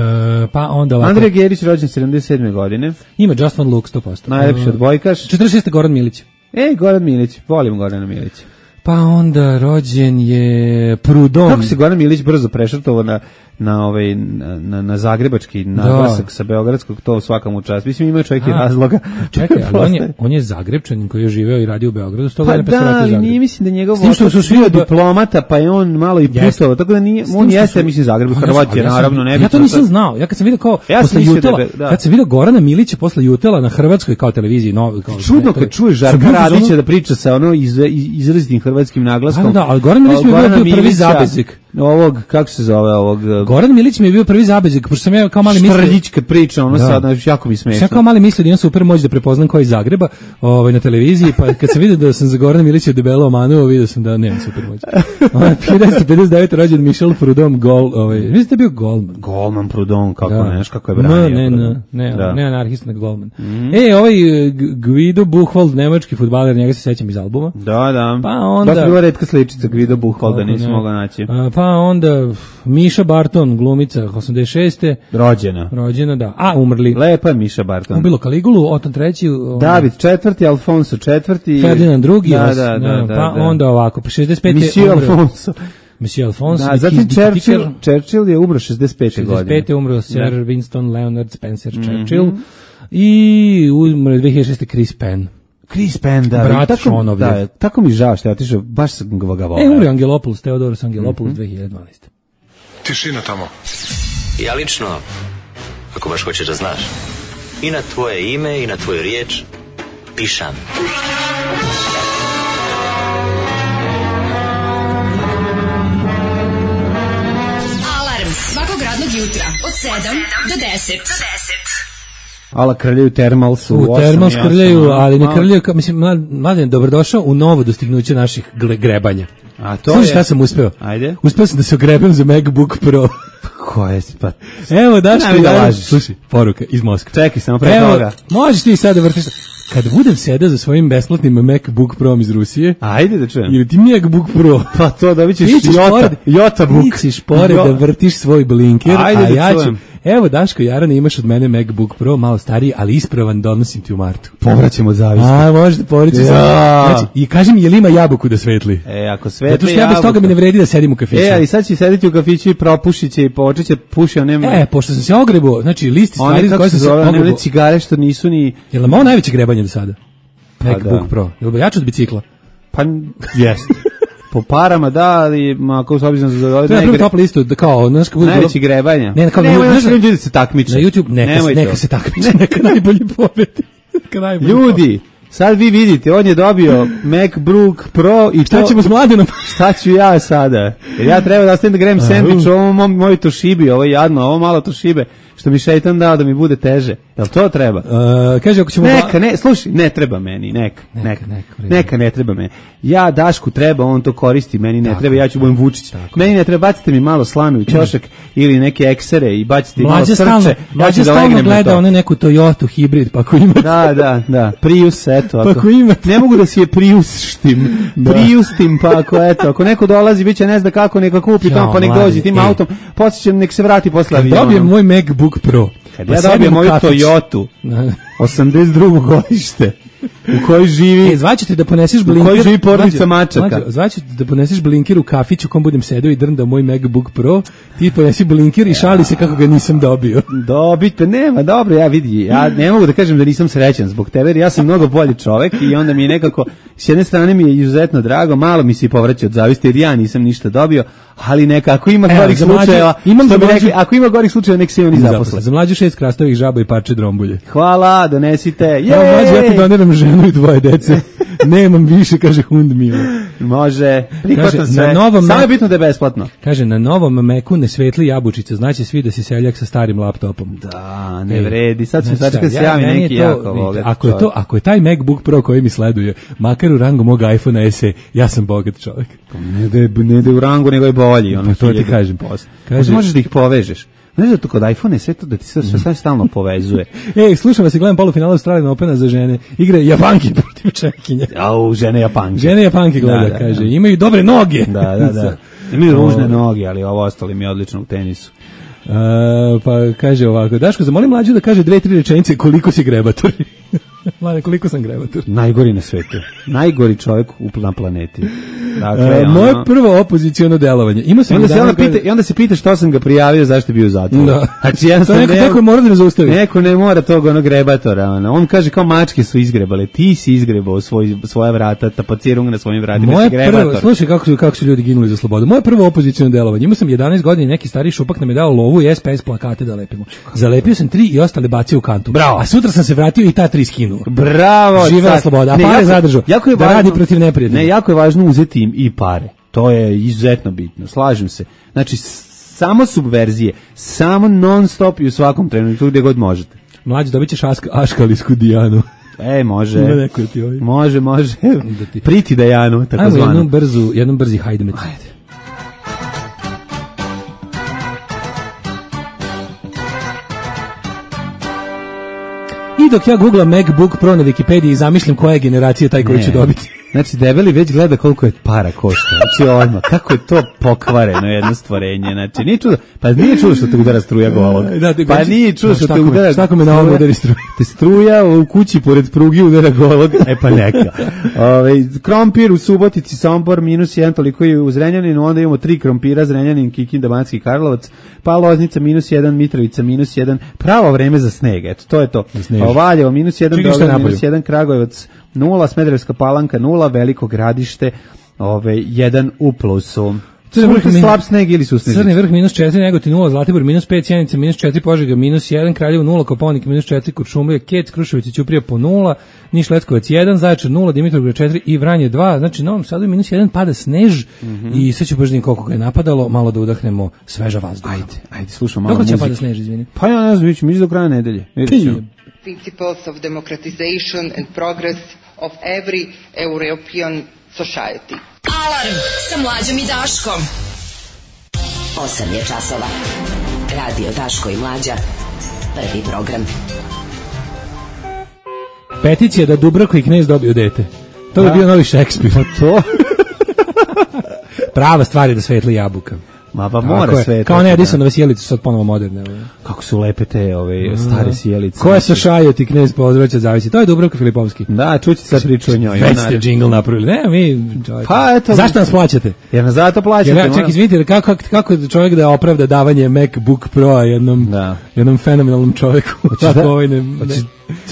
pa onda ovako. Andrej Gerić rođen sedamdeset sedme. godine. Ima Just One Look sto posto. Najlepši odbojkaš. četrdeset šeste. Goran Milić. Ej, Goran Milić, volim Gorana Milića. Pa onda rođen je Prudom. Kako se Goran Milić brzo prešrtovao na na ovaj na, na zagrebački naglasak sa beogradskog, to svakam u čast. Mislim ima čovjek i razloga. Čekaj, ali on je on je Zagrebčanin koji je živeo i radio u Beogradu, sto godina pa da, ali Zagreb. Nije mislim da njegov otac su svi diplomata, pa je on malo i putovao, tako da nije on jeste mislim Zagreb, Hrvat je naravno, ne bi. Ja to nisam znao. Ja kad sam video kao posle Jutela, kad sam video Gorana Milića posle Jutela na hrvatskoj kao televiziji, no kao čudno kad čuješ Žarka Radića da priča sa ono izrazitim hrvatskim naglaskom. Da, ali Goran Milić mi je bio prvi zabezik. Ovog, kako se zove ovog... Goran Milić mi je bio prvi zabezik, pošto sam ja kao mali mislio... Štrljička priča, ono da. Sad, znači, jako mi smešno. Ja kao mali mislio da imam super moć da prepoznam ko je iz Zagreba ovaj, na televiziji, pa kad sam vidio da sam za Gorana Milića debelo omanuo, vidio sam da nemam super moć. hiljadu devetsto pedeset devete. rođen Michel Prudhomme, gol, ovaj, mislim da je bio golman. Golman Prudhomme, kako da. neš, kako je branio. Ne, ne, ne, da. ne anarhist, nego golman. Mm. E, ovaj Guido Buchwald, nemački fudbaler, njega se sećam iz albuma. Da, da. Pa onda... Baš bila retka sličica Guido Buchwalda, nisam mogao naći. Pa onda Miša Barton, glumica, osamdeset šeste. Rođena. Rođena, da. A, umrli. Lepa je Miša Barton. Ubilo Kaligulu, Otan treći. David četvrti, Alfonso četvrti. Ferdinand drugi. Da, da, da, da, pa da. onda ovako, pa šezdeset pete. Monsieur Alfonso. Monsieur Alphonse. Da, zatim Churchill, Churchill je umro šezdeset pete godine. šezdeset pete umro Sir Winston Leonard Spencer Churchill. Mm-hmm. I umro dve hiljade šeste Chris Penn. Chris Penn, da. Brat tako, Šonovljev. Da, tako mi žao što ja otišao, baš sam ga volao. E, umro Angelopoulos, Theodoros Angelopoulos, mm-hmm. dve hiljade dvanaeste. Tišina tamo. Ja lično, ako baš hoćeš da znaš, i na tvoje ime i na tvoju riječ pišam. Alarm svakog radnog jutra od sedam do deset. Ala krljaju Termalsu. U Termals krljaju, ali ne krljaju, kao, mislim, Mladen, dobrodošao u novo dostignuće naših grebanja. A to Služi je... šta sam uspeo? Ajde. Uspeo sam da se ogrebem za MacBook Pro. Ko je pa? Evo, daš mi da lažiš. Slušaj, poruka iz Moskve. Čekaj, samo pre Evo, toga. Možeš ti sad da vrtiš. Kad budem sedao za svojim besplatnim MacBook Pro iz Rusije. Ajde da čujem. Ili ti MacBook Pro. Pa to da bićeš Jota, Jota Book. Ti ćeš pored da vrtiš svoj blinker, Ajde a da ja ću... čujem. Evo, Daško Jarane, imaš od mene MacBook Pro, malo stariji, ali ispravan, donosim ti u martu. Povraćemo od zavisti. A, možda povraćemo. Ja. Znači, i kaži mi, je li ima jabuku da svetli? E, ako svetli Zato što ja bez toga mi ne vredi da sedim u kafiću. E, ali sad će sediti u kafiću i propušit će i počet će puši, a nema... E, pošto sam se ogrebao, znači, listi stvari za koje sam se ogrebao. One cigare što nisu ni... Je li malo najveće grebanje do sada? Pa MacBook da. Pro. Je li jače od bicikla? Pa, jeste. Po parama, da, ali ako s obzirom za ove to je napravim top listu, da kao, znaš, kako bude... Najveći grebanja. Ne, kao, Nemoj, ne, znaš, ljudi se takmiče. Na YouTube, neka, neka se takmiče, neka najbolji pobedi. Neka najbolji ljudi, sad vi vidite, on je dobio MacBook Pro i šta to... ćemo s Mladenom? Šta ću ja sada? Jer ja treba da ostavim da grem sendvič u ovom moj Toshibi, ovo je jadno, ovo malo Toshibe, što mi šeitan dao da mi bude teže. Jel to treba? Uh, kaže, ako ćemo... Neka, ne, slušaj, ne treba meni, neka, neka, neka, neka, neka ne treba meni. Ja Dašku treba, on to koristi, meni ne tako, treba, ja ću budem Vučić. Tako. Meni ne treba, bacite mi malo slame u ćošak ili neke eksere i bacite mi malo srce. Stalno, ja ću da legnem gleda na to. One neku Toyota hibrid, pa ako imate... Da, da, da, Prius, eto. Ako, pa ako imate... Ne mogu da si je Priusštim, da. Priustim, pa ako, eto, ako neko dolazi, bit će ne zna kako, neka kupi ja, tamo, pa nek dođi tim ej. autom, podsjećam, nek se vrati posle avionom. Dobijem moj MacBook Pro. Kad ja dobijem moju Toyotu, osamdeset drugo godište, u kojoj živi... E, zvaćete da poneseš blinker... U kojoj živi porodica mačaka. Zvaćete da poneseš blinker u kafiću u kom budem sedeo i drndao moj MacBook Pro, ti ponesi blinker i šali se kako ga nisam dobio. Dobite, nema, dobro, ja vidi, ja ne mogu da kažem da nisam srećan zbog tebe, jer ja sam mnogo bolji čovek i onda mi je nekako, s jedne strane mi je izuzetno drago, malo mi se i povraća od zavisti, jer ja nisam ništa dobio, ali neka, ako ima gorih slučajeva, imam što bi rekli, ako ima gorih slučajeva, nek se i oni zaposle. Za mlađu šest krastovih žaba i parče drombulje. Hvala, donesite. Jej! Evo, mlađu, ja ti doniram ženu i dvoje dece. Nemam više, kaže Hund Milo. Može, prihvatam sve. Na novom samo je bitno da je besplatno. Kaže, na novom Macu ne svetli jabučica, znači svi da si seljak sa starim laptopom. Da, ne vredi, sad ću znači, se javi ja, neki to, jako bogat. Ako je, to, ako je taj MacBook Pro koji mi sleduje, makar u rangu mog iPhone S E, ja sam bogat čovjek. Ne da je, ne da je u rangu, nego je bolji. Ono, pa to ti kažem. Kaže, možeš da ih povežeš. Znaš da to kod iPhone je sve to da ti sve, sve stalno povezuje. Ej, slušam vas i gledam polufinala Australijan Opena za žene. Igre Japanki protiv Čekinja. Au, žene Japanke. Žene Japanke gleda, da, da, kaže. Da. Imaju dobre noge. Da, da, da. Imaju ružne noge, ali ovo ostalo mi je odlično u tenisu. Uh, pa kaže ovako, Daško, zamoli mlađu da kaže dve, tri rečenice koliko si grebator. Mlade, koliko sam grebator? Najgori na svetu. Najgori čovjek na planeti. Dakle, uh, moje prvo opoziciono delovanje. Ima sam onda se onda kaže... pita, i onda se pita što sam ga prijavio, zašto je bio u zatvoru. Da. Znači, ja to neko, neko mora da me zaustavi. Neko ne mora tog onog grebatora. Ono. On kaže kao mačke su izgrebale. Ti si izgrebao svoj, svoja vrata, tapacirung na svojim vratima. Moje si grebator. Prvo, slušaj kako su, kako su ljudi ginuli za slobodu. Moje prvo opoziciono delovanje. Imao sam jedanaest godina i neki stari šupak nam je dao lovu i S P S plakate da lepimo. Zalepio sam tri i ostale bacio u kantu. Bravo. A sutra sam se vratio i ta tri skinuo. Bravo. Živela sloboda. A ne, pare jako, zadržao. Jako je da važno, radi protiv neprijatelja. Ne, jako je važno uzeti im i pare. To je izuzetno bitno. Slažem se. Znači, samo subverzije, samo non stop i u svakom trenutku gdje god možete. Mlađi, dobit ćeš aškalijsku Dijanu. E, može. Ti ovaj. Može, može. Da ti... Priti Dajanu, tako zvano. Ajmo jednom brzu, jednom brzi hajdemet. Ajde. I dok ja googlam MacBook Pro na Wikipediji i zamišljam koja je generacija taj koji ću dobiti. Znači, debeli već gleda koliko je para košta. Znači, odmah, kako je to pokvareno jedno stvorenje. Znači, nije čudo, pa nije čudo što te udara struja golog. Da, da, pa nije čudo što te udara... Šta me na ovom udari struja? Te struja u kući pored prugi udara golog, e pa neka. Ove, krompir u Subotici, Sombor, minus jedan, toliko i u Zrenjaninu, onda imamo tri krompira, Zrenjanin, Kikinda, Banatski Karlovac, pa Loznica, minus jedan, Mitrovica, minus jedan, pravo vreme za sneg, eto, to je to. Valjevo, minus jedan, Beograd, minus jedan, Kragujevac, nula, Smederevska Palanka, nula, Veliko Gradište, ove, jedan u plusu. Crni vrh slab sneg ili su snežice? Crni vrh minus četiri, Negotin nula, Zlatibor minus pet, Sjenica minus četiri, Požega minus jedan, Kraljevo nula, Kopaonik minus četiri, Kuršumlija, Kec, Kruševac i Ćuprija po nula, Niš Leskovac jedan, Zaječar nula, Dimitrovgrad četiri i Vranje dva, znači na Novom Sadu minus jedan pada snež mm -hmm. i sve ću baš koliko ga je napadalo, malo da udahnemo sveža vazduha. Ajde, ajde, slušam malo muzike. Kako će pada snež, izvini? Pa ja ne znam, mi ćemo do kraja nedelje. Principles of democratization and progress of every European society. Alarm sa Mlađom i Daškom. osam je časova. Radio Daško i Mlađa. Prvi program. Peticija da Dubravka i Knez dobiju dete. To bi bio novi Šekspir. Pa to? Prava stvar je da svetli jabuka. Ma pa mora sve. Kao ne Edisonove sjelice su sad ponovo moderne. Kako su lepe te ove stare sjelice. Ko je sa Šajoti Knez Pozdravća zavisi. To je Dubravka Filipovski. Da, čućete sad priču o njoj. Već ste džingl napravili. Ne, mi čovjek. Pa eto. Zašto nas plaćate? Jer nas zato plaćate. Ja, ček, izvinite, kako, kako čovjek da opravda davanje MacBook Pro jednom, da. jednom fenomenalnom čovjeku? Tako da, ovaj ne... ne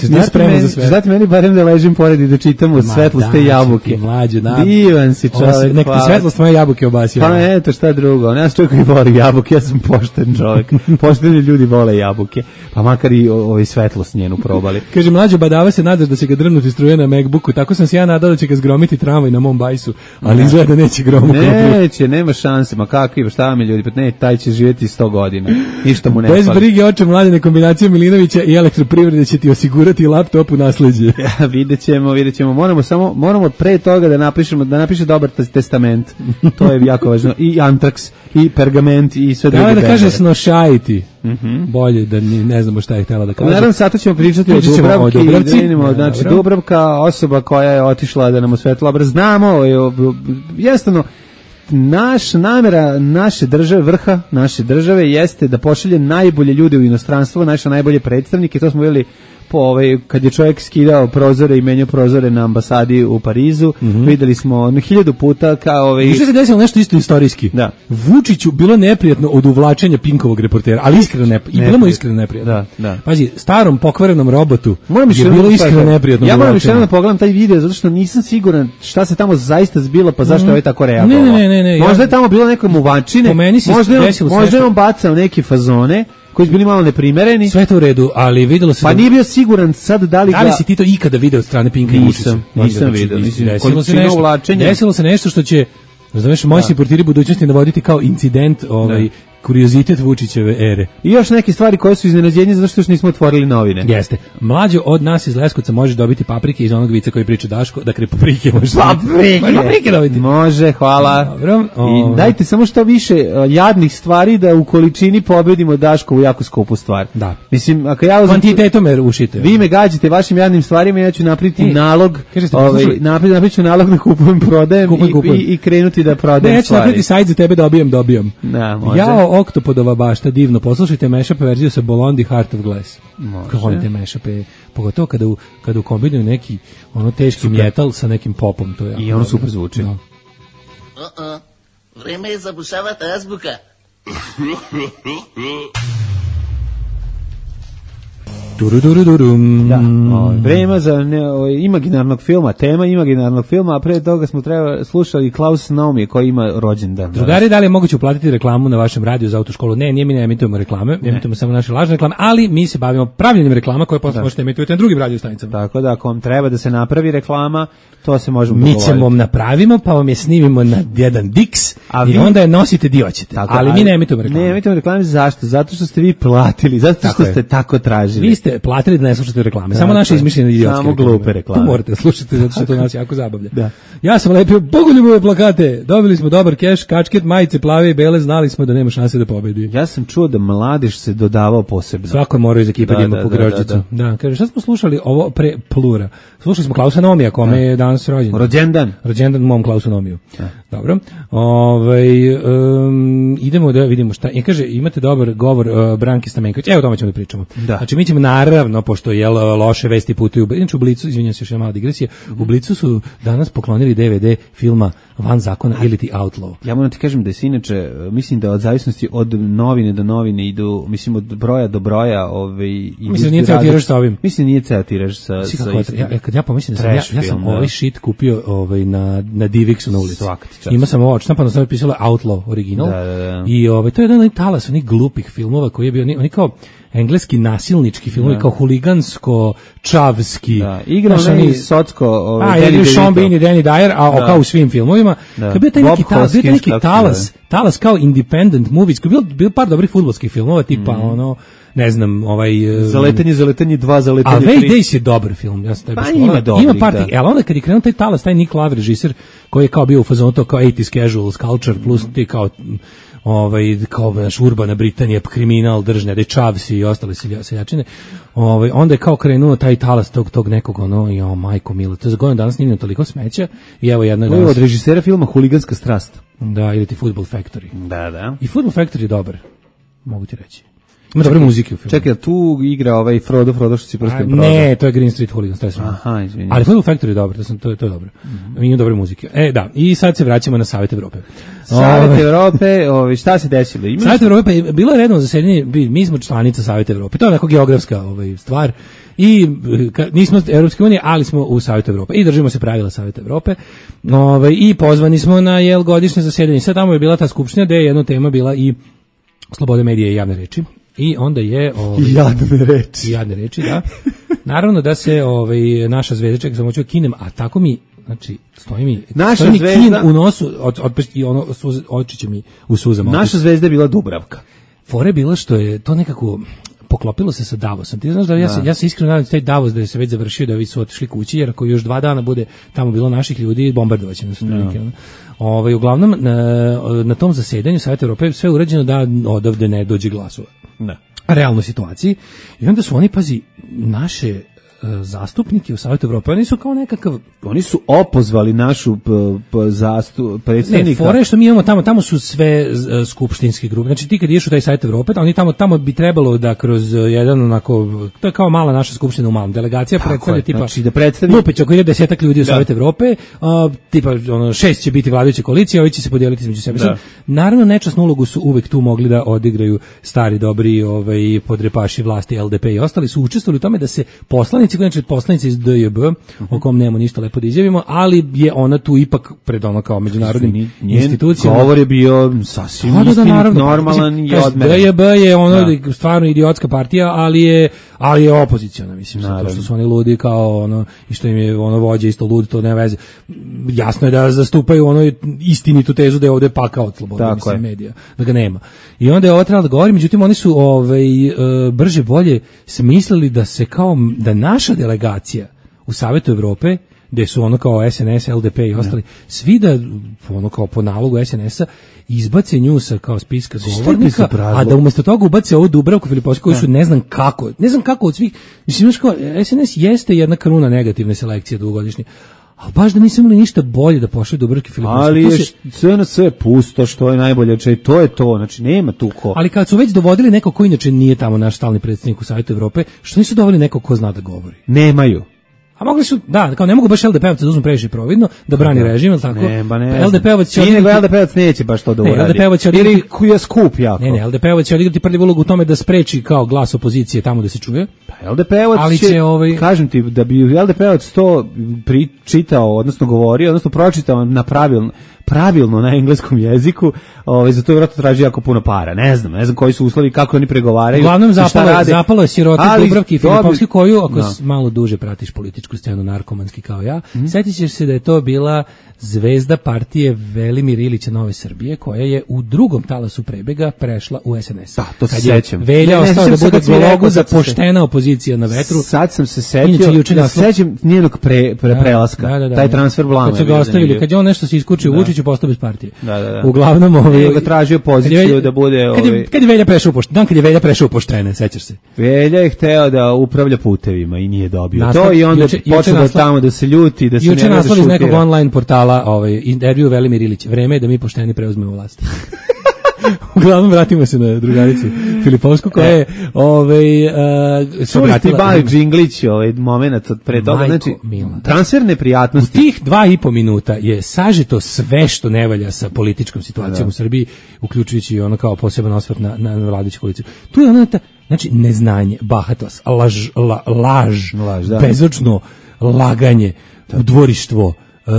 Nije spreman za sve. Znate meni barem da ležim pored i da čitam od svetloste jabuke. Mlađe, da. Divan si čovjek. Nek ti svetlost moje jabuke obasio. Pa eto, šta drugo. Ja sam čovjek koji voli jabuke, ja sam pošten čovjek. Pošteni ljudi vole jabuke. Pa makar i ovaj svetlost njenu probali. Kaže, Mlađo, badava se nadaš da će ga drvnuti struje na MacBooku. Tako sam se ja nadao da će ga zgromiti tramvaj na mom bajsu. Ali izgleda da neće gromu. Neće, nema šanse. Ma kakvi, šta mi ljudi, pa ne, taj će živjeti sto godina. Ništa mu ne fali. Bez brige oče Mladene, kombinacija Milinovića i Elektroprivrede će ti osigurati laptop u nasleđe. Ja, videćemo, videćemo. Moramo samo moramo pre toga da napišemo da napiše dobar testament. To je jako važno. I antraks, i pergament i sve druge. Da, da kaže snošajiti. Mm-hmm. Bolje da ni, ne znamo šta je htjela da kaže. Naravno, sad ćemo pričati o Dubravki. O Dubravci. Vidimo, znači, Dubravka, osoba koja je otišla da nam osvetla obraz. Znamo, jednostavno, naš namera naše države, vrha naše države jeste da pošalje najbolje ljude u inostranstvo, naše najbolje predstavnike. To smo vidjeli po ovaj, kad je čovjek skidao prozore i menjao prozore na ambasadi u Parizu, mm-hmm. videli smo hiljadu puta kao ovaj... I što se desilo nešto isto istorijski. Da. Vučiću bilo neprijatno od uvlačenja Pinkovog reportera, ali iskreno neprijatno. I bilo mu iskreno neprijatno. Da, da. Pazi, starom pokvarenom robotu moram je bilo iskreno neprijatno. Ja moram još jednom da pogledam taj video, zato što nisam siguran šta se tamo zaista zbilo, pa zašto mm. je ovaj tako reagovao. Ne, ne, ne, ne, možda ja... je tamo bilo neka muvačine, možda je, možda je on bacao neke fazone, koji su bili malo neprimereni. Sve to u redu, ali videlo se... Pa da... nije bio siguran sad da li ga... Da li si ti to ikada video od strane Pinka i Vučića? Nisam, nisam vidio. Desilo se nešto, desilo se nešto što će, znaš, moji si portiri budućnosti navoditi kao incident, ovaj, kuriozitet Vučićeve ere. I još neke stvari koje su iznenađenje zato što još nismo otvorili novine. Jeste. Mlađo od nas iz Leskovca može dobiti paprike iz onog vica koji priča Daško, dakle paprike može. Paprike. Može paprike dobiti. Može, hvala. Dobro. I dajte samo što više uh, jadnih stvari da u količini pobedimo Daškovu jako skupu stvar. Da. Mislim, ako ja uzem... Kvantitetom me rušite. Vi me gađate vašim jadnim stvarima, ja ću napraviti e, nalog, ovaj, napri, napriču nalog da kupujem, prodajem kupujem, kupujem. I, i, i krenuti da prodajem ne, ja ću stvari. napraviti sajt za tebe, dobijam, dobijam. Da, može. Jao, Oktopodova bašta, divno. Poslušajte mashup verziju sa Blondie Heart of Glass. Može. Volite mashupe, pogotovo kada u, kada u kombinuju neki ono teški metal sa nekim popom. To je i ono super zvuči. Da. Uh-uh. Vreme je zabušavati azbuka. Durudurudurum. Da, o, vreme za ne, o, imaginarnog filma, tema imaginarnog filma, a pre toga smo treba slušali Klaus Naumi koji ima rođendan. Drugari, da li je moguće uplatiti reklamu na vašem radiju za autoškolu? Ne, nije, mi ne emitujemo reklame, ne. emitujemo samo naše lažne reklame, ali mi se bavimo pravljenjem reklama koje posle možete emitovati na drugim radio stanicama. Tako da, ako vam treba da se napravi reklama, to se možemo mi dogovoriti. Mi ćemo vam napravimo, pa vam je snimimo na jedan diks a i vi... onda je nosite di hoćete. Tako, ali, ali mi ne emitujemo reklame. Ne emitujemo reklame, zašto? Zato što ste vi platili, zato što tako ste je. tako tražili. Vi ste platili da ne slušate reklame. Samo naše izmišljene idiotske Samo reklame. glupe reklame. To morate slušati zato što to nas jako zabavlja. Da. Ja sam lepio bogoljubove plakate. Dobili smo dobar keš, kačket, majice plave i bele, znali smo da nema šanse da pobedi. Ja sam čuo da mladež se dodavao posebno. Svako mora iz ekipa da ima po grožđicu. Da, da, da. da, kaže šta smo slušali ovo pre Plura. Slušali smo Klausa Nomija, kome je danas rođendan. Rođendan. Rođendan mom Klausu Nomiju. Dobro. Ovaj um, idemo da vidimo šta. I kaže imate dobar govor uh, Branke Stamenković. Evo o tome ćemo da pričamo. Da. Znači mi ćemo naravno pošto je loše vesti putuju. Inače u Blicu, izvinjavam se još jedna mala digresija. U Blicu su danas poklonili D V D filma Van zakona ili ti Outlaw. Ja moram ti kažem da je inače, mislim da od zavisnosti od novine do novine idu, mislim od broja do broja, ovaj mislim da nije ceo tiraž sa ovim. Mislim nije ceo tiraž sa sa sa. Ja kad ja pomislim da sam ja, ja sam ovaj shit kupio ovaj na na Divixu na ulici. Ima sam ovo štampano, sam pisalo Outlaw original. Da, da, da. I ovaj to je jedan talas onih glupih filmova koji je bio oni, oni kao engleski nasilnički filmovi, kao huligansko čavski. Da, igra onaj Socko, ovaj Danny Sean Bean i Danny Dyer, a da. Kao u svim filmovima. Da. Kad bio taj neki talas, bio taj neki talas, talas kao independent movies, koji bio bio par dobrih fudbalskih filmova tipa mm. ono ne znam, ovaj Zaletanje, zaletanje dva, zaletanje tri. A Way Days je dobar film, ja sam taj baš ima dobrih, ima par, ali onda kad je krenuo taj talas, taj Nick Lave režiser, koji je kao bio u fazonu to kao eighties casual culture plus ti kao ovaj kao naš urbana Britanija, kriminal, držnja, dečavsi i ostale seljačine. Ovaj onda je kao krenuo taj talas tog tog nekog ono, jo majko milo, to je zgodno danas snimljeno toliko smeća i evo jedno danas od režisera filma Huliganska strast. Da, ili ti Football Factory. Da, da. I Football Factory je dobar. Mogu ti reći. Ima dobre muzike u filmu. Čekaj, tu igra ovaj Frodo, Frodo što si prstom prođe. Ne, to je Green Street Hooligans, to je sve. Aha, izvinite. Ali Football Factory je dobro, to, sam, to, je, to je dobro. Mm-hmm. Ima dobre muzike. E, da, i sad se vraćamo na Savet Evrope. Savet Evrope, ovaj, šta se desilo? Imaš... Savet Evrope, je bilo je redno zasedanje, mi smo članica Saveta Evrope, to je onako geografska ovaj, stvar. I ka, nismo Evropske unije, ali smo u Savetu Evrope i držimo se pravila Saveta Evrope. Ovaj, i pozvani smo na jel godišnje zasedanje. Sad tamo je bila ta skupština gde je jedna tema bila i sloboda medija i javne reči. I onda je ovaj jadne reči. Jadne reči, da. Naravno da se ovaj naša zvezda čeka samo ću kinem, a tako mi znači stoji mi naša stoji mi zvezda kin u nosu od od i ono oči će mi u suzama. Naša zvezda je bila Dubravka. Fore bilo što je to nekako poklopilo se sa Davosom. Ti znaš da ja se, ja se iskreno nadam da taj Davos da je se već završio, da vi su otišli kući, jer ako još dva dana bude tamo bilo naših ljudi, bombardovaće nas otprilike. No. Ovaj uglavnom na, na tom zasedanju Saveta Evrope sve urađeno da odavde ne dođe glasova. Da. Realnoj situaciji. I onda su oni, pazi, naše uh, zastupnike u Savetu Evrope, oni su kao nekakav... Oni su opozvali našu p, p, zastu, predstavnika... Ne, fore što mi imamo tamo, tamo su sve uh, skupštinske grupe. Znači ti kad ideš u taj Savet Evrope, oni tamo, tamo bi trebalo da kroz uh, jedan onako, to je kao mala naša skupština u malom. Delegacija predstavlja tipa... Znači da predstavi... Lupić, ako ide desetak ljudi u Savet Evrope, uh, tipa ono, šest će biti vladajuće koalicije, ovi će se podijeliti između sebe. Sad, naravno, nečasnu ulogu su uvek tu mogli da odigraju stari, dobri ovaj, podrepaši vlasti L D P i ostali su učestvovali u tome da se poslanici, znači poslanici iz D J B, uh-huh. o kom nema ništa lepo da izjavimo, ali je ona tu ipak pred ono kao međunarodnim institucijama. Govor je bio sasvim da, da, naravno, normalan i odmeren. D J B je ono da. stvarno idiotska partija, ali je ali je opoziciona, mislim, zato što su oni ludi kao ono i što im je ono vođa isto lud, to nema veze. Jasno je da zastupaju ono istinitu tezu da je ovde pakao od slobode mislim medija, da ga nema. I onda je ovo trebalo da govori, međutim oni su ovaj brže bolje smislili da se kao da naša delegacija u Savetu Evrope, gde su ono kao S N S, L D P i ostali, svi da ono kao po nalogu S N S-a izbace nju sa kao spiska govornika, a da umesto toga ubace ovu Dubravku Filipovsku koju su ne znam kako, ne znam kako od svih, mislim, znaš kao, S N S jeste jedna kruna negativne selekcije dugogodišnje, ali baš da nisam imali ništa bolje da pošli Dubravke Filipovske. Ali je se... sve na sve pusto, što je najbolje, če, to je to, znači nema tu ko. Ali kad su već dovodili neko ko inače nije tamo naš stalni predsjednik u Savetu Evrope, što nisu dovodili neko ko zna da govori? Nemaju. A mogli su, da, kao ne mogu baš L D P-ovci da uzmu previše providno, da brani da. režim, ili tako? Ne, ba ne. L D P-ovac će odigrati... Nego L D P-ovac neće baš to da uradi. Ne, L D P-ovac će odigrati... Ili kuja skup jako. Ne, ne, L D P-ovac će odigrati prvi ulogu u tome da spreči kao glas opozicije tamo da se čuje. Pa L D P-ovac će, će ovaj... kažem ti, da bi L D P-ovac to pričitao, odnosno govorio, odnosno pročitao na pravilno, pravilno na engleskom jeziku, ovaj za to vjerojatno traži jako puno para. Ne znam, ne znam koji su uslovi, kako oni pregovaraju. Uglavnom zapalo, zapalo je siroti Dubravki i Filipovski koju, ako no. malo duže pratiš političku scenu narkomanski kao ja, mm-hmm. setit ćeš se da je to bila zvezda partije Velimir Ilića Nove Srbije, koja je u drugom talasu prebega prešla u S N S. Da, to se sećam. Velja ostao da bude gologu za poštena opozicija na vetru. Sad sam se setio da sećam njenog pre, pre, prelaska, da, da, da, taj transfer blama. Kad su ga ostavili, kad je on nešto se iskučio Vučiću, je postao bez partije. Da, da, da. Uglavnom, ovaj ga tražio poziciju da bude ovaj. Kad je, kad je Velja prešao poštene, dan kad je Velja prešao poštene, sećaš se. Velja je hteo da upravlja putevima i nije dobio Naslov, to i onda juče, počeo da tamo da se ljuti, da se ne juče da naslov iz šutira. nekog online portala, ovaj intervju Velimir Ilić. Vreme je da mi pošteni preuzmemo vlast. Uglavnom vratimo se na drugaricu Filipovsku koja je ovaj uh, se obratila Bali Džinglić ovaj momenat od pre toga, znači transfer neprijatnosti. U tih dva i po minuta je sažeto sve što ne valja sa političkom situacijom u Srbiji, uključujući ono kao poseban osvrt na na vladajuću koaliciju. Tu je ono ta, znači neznanje, bahatost, laž, la, laž, laž da. bezočno laganje, udvorištvo, uh,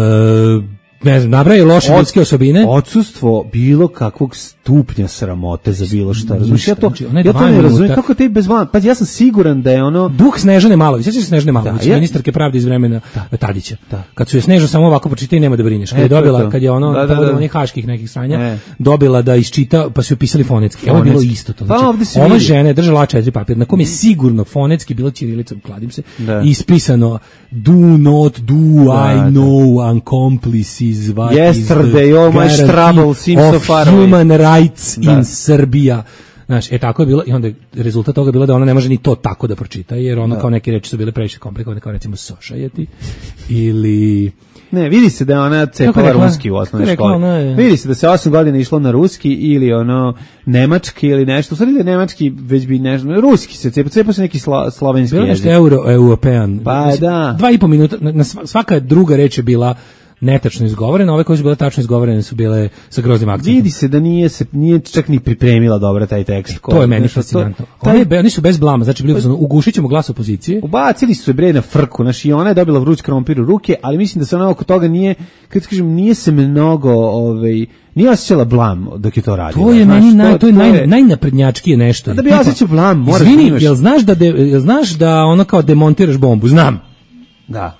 ne znam, nabraje loše ljudske osobine. Odsustvo bilo kakvog stupnja sramote za bilo šta. Razumiješ, ja to, znači, ja to ne razumijem. Kako te bez vlada? Pa ja sam siguran da je ono... Duh Snežane Malović, sjećaš se Snežane Malović, ja, ministarke pravde iz vremena da. Tadića. Da. Kad su je Sneža samo ovako pročita i nema da brineš. Kad je dobila, kad je ono, da, da, povodom onih haških nekih sranja, e. dobila da iščita, pa su joj pisali fonetski. Evo je bilo isto to. Znači, pa, ova žena je držala A četiri papir, na kom je sigurno fonetski bilo ćirilicom, kladim se, da. ispisano do not do, da, I know, accomplices, what yesterday, all my trouble seems so far away. Human rights da. in Srbija. Znaš, e tako je bilo i onda rezultat toga je bilo da ona ne može ni to tako da pročita, jer ono da. kao neke reči su bile previše komplikovane, kao recimo sošajeti ili... Ne, vidi se da je ona cepala ruski u osnovnoj školi. Je... Vidi se da se osam godina išlo na ruski ili ono nemački ili nešto. U stvari da je nemački već bi nešto, ruski se cepa, cepa se neki sla, slovenski bilo jezik. Bilo nešto euro, european. Pa mislim, da. Dva i po minuta, na svaka druga reč je bila netačno izgovorene, ove koje su bile tačno izgovorene su bile sa groznim akcentom. Vidi se da nije se nije čak ni pripremila dobro taj tekst. To je meni fascinantno. Oni be, oni su bez blama, znači bili su ugušićemo glas opozicije. Ubacili su se bre na frku, znači i ona je dobila vruć krompir u ruke, ali mislim da se ona oko toga nije, kad kažem, nije se mnogo, ovaj nije osjećala blam dok je to radila. To je meni znaš, naj, to, to je naj, najnaprednjačkije nešto. Da bi osjećao blam, moraš izvini, da jel znaš da de, jel znaš da ono kao demontiraš bombu? Znam. Da.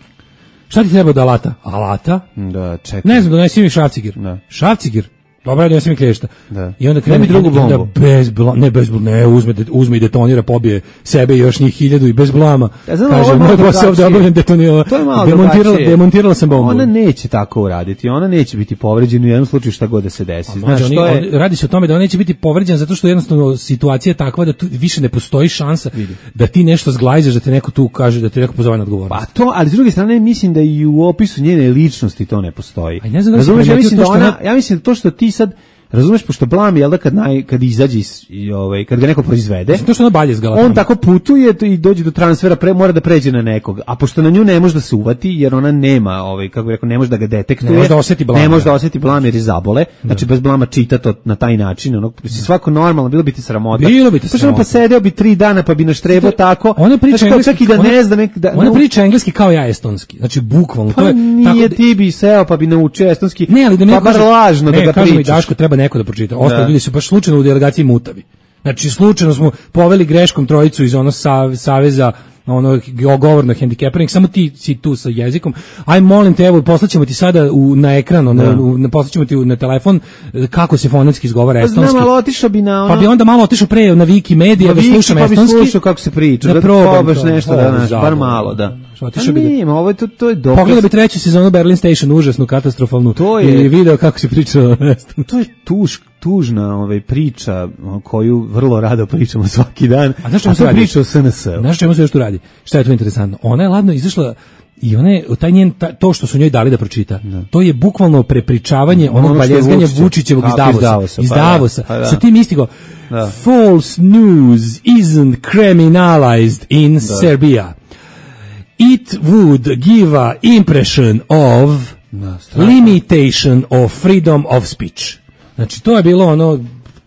Šta ti treba od alata? Alata? Da, čekaj. Ne znam, donesi mi šrafcigir. Da. Šrafcigir? Dobro, donesi mi klješta. Da. I onda krene drugu bombu. Da bez blama, ne bez blama, ne, uzme, uzme i detonira, pobije sebe i još njih hiljadu i bez blama. Ja znam, kaže, moj posao ovdje obavljen detonirala. Demontirala, demontirala sam bombu. Ona neće tako uraditi, ona neće biti povređena u jednom slučaju šta god da se desi. Znaš, oni, to je... Radi se o tome da ona neće biti povređena zato što jednostavno situacija je takva da tu više ne postoji šansa Vidi. da ti nešto zglajzaš, da te neko tu kaže, da te neko pozove na odgovornost. Pa to, ali s druge strane mislim da i u opisu njene ličnosti to ne postoji. A ne znam da Razumeš, ja mislim da ona, ona, ja mislim da to što ti sad razumeš, pošto blam je da kad naj kad izađe i ovaj kad ga neko proizvede, to što ona balje zgala. On tako putuje i dođe do transfera, pre, mora da pređe na nekog. A pošto na nju ne može da se uvati jer ona nema, ovaj kako bih rekao, ne može da ga detektuje. Ne može da oseti blam. Ne može da oseti blam jer je zabole. Znači bez blama čita to na taj način, ono svako normalno bilo bi ti sramota. Bilo bi ti sramota. Pa sedeo bi tri dana pa bi naštrebao tako. Ona priča engleski, da ne znam da ona priča engleski kao ja estonski. Znači bukvalno to je nije ti bi seo pa bi naučio estonski. Ne, ali da ne bar lažno da ga pričaš. Daško treba neko da pročita. Ostali ljudi su baš slučajno u delegaciji mutavi. Znači slučajno smo poveli greškom trojicu iz onog saveza ono govorno hendikepiranih, samo ti si tu sa jezikom. Aj molim te, evo poslaćemo ti sada u, na ekran, ono, na, poslaćemo ti na telefon kako se fonetski izgovara pa estonski. Znam, ali otišao bi na ono... Pa bi onda malo otišao pre na Wikimedia da slušam pa estonski. Pa bi slušao kako se priča, da, da probaš nešto da naš, bar malo, da. Otišao bi da... ovo je to, to je dokaz. Pogledaj bi treću sezonu Berlin Station, užasnu, katastrofalnu. To je... I video kako se pričalo. To je tuž, tužna ovaj, priča koju vrlo rado pričamo svaki dan. A znaš čemu se radi? Priča o S N S-u. Znaš čemu se još tu radi? Šta je tu interesantno? Ona je ladno izašla i ona je, taj njen, ta, to što su njoj dali da pročita, da. To je bukvalno prepričavanje onog ono baljezganja Vučićevog iz Davosa. Iz Davosa, iz Davosa. Pa, da. Sa tim istigo, da. False news isn't criminalized in da. Serbia. It would give a impression of da, limitation of freedom of speech. Znači, to je bilo ono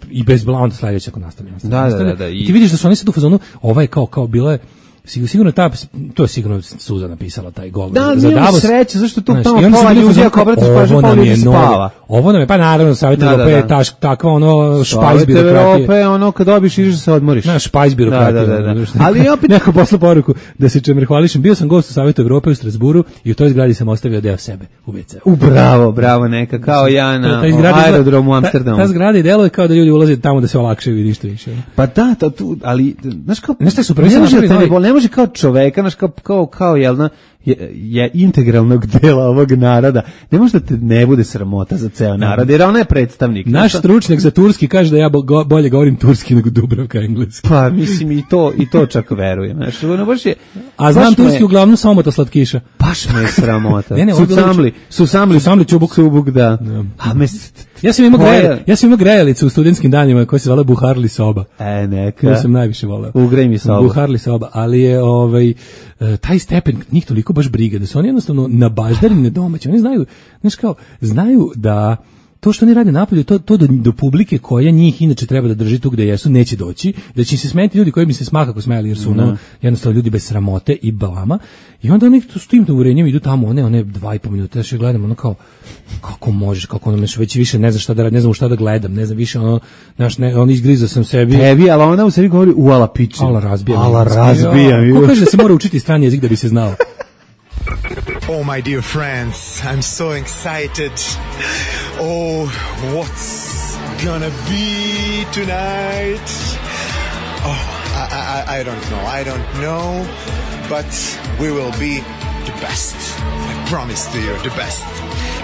i bez blanda sledeće ako nastavljamo. Da, da, da, da. I ti vidiš da su oni sad u fazonu, ovo je kao, kao bilo je, sigurno ta, to je sigurno Suza napisala taj govor. Da, za Davos. Sreće, zašto tu tamo pola ljudi, ako obratiš pažnju, pola ljudi spava. Ovo nam je, pa naravno, Savjet Evrope da, da, da. je taš, takva ono špajz birokratije. Savjet Evrope, ono kad dobiš, ideš da se odmoriš. Na, špajz birokratije. Da, da, da. Ali opet... Neko posla poruku, da se čemer hvališem, bio sam gost u Savjetu Evrope u Strasburu i u toj zgradi sam ostavio deo sebe u ve ce. U, bravo, bravo, neka, kao ja na aerodromu u Amsterdamu. Ta zgrada i deluje kao da ljudi ulaze tamo da se olakšaju i ništa više. Pa da, to tu, ali, znaš kao, ne može, ne može kao čovek, znaš, kao, kao, kao, jel, na, je, je integralnog dela ovog naroda. Ne može da te ne bude sramota za ceo narod, jer ona je predstavnik. Naš znaš, stručnjak za turski kaže da ja bo- bolje govorim turski nego Dubravka engleski. Pa mislim i to i to čak verujem. Znaš, ono baš je, A znam baš me- turski uglavnom samota slatkiša. Baš me je sramota. Ne, ne, ovo je bilo Susamli, susamli, Susamli čubuk. Subuk, da. A me, Ja sam imao Koja- grejalicu, ja sam imao grejalicu u studentskim danima koja se zvala Buharli soba. E, neka. To sam najviše voleo. Ugrej mi sobu. Buharli soba, ali je ovaj e, taj stepen njih toliko baš briga da su oni jednostavno nabaždari nedomaći. Oni znaju, znaš kao, znaju da to što oni rade napolju, to, to do, do publike koja njih inače treba da drži tu gde jesu, neće doći, da će im se smeniti ljudi koji bi se smakako smeli, jer su ono, jednostavno ljudi bez sramote i balama. I onda oni s tim uverenjem idu tamo, one, one dva i po minuta, još gledam, ono kao, kako možeš, kako ono, već više ne znam šta da radim, ne znam u šta da gledam, ne znam više, ono, znaš, ne, on izgrizao sam sebi. Tebi, ali ona u sebi govori u ala piče. Ala razbijam. Ala razbijam. Ko kaže da se mora učiti strani jezik da bi se znao? Oh, my dear friends, I'm so excited. Oh, what's gonna be tonight? Oh, I, I, I don't know, I don't know, but we will be the best. I promise to you, the best.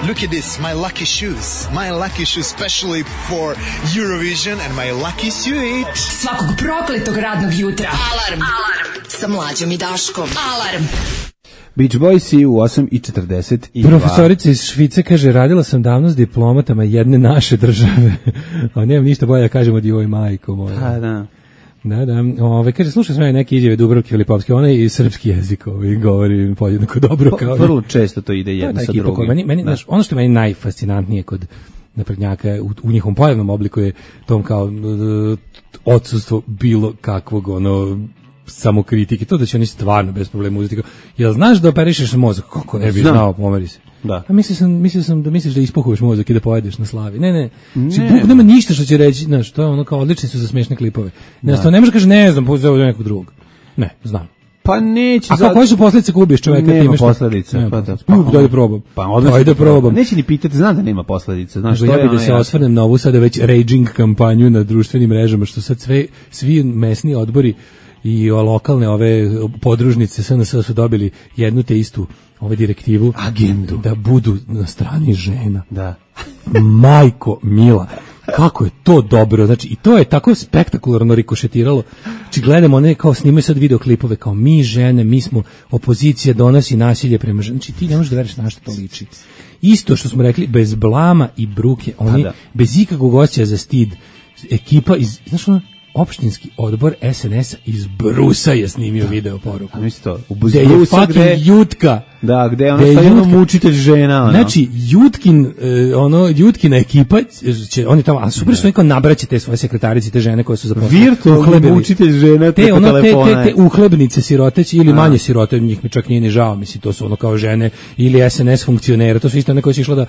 Look at this, my lucky shoes. My lucky shoes, especially for Eurovision, and my lucky suit. Svakog prokletog radnog jutra. Alarm. Alarm. Sa Mlađom i Daškom. Alarm. Beach Boysi u osam i četrdeset dva. Profesorica iz Švice kaže, radila sam davno s diplomatama jedne naše države. A nemam ništa bolje da kažem od joj majko moja. Pa da. Da, da. Ove, kaže, slušaj sve neke izjave Dubravke Filipovske, ona i srpski jezik ovaj, govori podjednako dobro. Kao vrlo često to ide jedno sa drugim. Meni, meni, znaš, ono što je meni najfascinantnije kod naprednjaka u, u njihovom pojavnom obliku je tom kao uh, odsustvo bilo kakvog ono samokritike, to da će oni stvarno bez problema uzeti. Jel znaš da operišeš mozak? Kako ne bi Znam. znao, pomeri se. Da. A mislio sam, mislio sam da misliš da ispuhuješ mozak i da pojedeš na slavi. Ne, ne. Ne. Znači, Bog nema ništa što će reći, znaš, to je ono kao odlični su za smešne klipove. Ne, to ne može kaže ne znam, pozove do nekog drugog. Ne, znam. Pa neće. A kako koje su posljedice ako ubiješ čoveka? Nema time što- posledica. Nema Pa da. posledica. Daj da probam. Pa odlično. Daj da probam. Neće ni pitati, znam da nema posledica. Znaš, Nego to ja je bi da ono se jasno. osvrnem na ovu sada već raging kampanju na društvenim mrežama, što sad sve, svi mesni odbori i o, lokalne ove podružnice S N S su dobili jednu te istu ove direktivu agendu da budu na strani žena. Da. Majko mila, kako je to dobro, znači i to je tako spektakularno rikošetiralo. Znači gledamo one kao snimaju sad videoklipove kao mi žene, mi smo opozicija, donosi nasilje prema ženama. Znači ti ne možeš da veriš na što to liči. Isto što smo rekli, bez blama i bruke, oni da. bez ikakvog osjećaja za stid, ekipa iz, znaš ono, opštinski odbor S N S-a iz Brusa je snimio video poruku. A misli to, u Gde je Brusa fucking gde- Jutka. Da, gde je ono Gde je stavljeno Jutka. mučitelj žena. Ono. Znači, Jutkin, e, ono, Jutkina ekipa, će, oni tamo, a super što oni kao nabraće te svoje sekretarice, te žene koje su zaposlene. Virtualni uhlebili. mučitelj žena te, preko ono, te, telefona. te, te uhlebnice siroteći ili manje sirote, njih mi čak nije ni žao, misli, to su ono kao žene ili S N S funkcionera, to su isto one koje su išla da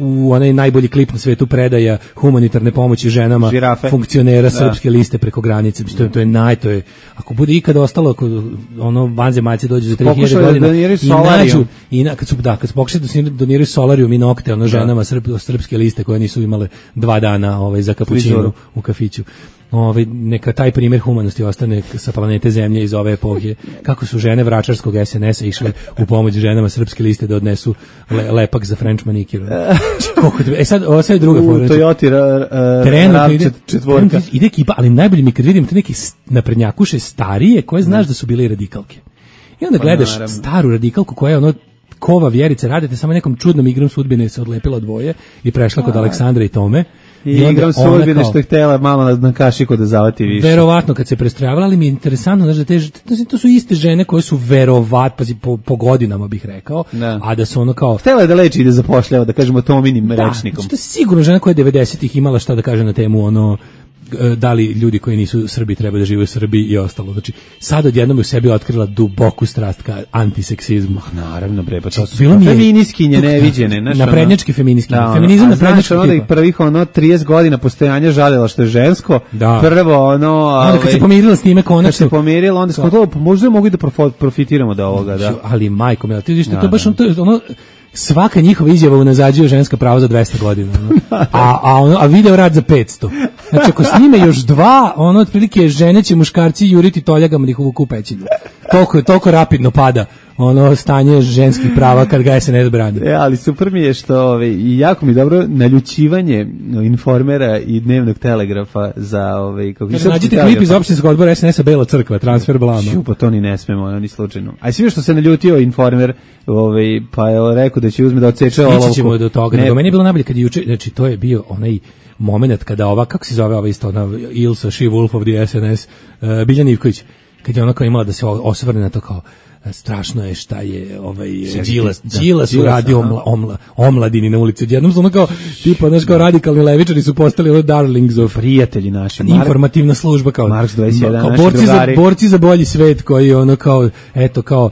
u onaj najbolji klip na svetu predaja humanitarne pomoći ženama, Žirafe. funkcionera Da. srpske liste preko granice, to je, to je naj, to je, ako bude ikada ostalo, ako ono vanzemaljci dođu za tri hiljade Pokušali da godina doniraju i solarijum. nađu i na, kad su da kad su pokušali da se doniraju solarijum i nokte ono ženama srp, srpske liste koje nisu imale dva dana ovaj za kapućinu Frizuru. u kafiću. Ovaj neka taj primjer humanosti ostane sa planete Zemlje iz ove epohe, kako su žene vračarskog S N S-a išle u pomoć ženama srpske liste da odnesu le, lepak za French manicure. Koliko te- e sad ovo sad je druga U fora. Toyota ra, ra, Trenutno rav ide, čet- četvorka. trenutno ide ekipa, ali najbolje mi kad vidim te neke s- naprednjakuše starije koje znaš da su bile i radikalke. I onda Pa gledaš naravno. staru radikalku koja je ono kova vjerice, radite samo nekom čudnom igrom sudbine se odlepila dvoje i prešla kod Aleksandra i Tome. I onda igram ona sudbine kao- što je htjela malo na, na kašiku da zavati više. Verovatno kad se prestrojavali, ali mi je interesantno, znaš, da te, to, to su iste žene koje su verovat, pazi, po, po godinama bih rekao, Da. a da su ono kao... Htjela je da leči i da zapošljava, da kažemo Tominim Da, rečnikom. znači to je sigurno žena koja je devedesetih imala šta da kaže na temu ono e, da li ljudi koji nisu Srbi treba da žive u Srbiji i ostalo. Znači, sad odjednom je u sebi otkrila duboku strast ka antiseksizmu. Naravno, bre, pa to su Bilo mi je- feminiskinje neviđene. znaš, ono- naprednjačke feminiskinje. Da, ono, Feminizam a naprednjačkog znaš, ono da ih tipa. prvih ono trideset godina postojanja žalila što je žensko. Da. Prvo ono... Onda kad ovaj, se pomirila s time kad se konačno. pomirila, onda smo to, pa možda mogu i da profo- profitiramo od ovoga, da. Ali majko, mila, ti vidiš da Da, to baš da. ono, to je ono, svaka njihova izjava unazađuje ženska prava za dvesta godina. Ono. A, a, ono, a video rad za petsto. Znači, ako snime još dva, ono, otprilike žene će muškarci juriti toljagama da ih uvuku u pećinu. toliko, toliko rapidno pada ono stanje ženskih prava kad ga S N S brani. E, ali super mi je što ove, i jako mi dobro naljućivanje Informera i Dnevnog telegrafa za ove, kako Kaže, nađite klip iz opštinskog odbora S N S-a Bela crkva, transfer blama. Ču, pa to ni ne smemo, ono, ni slučajno. A svi što se naljutio Informer, ove, pa je rekao da će uzme da odseče olovku. Ići ćemo do toga. Ne, do meni je bilo najbolje kad je juče, znači to je bio onaj moment kada ova, kako se zove ova isto, ona Ilsa, She Wolf of the S N S, uh, Biljana Ivković, kad je ona kao imala da se osvrne na to kao strašno je šta je ovaj Đilas Đilas uradio omla, omla, omladini na ulici. Jednom su ono kao tipa znaš kao radikalni levičari su postali ono darlings of prijatelji naši. Informativna služba kao Marks dvadeset jedan kao naši borci drugari. za borci za bolji svet koji ono kao eto kao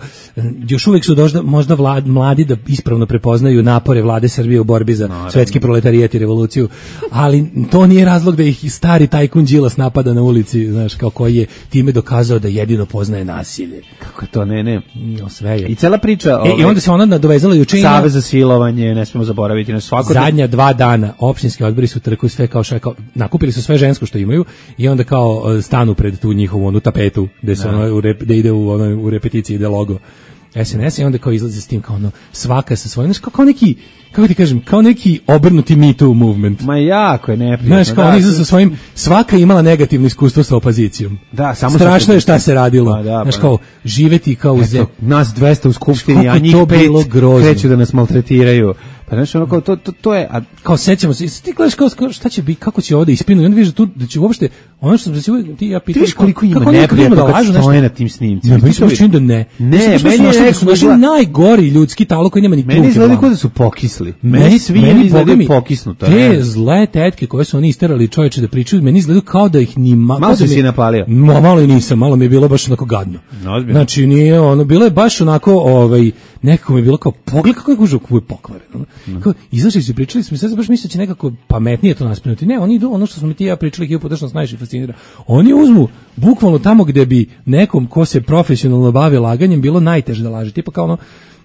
još uvijek su dožda, možda vlad, mladi da ispravno prepoznaju napore vlade Srbije u borbi za no, svetski proletarijat i revoluciju, ali to nije razlog da ih stari tajkun Đilas napada na ulici, znaš, kao koji je time dokazao da jedino poznaje nasilje. Kako to ne ne no, sve je. I cela priča e, ove, i onda se ona nadovezala juče i Savez za silovanje, ne smemo zaboraviti na svako zadnja dva dana opštinski odbori su trku sve kao šta kao nakupili su sve žensko što imaju i onda kao stanu pred tu njihovu onu tapetu gde se ono u rep, da ide u ono u repeticiji ide logo S N S i onda kao izlazi s tim kao ono svaka sa svojim, kao, kao neki, kako ti kažem, kao neki obrnuti Me Too movement. Ma jako je neprijatno. Znaš, kao da, oni sa svojim, svaka je imala negativno iskustvo sa opozicijom. Da, samo strašno je šta se radilo. Pa, da, znaš, pa, kao živeti kao u zemlji. Nas dvesta u skupštini, a njih pet kreću da nas maltretiraju. Pa znači ono kao to to to je a kao sećamo se ti gledaš kao šta će biti kako će ovde ispinu i onda vidiš tu da će uopšte ono što se ti ja pitam koliko ima neprijatno da lažu nešto na tim snimcima. Ne, mislim čini da ne. Ne, meni je da su naši najgori ljudski talo koji nema ni trunke. Meni izgleda kao da su pokisli. Meni svi izgledaju pokisnuto. Te zle tetke koje su oni isterali čoveče da pričaju, meni izgledaju kao da ih ni malo se si napalio. Malo i nisam, malo mi je bilo baš onako gadno. Znači nije ono bilo je baš onako ovaj nekako mi je bilo kao pogled kako je gužo kako je pokvareno. Kao izašli su pričali smo sad baš misleći nekako pametnije to naspinuti. Ne, oni idu ono što smo mi ti ja pričali hiljadu puta što nas najviše fascinira. Oni uzmu bukvalno tamo gde bi nekom ko se profesionalno bavi laganjem bilo najteže da laže. Tipa kao ono,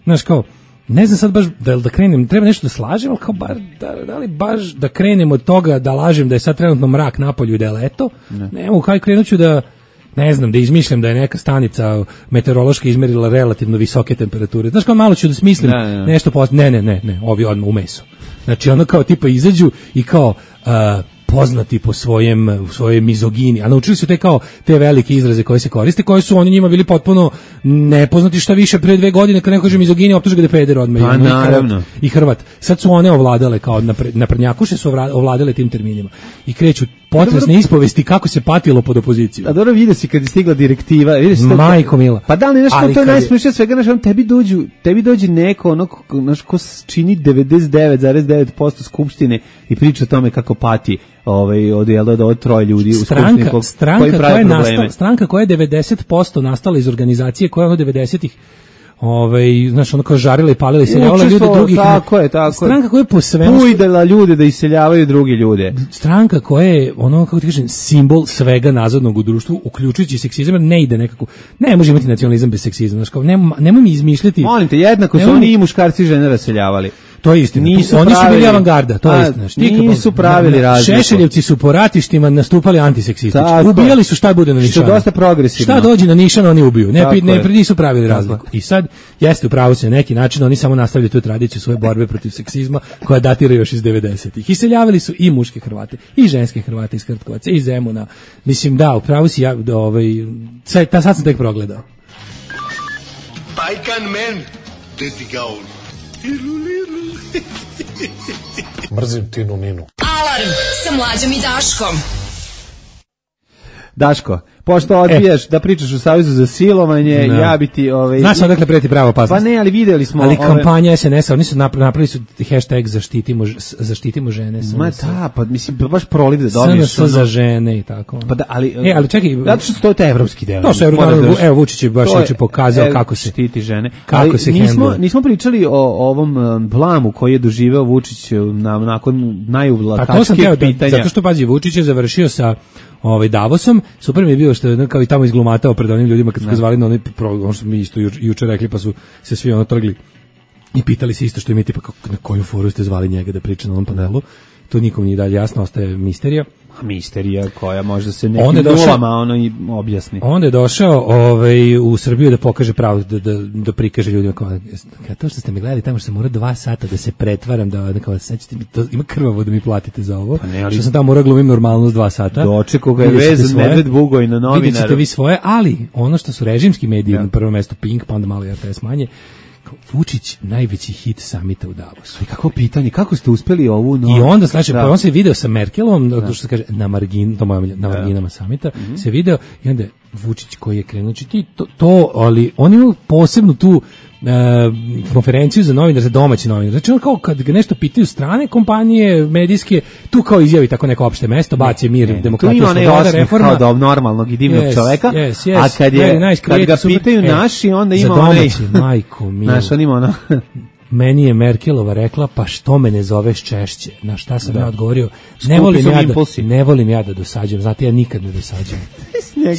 znaš kao ne znam sad baš da da krenem, treba nešto da slažem, al kao bar da, da li baš da krenem od toga da lažem da je sad trenutno mrak napolju i da je leto. Ne, ne mogu kaj krenuću da ne znam, da izmišljam da je neka stanica meteorološka izmerila relativno visoke temperature. Znaš kao malo ću da smislim ne, ne. nešto post... Ne, ne, ne, ne, ovi odmah u meso. Znači ono kao tipa izađu i kao uh, poznati po svojem svojoj mizogini, a naučili su te kao te velike izraze koje se koriste, koje su oni njima bili potpuno nepoznati, šta više pre dve godine kad neko kaže mizogini optuže ga da je peder odmah. Pa naravno. I Hrvat. Sad su one ovladale kao naprednjakuše su ovladale tim terminima i kreću potresne ispovesti kako se patilo pod opozicijom. A dobro vidi se kad je stigla direktiva, vidi se Majko mila. Pa da li nešto to je najsmešnije svega, znači tebi dođu, tebi dođe neko ono naš ko čini devedeset devet zarez devet posto skupštine i priča o tome kako pati ovaj od jel da od troje ljudi u skupštini ko, stranka koja je nastala, stranka koja je devedeset posto nastala iz organizacije koja je od devedesetih ovaj znaš ono kao žarila i palila i seljavala ljude drugih. Tako je, tako stranka koja je po svemu ujdala ljude da iseljavaju druge ljude. Stranka koja je ono kako ti kažem simbol svega nazadnog u društvu uključujući seksizam, ne ide nekako. Ne može imati nacionalizam bez seksizma, znači kao nema nemoj mi izmišljati. Molim te, jednako su oni i muškarci i žene raseljavali. To je istina. Nisu oni pravili, su bili avangarda, to je istina. Štika, nisu pravili razliku. Šešeljevci su po ratištima nastupali antiseksistički. Ubijali su šta bude na nišanu. Što dosta progresivno. Šta dođe na nišan, oni ubiju. Ne, ne, ne nisu pravili razliku. I sad, jeste upravo se na neki način, oni samo nastavljaju tu tradiciju svoje borbe protiv seksizma, koja datira još iz devedesetih. Iseljavali su i muške Hrvate, i ženske Hrvate iz Krtkovaca, i Zemuna. Mislim, da, upravo si ja, ovaj, sad, sad sam tek progledao. Bajkan men, dedi gaun. Mrzim Tinu Ninu. Alarm sa Mlađom i Daškom. Daško, pošto odbijaš e. da pričaš u Savezu za silovanje, no. ja bi ti... Ovaj, znaš odakle preti prava opasnost? Pa ne, ali videli smo... Ali ove... kampanja S N S-a, oni su napravili su hashtag zaštitimo, zaštitimo žene. Ma da, pa mislim, baš proliv da dobiješ. S N S za žene i tako. Pa da, ali... E, ali čekaj... Zato što to je taj evropski deo. To su evropski, evo Vučić je baš je pokazao e, kako se... štiti žene. Kako ali se nismo, hendla. nismo pričali o ovom um, blamu koji je doživeo Vučić na, nakon najuvlatačkih pa pitanja. Zato što, pazi, Vučić je završio sa ovaj Davosom, super mi je bilo što je kao i tamo izglumatao pred onim ljudima kad su ga zvali na onaj program, što mi isto juče, juče rekli, pa su se svi ono trgli i pitali se isto što im je tipa kako, na koju foru ste zvali njega da priča na onom panelu. to nikom nije dalje jasno, ostaje misterija. Misterija koja možda se nekim nulama ono i objasni. Onda je došao ovaj, u Srbiju da pokaže pravo, da, da, da prikaže ljudima kao, to što ste me gledali tamo što sam morao dva sata da se pretvaram, da, da kao, sećate mi, to, ima krvavo da mi platite za ovo, pa ne, ali, što sam tamo morao glumim normalnost dva sata. Dočekao ga je vezan Medved Bugoj na novinaru. Vidjet ćete vi svoje, ali ono što su režimski mediji, ja. Na prvo mesto Pink, pa onda malo R T S manje, Vučić najveći hit samita u Davosu. I kako pitanje, kako ste uspeli ovu no... I onda znači pa on se video sa Merkelom, da. Što se kaže na margin, to moja na marginama samita, mm-hmm. se video i onda Vučić koji je krenuo ti to, to ali on ima posebnu tu Uh, konferenciju za novinare, za domaći novinare. Znači on kao kad ga nešto pitaju strane kompanije medijske, tu kao izjavi tako neko opšte mesto, baci mir, ne, demokratiju, sloboda, reforma. Kao do normalnog i divnog yes, čoveka, yes, yes, a kad, je, nice, kad ga pitaju super, naši, onda ima onaj... Za domaći, majko milo. Znaš, on ima ono... Meni je Merkelova rekla, pa što me ne zoveš češće? Na šta sam da. ja odgovorio? Ne volim ja, da, ne volim ja da dosađujem, znate, ja nikad ne dosađujem.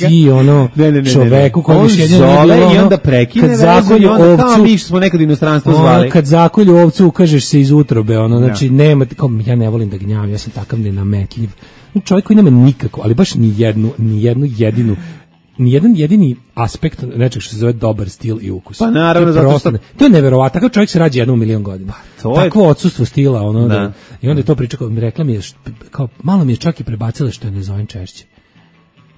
Ti ono ne, ne, ne, čoveku koji on zove bilo, i onda prekine vezu i onda ovcu, kao mi smo nekad inostranstvo zvali. Ono, kad zakolju ovcu ukažeš se iz utrobe, ono, znači, nema, kao, ja ne volim da gnjavim, ja sam takav nenametljiv. Čovjek koji nema nikako, ali baš ni jednu, ni jednu jedinu ni jedan jedini aspekt nečeg što se zove dobar stil i ukus. Pa naravno, to je, zato što... to je neverovatno, takav čovjek se rađa jednu u milion godina. To Takvo je... odsustvo stila, ono, da. Da, i onda je to priča, kao, rekla mi je, št, kao, malo mi je čak i prebacila što je ne zovem češće.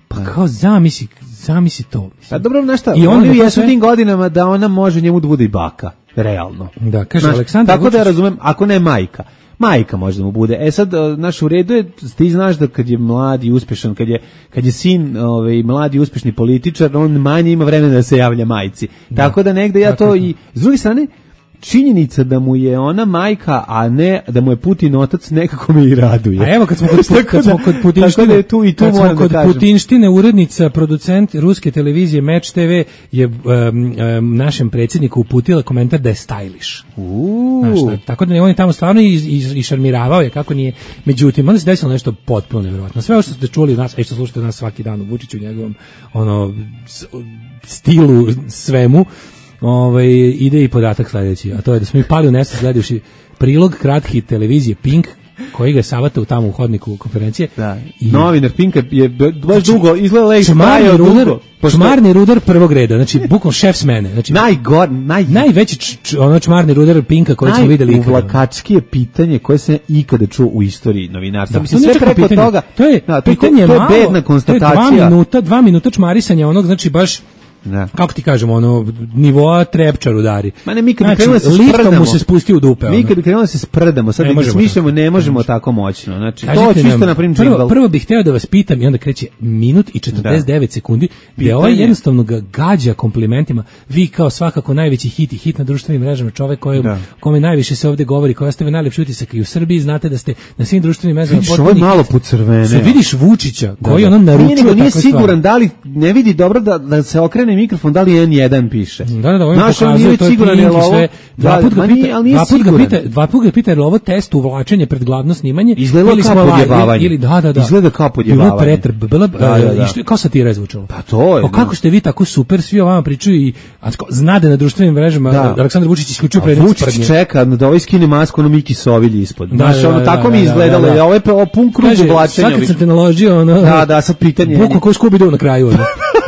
Pa da. Kao, zamisli, zamisli to. A dobro, nešto, i oni jesu sve... tim godinama da ona može njemu da bude i baka, realno. Da, kaže znaš, Aleksandar tako Vučić... da ja razumem, ako ne majka, majka može da mu bude. E sad, naš u redu je, ti znaš da kad je mlad i uspešan, kad je, kad je sin ovaj, mladi i uspešni političar, on manje ima vremena da se javlja majci. Da. Tako da negde ja to i, s druge strane, činjenica da mu je ona majka, a ne da mu je Putin otac, nekako me i raduje. A evo kad smo kod, kad smo kod Putinštine, da tu i tu kad smo da kod kažem. Putinštine, urednica, producent ruske televizije Match te ve je um, um, našem predsjedniku uputila komentar da je stylish. Uuu. Tako da ne, on je tamo stvarno i, i, i šarmiravao je kako nije. Međutim, onda se desilo nešto potpuno nevjerojatno. Sve ovo što ste čuli od nas, a što slušate nas svaki dan u Vučiću, njegovom ono, stilu, svemu, ovaj, ide i podatak sledeći, a to je da smo mi pali u nesvest gledajući prilog kratki televizije Pink, koji ga savata u tamo u hodniku konferencije. Da. I novinar Pinka je baš dugo izgleda i čmarni rudar, čmarni rudar prvog reda, znači bukvalno šef smene, znači najgor, naj najveći č, č, ono čmarni rudar Pinka koji smo videli ikada. Najuvlakačkije pitanje koje se ikada čuo u istoriji novinarstva. Da, mislim sve preko pitanje. toga. To je da, pitanje to je malo, bedna konstatacija. To je dva minuta, dva minuta čmarisanja onog, znači baš ne. Kako ti kažemo, ono, nivoa Trepčar udari. Ma ne, mi kad znači, krenuli da se sprdamo, mu se spusti u dupe. Mi kad krenuli da se sprdamo, sad ne da smišljamo, ne možemo tako moćno. Znači, kažite to čisto na primjer prvo, prvo bih hteo da vas pitam i onda kreće minut i četrdeset devet da. sekundi, gde ovaj jednostavno ga gađa komplimentima. Vi kao svakako najveći hit i hit na društvenim mrežama, čovek koji, da. kome najviše se ovde govori, koji ostavlja najlepši utisak i u Srbiji, znate da ste na svim društvenim mrežama potpuno malo pocrvene. Se vidiš Vučića, koji ono naručuje tako nije siguran da li ne vidi dobro da da se okrene mikrofon, da li en jedan piše. Da, da, on pokazuje to siguran je ovo. Sve. Dva put ga pita, dva put ga pita, dva put ga pita, je li ovo test uvlačenje pred glavno snimanje? Izgleda kao podjebavanje. Ili da, da, da. Izgleda kao podjebavanje. Bilo pretrp, bilo isto kao satira zvučalo. Pa to je. Pa kako ste vi tako super, svi o vama pričaju i znade na društvenim mrežama, Aleksandar Vučić isključio predmet sprdnje. Vučić čeka da ovaj skine masku, ono Miki Sovilj ispod. Znaš, ono tako mi izgledalo, je ovo je pun krug oblačenja. Sad kad sam te naložio, ono. Da, da, sad pitanje. Buko ko Scooby-Doo na kraju, ono.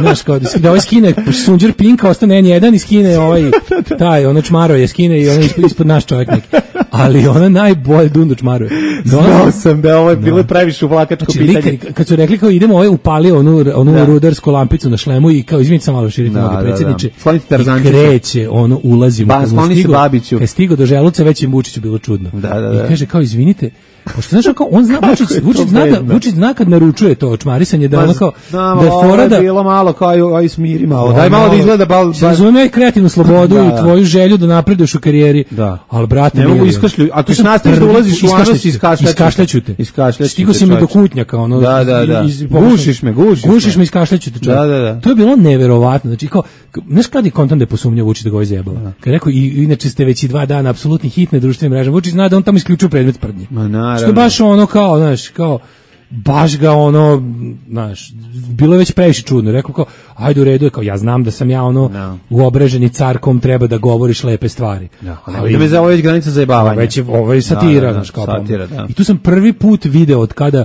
Znaš, kao da ovaj skine Sunđer Pinka, ostane en jedan i skine ovaj, taj, ono čmaro je skine i ono ispod, ispod naš čovjek neki. Ali ona najbolje dundu čmaro je. Znao sam da ovo je bilo no. previše uvlakačko znači, pitanje. Likari, kad su rekli kao idemo, ovaj upalio onu, onu da. rudarsku lampicu na šlemu i kao izvinite sam malo širite noge predsjedniče. Da, da. I kreće, ono, ulazimo. Ba, skloni se Babiću. Kad stigo do želuca, već im Vučiću bilo čudno. Da, da, da. I kaže kao izvinite, pošto znaš kao on zna Vučić, Vučić zna da Vučić zna kad naručuje to čmarisanje da ono kao da je fora da bilo malo kao aj, aj smiri malo. Daj malo da izgleda bal. Razumem kreativnu slobodu i tvoju želju da napreduješ u karijeri. Al brate, ne mogu iskašlju. A ti nastaviš da ulaziš u anos iz iskašljaću te. Iskašljaću. Stigo si mi do kutnjaka, ono. Da, da, da. Gušiš me, gušiš. Gušiš me, iskašljaću te. Da, da, da. To je bilo neverovatno. Znači kao znaš kad je kontam da je posumnjao Vučić da ga zajebala. Kad rekao i inače ste već i dva dana apsolutni hit na društvenim mrežama. Vučić zna da on tamo isključio predmet sprdnje. Ma naravno. Što baš ono kao, znaš, kao baš ga ono, znaš, bilo je već previše čudno. Rekao kao, ajde u redu je, kao ja znam da sam ja ono no. uobraženi car kom treba da govoriš lepe stvari. No, ali da me za ovo već granica zajebavanja. Već je, ovo je satira, da, da, znaš, kao satira, da. I tu sam prvi put video od kada,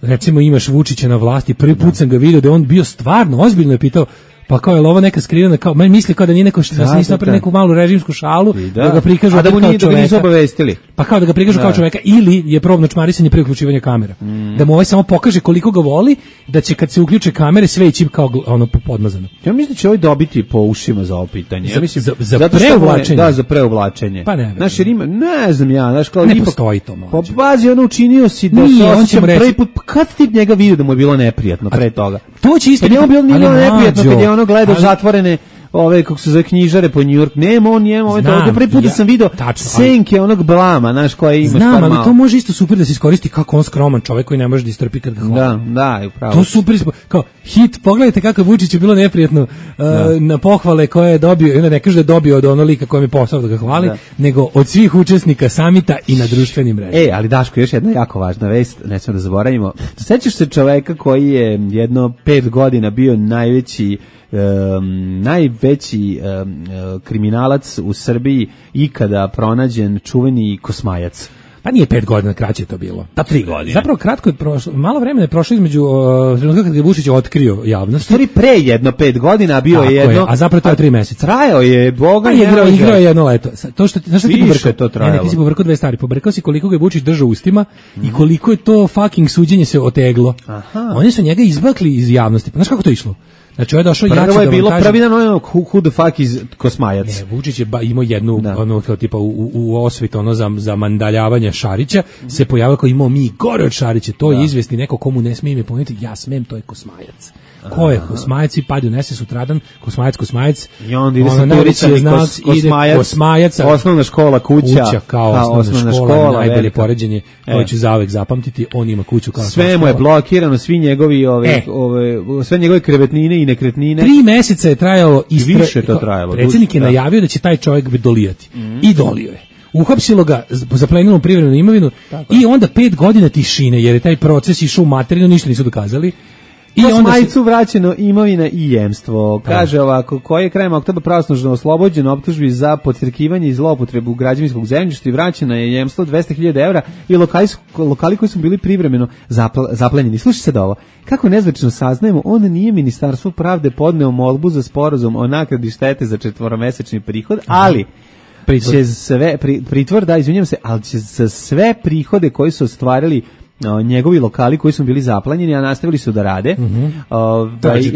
recimo, imaš Vučića na vlasti, prvi put da. sam ga video da on bio stvarno, ozbiljno je pitao, pa kao je ovo neka skrivena, kao meni misli kao da nije neko što da, da se nisi napravio neku malu režimsku šalu da, da ga prikažu a da mu nije, kao da ga nisu obavestili. Pa kao da ga prikažu da. kao čoveka ili je probno čmarisanje pre uključivanja kamera. Mm. Da mu ovaj samo pokaže koliko ga voli, da će kad se uključe kamere sve ići kao ono podmazano. Ja mislim da će ovaj dobiti po ušima za ovo pitanje. Ja mislim za, za preuvlačenje. Da, za preuvlačenje. Pa ne. Znaš, jer ima, ne znam ja, znaš kao ne ipak, postoji to mlađe. Pa bazi ono učinio si da se osjećam prvi put, kad ti njega vidio da mu je bilo neprijatno pre toga? To će isto biti bilo neprijatno kad je ono gledao zatvorene ove kako se zove knjižare po New York. Nema on njemu, ovaj to prvi put da sam video senke onog blama, znaš, koje ima. Znam, ali to može isto super da se iskoristi kako on skroman čovjek koji ne može da istrpi kad ga hvali. Da, da, upravo. To super, kao hit, pogledajte kako Vučić je bilo neprijatno uh, na pohvale koje je dobio, ne, ne kaže da je dobio od onog lika kojem je posao da ga hvali, da. nego od svih učesnika samita i na društvenim mrežama. E, ali Daško, još jedna jako važna vest, ne smemo da zaboravimo. Sećaš se čoveka koji je jedno pet godina bio najveći Um, najveći um, kriminalac u Srbiji ikada pronađen, čuveni Kosmajac. Pa nije pet godina, kraće je to bilo. Pa tri godine. Zapravo kratko je prošlo, malo vremena je prošlo između uh, trenutka kad je Vučić otkrio javnost. Stvari pre jedno pet godina, a bio je jedno. Je, a zapravo to je tri meseca. Trajao je, boga je igrao, igrao je jedno leto. To što ti, znaš šta ti pobrkao? To trajalo. Ne, ne, ti si pobrkao dve stvari. Pobrkao si koliko ga je Vučić držao ustima mm. i koliko je to fucking suđenje se oteglo. Aha. Oni su njega izbakli iz javnosti. Pa znaš kako to išlo? Znači, ovo je došao jači da vam kažem. Prvo je bilo prvi dan ono who, who the fuck is Kosmajac. Ne, Vučić je ba, imao jednu, da. ono, kao tipa u, u osvit, ono, za, za mandaljavanje Šarića, mm-hmm. se pojavilo kao imao mi gore od Šarića, to da. je izvesni neko komu ne smije ime pomenuti, ja smem, to je Kosmajac. Ko je Kosmajac i padi unese sutradan, Kosmajac, Kosmajac, i onda ide sa znac, Kosmajac, Kosmajac, osnovna škola, kuća, kuća kao ha, osnovna, osnovna škola, škola najbolje poređenje, koje ću zauvek zapamtiti, on ima kuću kao sve mu je blokirano, svi njegovi ove, e. ove, sve njegove krevetnine i nekretnine. Tri meseca je trajalo istra... više to trajalo. Predsjednik je najavio da će taj čovjek dolijati. Mm. I dolio je. Uhapsilo ga, zaplenilo privremenu imovinu i onda pet godina tišine, jer je taj proces išao u materinu, ništa nisu dokazali. I Kosmajcu se... vraćeno imovina i jemstvo. Kaže ovako, koji je krajem oktobra pravosnažno oslobođen optužbi za podstrekivanje i zloupotrebu građevinskog zemljišta i vraćena je jemstvo dvesta hiljada evra i lokali, lokali koji su bili privremeno zapl, zaplenjeni. Slušaj sad ovo, kako nezvečno saznajemo, on nije Ministarstvo pravde podneo molbu za sporazum o naknadi štete za četvoromesečni prihod, ali pritvor. će sve, pri, pritvor, da, izvinjam se, ali će za sve prihode koji su ostvarili No, njegovi lokali koji su bili zaplanjeni, a nastavili su da rade. Mm-hmm.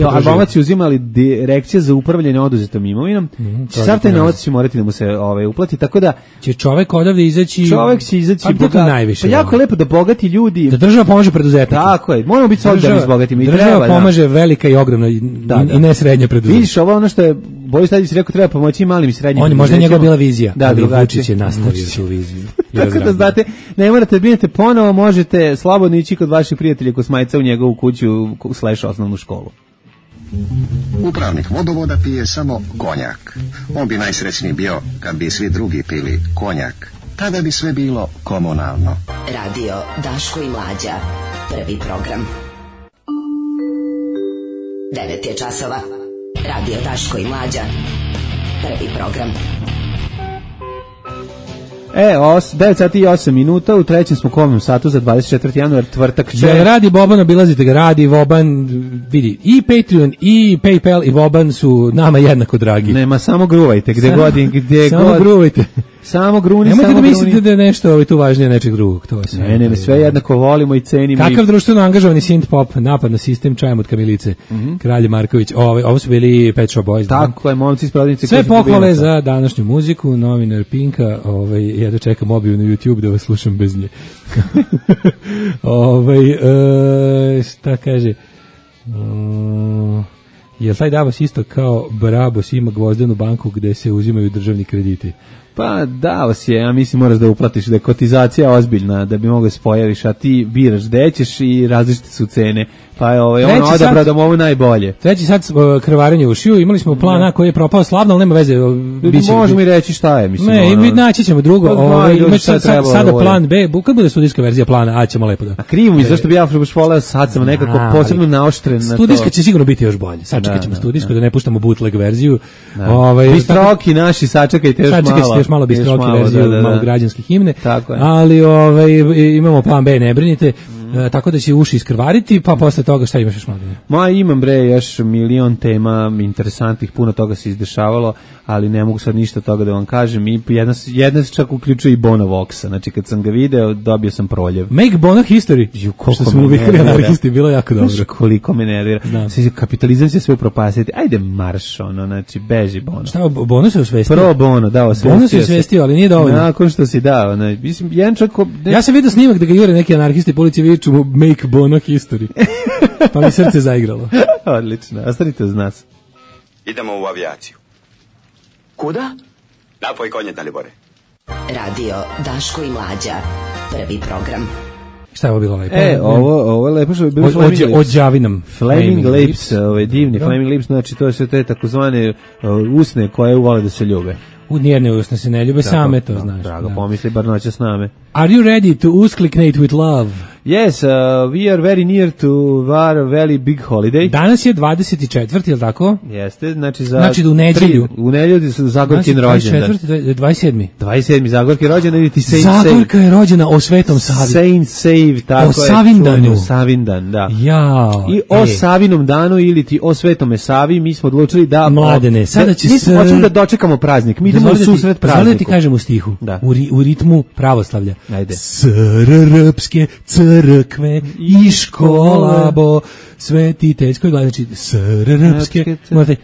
uh, Albomac je uzimali direkcije za upravljanje oduzetom imovinom. Mm-hmm. Sav taj novac će morati da mu se ovaj, uplati, tako da će čovek odavde izaći. Čovek će izaći pa bogat, najviše. Pa jako je lepo da bogati ljudi. Da država pomaže preduzetnicima. Tako je. Moramo biti solidarni s bogatima. Država treba, pomaže da. velika i ogromna i, da, da. i ne srednja preduzeća. Vidiš, ovo ono što je Boris Tadić rekao, treba pomoći malim i srednjim. On možda njegova bila vizija, da, ali Vučić je nastavio tu viziju. Tako da znate, ne morate binete ponovo, možete slobodno ići kod vaših prijatelja Kosmajca u njegovu kuću slash osnovnu školu. Upravnik vodovoda pije samo konjak. On bi najsrećniji bio kad bi svi drugi pili konjak. Tada bi sve bilo komunalno. Radio Daško i Mlađa. Prvi program. Devet je časova. Radio Daško i Mlađa. Prvi program. E, os, devet sati i osam minuta, u trećem smo komnom satu za dvadeset četvrti januar, tvrtak će... Ja, radi Boban, obilazite ga, radi Voban, vidi, i Patreon, i PayPal, i Voban su nama jednako dragi. Nema, samo gruvajte, gde samo, god, gde samo god... gruvajte. Samo gruni, nemojte samo da gruni. mislite da je nešto ovaj, tu važnije nečeg drugog. To je sve. Ne, ne, ne, sve jednako volimo i cenimo. Kakav i... društveno angažovani synth pop, napad na sistem, čajem od kamilice, mm-hmm. Kralje Marković, ovo, ovo su bili Pet Shop Boys. Tako je, momci iz prodavnice. Sve pohvale za današnju muziku, novinar Pinka, ovaj, ja da čekam objavu na YouTube da vas slušam bez nje. ovaj, e, šta kaže... Um, Jel taj Davos isto kao Barabos ima gvozdenu banku gde se uzimaju državni krediti? Pa dao si je, ja mislim moraš da uplatiš, da je kotizacija ozbiljna, da bi mogao se pojaviš, a ti biraš gde ćeš i različite su cene. Pa je ovaj, on odabrao da mu ovo najbolje. Treći sad uh, krvarenje u šiju, imali smo plan A koji je propao slavno, ali nema veze. Biće, možemo i reći šta je. Mislim, ne, ono, naći ćemo drugo. Pa, ovaj, ljudi, sad, sad, sada plan B, kad bude studijska verzija plana A ćemo lepo da... A krivo mi, zašto bi ja baš voleo, sad sam nekako a, posebno naoštren na to. Studijska će sigurno biti još bolje. Sačekat ćemo studijsku, da. da ne puštamo bootleg verziju. Ovaj, bistroki naši, sačekajte još malo. Sačekajte još malo bistroki verziju, da, da, malo građanske himne. Ali ovaj, imamo plan B, ne brinite. E, tako da će uši iskrvariti, pa posle toga šta imaš još malo? Ma imam bre još milion tema interesantnih, puno toga se izdešavalo, ali ne mogu sad ništa toga da vam kažem. I jedna, jedna se čak uključuje i Bona Voxa, znači kad sam ga video dobio sam proljev. Make Bona History, Ju, što smo uvikali anarhisti, bilo jako dobro. Znaš koliko me nervira. Kapitalizam će sve upropastiti, ajde marš, ono, znači beži Bono. Šta, Bono se osvestio? Pro Bono, da, osvestio. Bono se osvestio, ali nije dovoljno. Nakon što si dao, ne, mislim, jedan čak... Ne... Ja sam vidio snimak da ga jure neki anarhisti policije viču Make Bono History. Pa mi srce zaigralo. Odlično, ostanite uz nas. Idemo u avijaciju. Kuda? Napoj konje, Dalibore. Radio Daško i Mlađa. Prvi program. Šta je ovo bilo lepo? E, ovo, ovo je lepo što je bilo Flaming Lips. Ođavi nam. Flaming Lips, ovaj divni Flaming Lips, znači to su te takozvane uh, usne koje uvole da se ljube. U nijerne usne se ne ljube, same to znaš. Drago, pomisli bar noća s name. Are you ready to uskliknate with love? Yes, uh, we are very near to our very big holiday. Danas je dvadeset četvrti, je li tako? Jeste, znači za... Znači u nedjelju. Tri, u nedjelju su Zagorkin rođendan. dvadeset četvrti, dvadeset sedmi. dvadeset sedmi Zagorkin rođendan ili ti Saint Save. Zagorka je rođena o Svetom Savi. Saint Save, tako o je. O Savindanu. Savindan, da. Jao. I o e. Savinom danu ili ti o Svetome Savi, mi smo odlučili da... Mladene, sada će mi se... hoćemo da dočekamo praznik, mi idemo u susret prazniku. Sada ti kažem u stihu, da. u, ri, u ritmu pravoslavlja. Ajde. Srpske crkve i škola bo sveti tečko gleda, znači srpske morate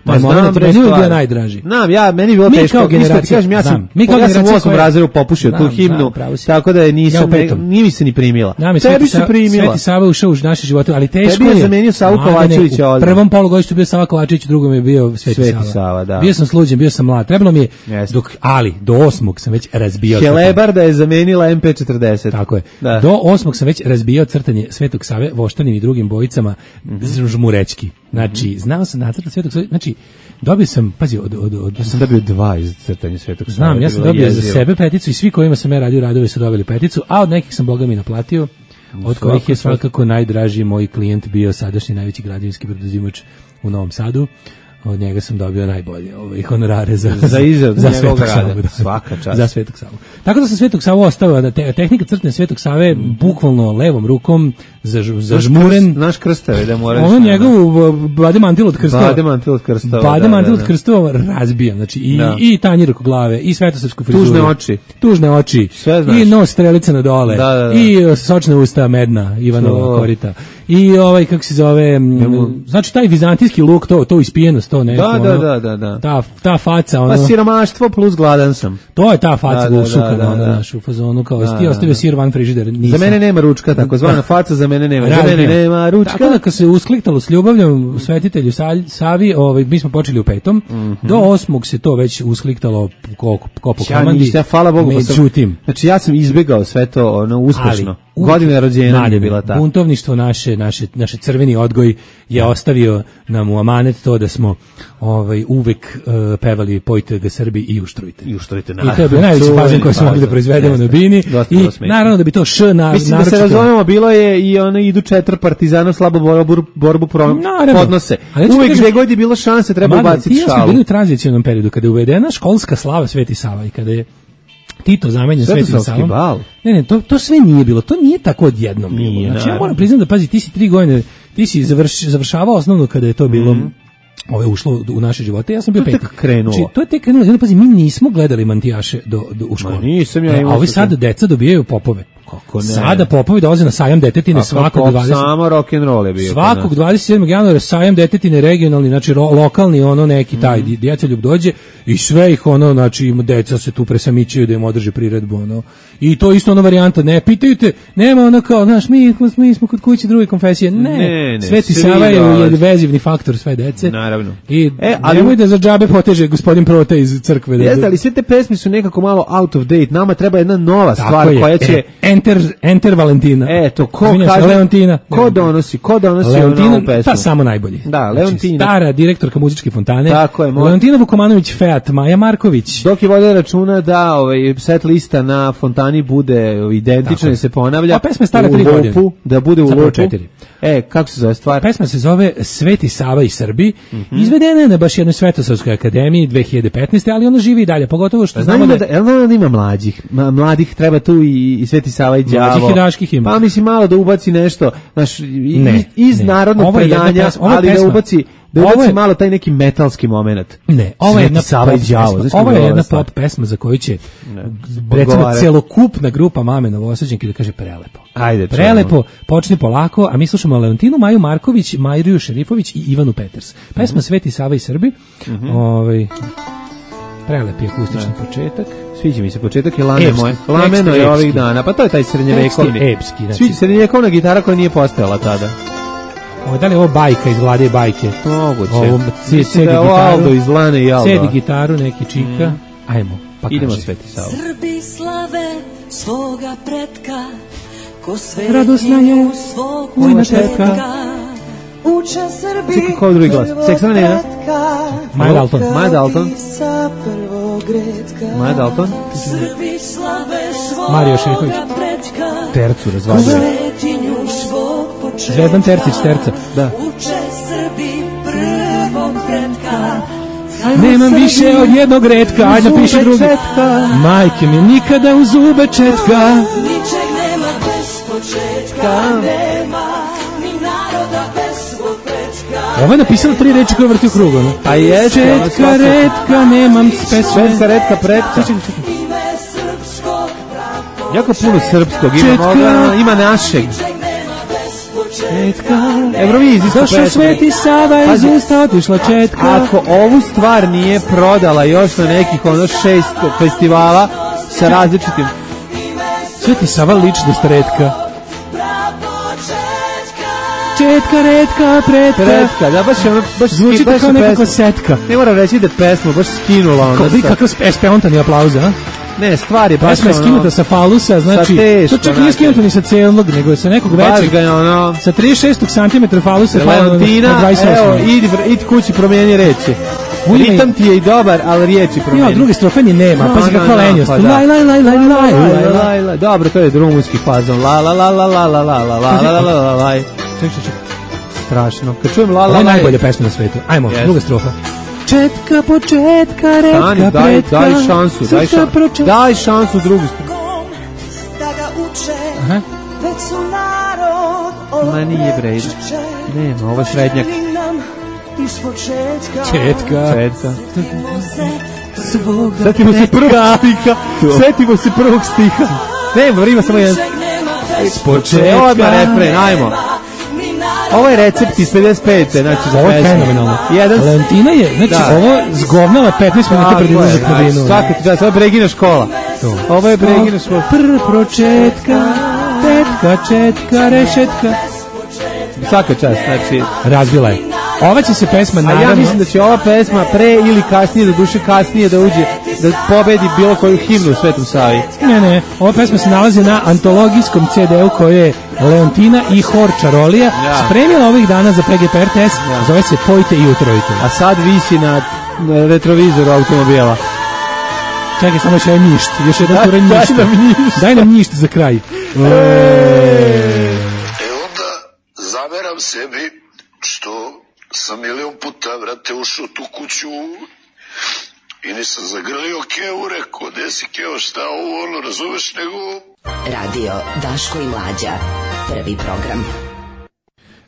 pa znam bre, meni je bio najdraži. Znam, ja, meni je bilo teško, isto ti kažem, ja sam, mi kao ja sam u osmom razredu popušio tu himnu, tako da je nisam, nije mi se ni primila. Tebi se primila. Sveti Sava ušao u naše živote, ali teško je. Tebi je zamenio Savu Kovačevića odmah. U prvom polugodištu bio Sava Kovačević, u drugom je bio Sveti Sava. Bio sam sluđen, bio sam mlad, trebalo mi je, dok, ali do osmog sam već razbijao. Helebarda je zamenila em pe četrdeset. Tako je. Do osmog sam već razbijao crtanje Svetog Save voštanim i drugim bojicama mm-hmm. žmurečki. Znači, mm-hmm. znao sam nacrtati Svetog Save, znači, dobio sam, pazi, od... od, od ja sam dobio dva iz crtanja Svetog Save. Znam, ja sam dobio jezio. Za sebe peticu i svi kojima sam ja radio radove su dobili peticu, a od nekih sam Boga mi naplatio, od Svako kojih je svakako najdraži moj klijent bio sadašnji najveći građevinski brodozimač u Novom Sadu. Od njega sam dobio najbolje ovaj honorare za za izradu za Svetog Save, da, svaka čast. Za Svetog Savu. Tako da sam Svetog Savu ostavio da te, tehnika crtanja Svetog Save mm. bukvalno levom rukom za za žmuren naš krstave da mora. Ono njegov bade mantil od krstova. Bade mantil od krstova. Bade mantil od krstova razbijam, znači i da. i tanjir oko glave i svetosavsku frizuru. Tužne oči. Tužne oči. I nos strelica na dole. Da, da, da. I sočna usta medna Ivanova korita. I ovaj kako se zove, znači taj vizantijski luk, to to ispijenost, to neko. Da, da, da, da, da. Ta ta faca, ono. Pa siromaštvo plus gladan sam. To je ta faca ušukana na našu fazonu kao da, ti ostavio sir van frižider. Za mene nema ručka, takozvana faca za mene nema. Za mene nema ručka. Tako da kad se uskliktalo s ljubavljom svetitelju Savi, ovaj mi smo počeli u petom. Mm-hmm. Do osmog se to već uskliktalo ko ko po komandi. Ja, hvala Bogu, međutim, znači ja sam izbegao sve to ono uspešno. Godina rođenja je bila ta. Buntovništvo naše, naše, naše crveni odgoj je ostavio nam u amanet to da smo ovaj, uvek uh, pevali Pojte ga Srbi i uštrujte. I uštrujte, I to je bio najveći fazen koji smo mogli da proizvedemo na bini. I naravno da bi to š na... Mislim da se razumemo, bilo je i ono idu četiri partizana slabo borbu, borbu pro, podnose. Uvek gde god je bilo šanse treba ubaciti šalu. Ti smo bili u tranzicionom periodu kada je uvedena školska slava Sveti Sava i kada je Tito zamenjen Svetim Savom. Ne, ne, to, to sve nije bilo. To nije tako odjednom bilo. Znači, ja moram priznati da, pazi, ti si tri godine, ti si završ, završavao osnovno kada je to bilo mm. ove ušlo u naše živote. Ja sam bio peti. To je tek krenulo. Znači, to je tek krenulo. Pazi, mi nismo gledali mantijaše do, do, u školu. Ma nisam ja imao. A ovi sada deca dobijaju popove. Kako ne? Sada popovi dolaze na sajam detetine svakog dvadeset. Samo rock and roll je bio. Svakog dvadeset sedmog januara sajam detetine regionalni, znači ro, lokalni ono neki taj mm. djecoljub dođe i sve ih ono, znači im deca se tu presamićaju da im održe priredbu, ono. I to isto ona varijanta, ne pitaju te, nema ono kao, znaš, mi, mi smo kod kuće druge konfesije, ne, ne, ne Sveti Sava je vezivni faktor sve dece. Naravno. I e, ali nemoj da za džabe poteže gospodin Prote iz crkve. Da jeste, ali sve te pesme su nekako malo out of date, nama treba jedna nova tako stvar je. koja će... E, enter, enter Valentina. Eto, ko Zvinja kaže... se, Leontina. Ko donosi, ko donosi Leontina, ovu pesmu? pa samo najbolji. Da, Leontina. Znači, stara direktorka muzičke fontane. Tako je. Mo... Leontina Vukomanović Feat, Maja Marković. Dok je vodila računa da ovaj, set lista na fontani bude identična i se ponavlja. A pesma je stara tri godine. Da bude u lupu. Četiri. E, kako se zove stvar? Pesma se zove Sveti Sava i Srbi. Mm-hmm. Izvedena je na baš jednoj Svetosavskoj akademiji dve hiljade petnaeste. ali ona živi i dalje, pogotovo što znamo da... Jel da, da ima mlađih? Mladih treba tu i, i Sveti Sava i đavo. Mlađih i daških ima. Pa mislim malo da ubaci nešto, znaš, ne, iz ne. narodnog predanja, pesma, ali pesma. da ubaci... Da ubaci je, malo taj neki metalski moment. Ne, ovo je jedna Sava i đavo. Ovo je jedna pop pesma za koju će ne, recimo celokupna grupa mame Novosađanke da kaže prelepo. Ajde, prelepo, počni polako, a mi slušamo Leontinu, Maju Marković, Majriju Šerifović i Ivanu Peters. Pesma mm-hmm. Sveti Sava i Srbi. Mm-hmm. Ovaj prelepi akustični ne. početak. Sviđa mi se početak je lame moje. Lameno je ovih dana. Pa to je taj srednjevekovni. Epski, znači. Sviđa srednjevekovna gitara koja nije postojala tada. Ovo da li je ovo bajka iz Vlade bajke? Moguće. Ovo cedi da gitaru. Aldo iz Lane i Aldo. Cedi gitaru, neki čika. Mm. Ajmo, pa idemo kaži. Sveti Sava. Srbi slave svoga pretka, ko svetinju svog početka. Uče Srbi Čekaj, ko drugi glas? Seksana Nena? Maja Dalton. Maja Dalton. Maja Dalton. Srbi slave Mario Šerifović. Tercu razvaljuje. Zvezdan Tercić, Terca. Da. Uče Srbi prvog pretka. Nemam više od jednog retka, ajde napiši drugi. Majke mi nikada u zube četka. Ničeg nema bez početka, nema ni naroda bez svog prečka. Ovo je napisala tri reči koje vrti u krugu, ne? A je četka, retka, nemam pesme. Četka, retka, pretka. Ime srpskog pravo. Jako puno srpskog ima, moga, ima našeg. Eurovizijska pesma. Došao Sveti Sava iz usta otišla četka. Ako ovu stvar nije prodala još na nekih ono šest festivala sa različitim... Sveti Sava ličnost retka. Četka, retka, pretka. Pretka, da baš je ono... Baš zvuči baš kao nekako setka. Ne moram reći da je pesma baš skinula onda. Kao kakav spontani aplauz, a? Ne, stvar je baš pesma je skinuta sa falusa, znači, teško, to čak nije skinuto ni sa celog, nego sa nekog većeg, ono, sa trideset šest centimetra falusa, Leontina, evo, idi, idi kući, promijeni reči. Ritam ti je i dobar, ali riječi promijeni. Ja, druge strofe ni nema, pa si kakva lenjost. Laj, laj, laj, laj, laj, laj. Dobro, to je rumunski fazon. La, la, la, la, la, la, la, la, la, la, la, la, la. Čekaj, čekaj. Strašno. Kad čujem la, la, la. Ovo je najbolja pesma na svetu. Ajmo, druga strofa. Četka, početka, retka, Stani, daj, pretka. daj šansu, daj šansu. Daj šansu drugu stranu. Da ga uče, aha, već su narod. Ma nije bre, nema, ovo je srednjak. Četka. Četka. Svoga Setimo se prvog stiha. Setimo se prvog stiha. Nema, ima samo jedan. S početka. Ovo je refren, ajmo. Ovo je recept iz pedeset pete, znači za ovo je fenomenalno. Jedan... Valentina je, znači da. Ovo zgovnava petnaest minuta pred izlazak na vinu. Svaka ti čast, ovo je Bregina škola. To. Ovo je Bregina škola. Prr pročetka, tetka, četka, rešetka. Svaka čast, znači... Razbila je. Ova će se pesma naravno... A ja mislim da će ova pesma pre ili kasnije, da duše kasnije da uđe, da pobedi bilo koju himnu u Svetom Savi. Ne, ne, ova pesma se nalazi na antologijskom ce de u koje je Leontina i Hor Čarolija ja. spremila ovih dana za pe ge pe er te es, ja. zove se Pojte i utrojite. A sad visi na, na retrovizoru automobila. Čekaj, samo još jedan njišt, još jedan da, turanj njišt. Daj nam njišt. Daj nam njišt za kraj. E onda zameram sebi što sam milion puta, vrate, ušao tu kuću i nisam zagrlio Keo, rekao, gde si Keo, šta ovo, ono, razumeš, nego... Radio Daško i Mlađa, prvi program.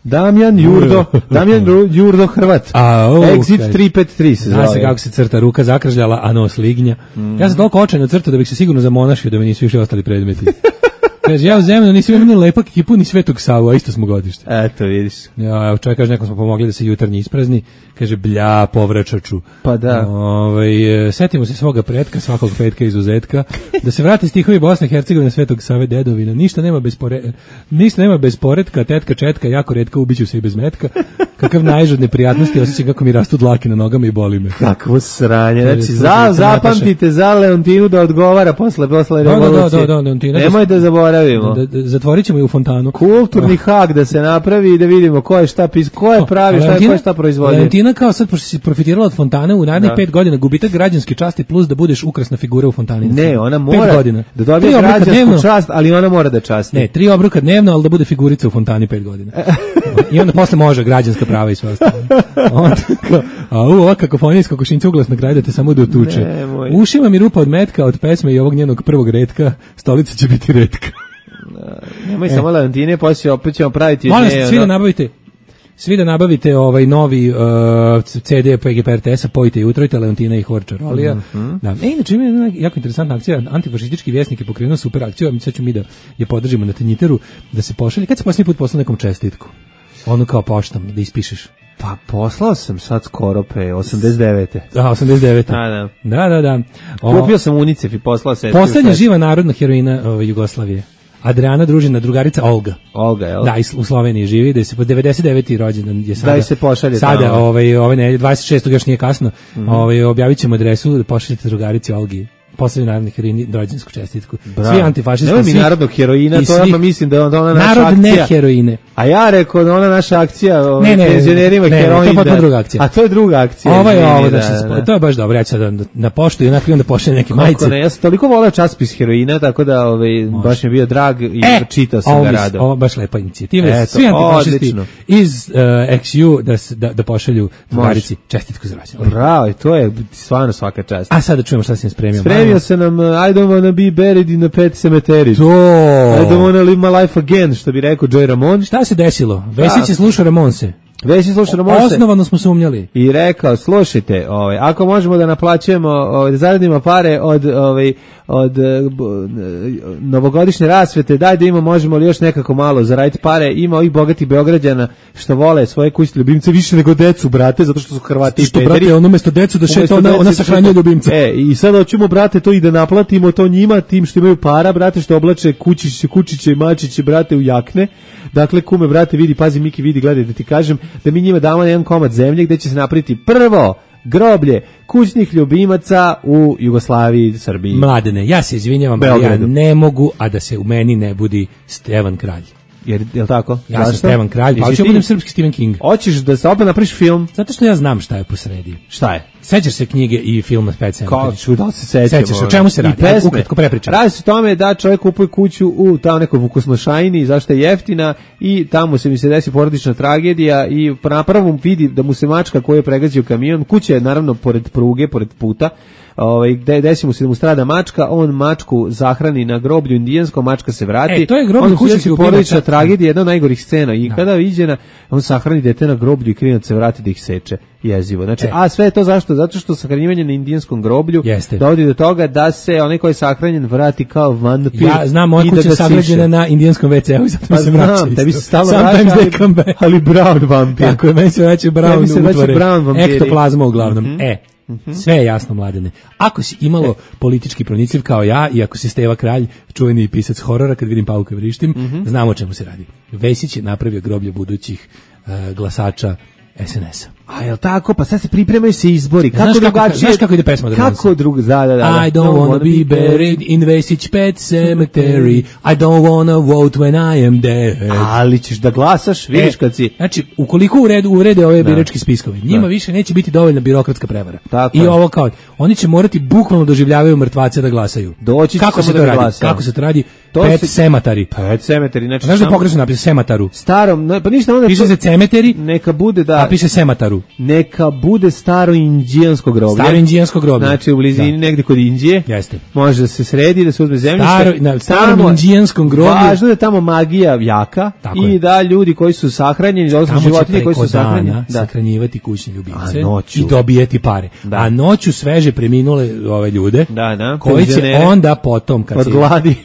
Damjan Jurdo, Damjan Jurdo Hrvat. A, oh, Exit okay. tri pet tri se zove. Zna se kako se crta, ruka zakržljala, a nos lignja. Mm. Ja sam toliko očajno crtao da bih se sigurno zamonašio da mi nisu više ostali predmeti. Kaže, ja u Zemunu nisam imao ni lepak ekipu, ni Svetog Savu, a isto smo godište. Eto, vidiš. Ja, evo čovjek kaže, nekom smo pomogli da se jutarnji isprazni. Kaže, blja, povračaču. Pa da. Ove, setimo se svoga pretka, svakog petka izuzetka. Da se vrate stihovi Bosne i Hercegovine Svetog Save dedovina. Ništa nema bez, pore, ništa nema bez poretka, tetka četka, jako retka, ubiću se i bez metka. Kakav najžod neprijatnosti, osjećam kako mi rastu dlake na nogama i boli me. Kakvo sranje. Znači, za, zapamtite za Leontinu da odgovara posle, posle revolucije. Da, da, da, Leontina. Nemoj da zaboravimo. Da, da, zatvorit ćemo i u fontanu. Kulturni hak da se napravi i da vidimo ko je šta pis, ko je pravi, šta je, ko je šta proizvodio. Leontina kao sad, pošto si profitirala od fontane, u narednih pet godina gubitak građanske časti plus da budeš ukrasna figura u fontani. Ne, ona mora da dobije građansku čast, ali ona mora da časti. Ne, tri obroka dnevno, ali da bude figurica u fontani pet godina. I onda posle može građanska prava i sve ostalo. Onda kao, a u, ova kakofonija iz kokošinca uglasna kraj da te samo da utuče. Ušima mi rupa od metka, od pesme i ovog njenog prvog retka, stolica će biti retka. Nemoj samo Leontine, poslije opet ćemo praviti... Molim se, svi da nabavite... Svi da nabavite ovaj novi uh, C D P G P R T S-a, pojite i utrojite Leontina i Horča Rolija. Mm-hmm. Da. E, inače ima jedna jako interesantna akcija, antifašistički vjesnik je pokrenuo super akciju, a sad ću mi da je podržimo na Tanjiteru, da se pošalje. Kad se posljednji put poslao nekom čestitku? Ono kao poštam, da ispišeš. Pa poslao sam sad skoro pe osamdeset devete. Da, osamdeset devete. Da, da. Da, da, da. O, Kupio sam UNICEF i poslao se. Poslednja živa narodna heroina o, Jugoslavije. Adriana družina, drugarica Olga. Olga, jel? Da, u Sloveniji živi, da se po devedeset deveti rođendan je sada. Da se pošalje sada, tamo. ovaj, ovaj ne, dvadeset šestog još nije kasno. Mm-hmm. Ovaj objavit adresu da pošaljete drugarici Olgi. Poslednji narodni heroini, rođendansku čestitku. Bravo. Svi antifašisti. Nemoj mi narodnog heroina, to ja pa mislim da je ona naša narod akcija. Narod ne heroine. A ja rekao da ona naša akcija, o ne, ne, penzionerima ne, heroin. Ne, to je pa druga akcija. A to je druga akcija. Ovo je ovo, da, znači, da, da. to je baš dobro, ja ću sad da, da poštu i onako onda pošalje neke majice. Ne, ja sam toliko voleo časopis heroina, tako da ovaj, baš mi je bio drag i e, čitao sam ga rado. Ovo baš lepa inicijativa. Eto, svi antifašisti iz uh, X U da, da, da pošalju drugarici čestitku za rođendan. Bravo, to je stvarno svaka čast. A sad da čujemo šta si nam spremio. Spremio se nam uh, I don't wanna be buried in a pet cemetery. To. I don't wanna live my life again, što bi rekao Joey Ramone. Šta se desilo? Vesić je slušao Ramonse. Već slušao Ramonse. Osnovano smo sumnjali. I rekao, slušajte, ovaj, ako možemo da naplaćujemo, ovaj, da zaradimo pare od, ovaj, od uh, novogodišnje rasvete, daj da ima, možemo li još nekako malo zaraditi pare. Ima ovih bogatih Beograđana što vole svoje kućne ljubimce više nego decu, brate, zato što su Hrvati i pederi. Brate, on umesto decu da šeta, ona, ona sahranjuje ljubimce. E, i sad hoćemo, brate, to i da naplatimo to njima, tim što imaju para, brate, što oblače kućiće, kućiće i mačiće, brate, u jakne. Dakle, kume, brate, vidi, pazi, Miki, vidi, gledaj, da ti kažem, da mi njima damo jedan komad zemlje gde će se napraviti prvo groblje kućnih ljubimaca u Jugoslaviji, Srbiji. Mladene, ja se izvinjavam, ja ne mogu, a da se u meni ne budi Stevan Kralj. Jer, je li tako? Ja Zašto? sam Stevan Kralj, pa hoću budem srpski Stephen King. Hoćeš da se opet napriš film? Zato što ja znam šta je posredi. Šta je? Sećaš se knjige i filma Pet Cemetery? Kao ću, da se sećam. Sećaš, o čemu se radi? Pesme. Ukratko prepričam. Radi se o tome da čovjek kupuje kuću u tamo nekoj Vukosnošajni, zašto je jeftina, i tamo se mi se desi porodična tragedija i na prvom vidi da mu se mačka koju je pregazio kamion, kuća je naravno pored pruge, pored puta, ovaj gde desi mu se da mu strada mačka, on mačku zahrani na groblju indijanskom, mačka se vrati. E, to je groblje kućić porodična tragedija, jedna od najgorih scena. I kada viđena, on sahrani dete na groblju i klinac se vrati da ih seče. Jezivo. Znači, e. a sve je to zašto? Zato što sahranjivanje na indijanskom groblju Jeste. dovodi do toga da se onaj koji je sahranjen vrati kao vampir. Ja znam, moja kuća je sagrađena na indijanskom ve ce u, zato pa mi se vraća isto. Tebi se stalno vraća, ali, ali brown vampir. Tako je, meni se vraća brown se utvore. Brown vampiri. Ektoplazma uglavnom. Mm-hmm. E, mm-hmm. sve je jasno, Mladene. Ako si imalo e. politički pronicljiv kao ja, i ako si Steva Kralj, čuveni pisac horora, kad vidim Pavka vrištim, mm-hmm. znamo o čemu se radi. Vesić je napravio groblje budućih uh, glasača es en es a. A jel tako? Pa sad se pripremaju se izbori. Kako znaš drugačije? Kako, znaš kako ide pesma od Ramonsa? Kako drugo? Da, da, da. I don't wanna be buried in Vesić Pet Cemetery. I don't wanna vote when I am dead. Ali ćeš da glasaš, vidiš e, kad si... Znači, ukoliko urede, urede ove birački spiskovi, njima da. više neće biti dovoljna birokratska prevara. Tako I je. ovo kao, oni će morati bukvalno doživljavaju mrtvace da glasaju. Doći kako se to radi? Glasa. Kako se to radi? To Pet se... Cemetery. Pet Cemetery. Znači, znaš da pogrešno napiše Semataru? Starom, no, pa ništa onda... Piše se Cemetery, neka bude da... a piše Semataru. moru. Neka bude staro indijansko groblje. Staro indijansko groblje. Znači u blizini da. negde kod Indije. Jeste. Može da se sredi, da se uzme zemljište. Staro, na starom indijanskom groblju. Važno je tamo magija jaka. Tako i je. Da ljudi koji su sahranjeni, odnosno životinje koji su sahranjeni, da sahranjivati kućne ljubimce i dobijeti pare. Da. A noću sveže preminule ove ljude, da, da, koji će onda potom kad se,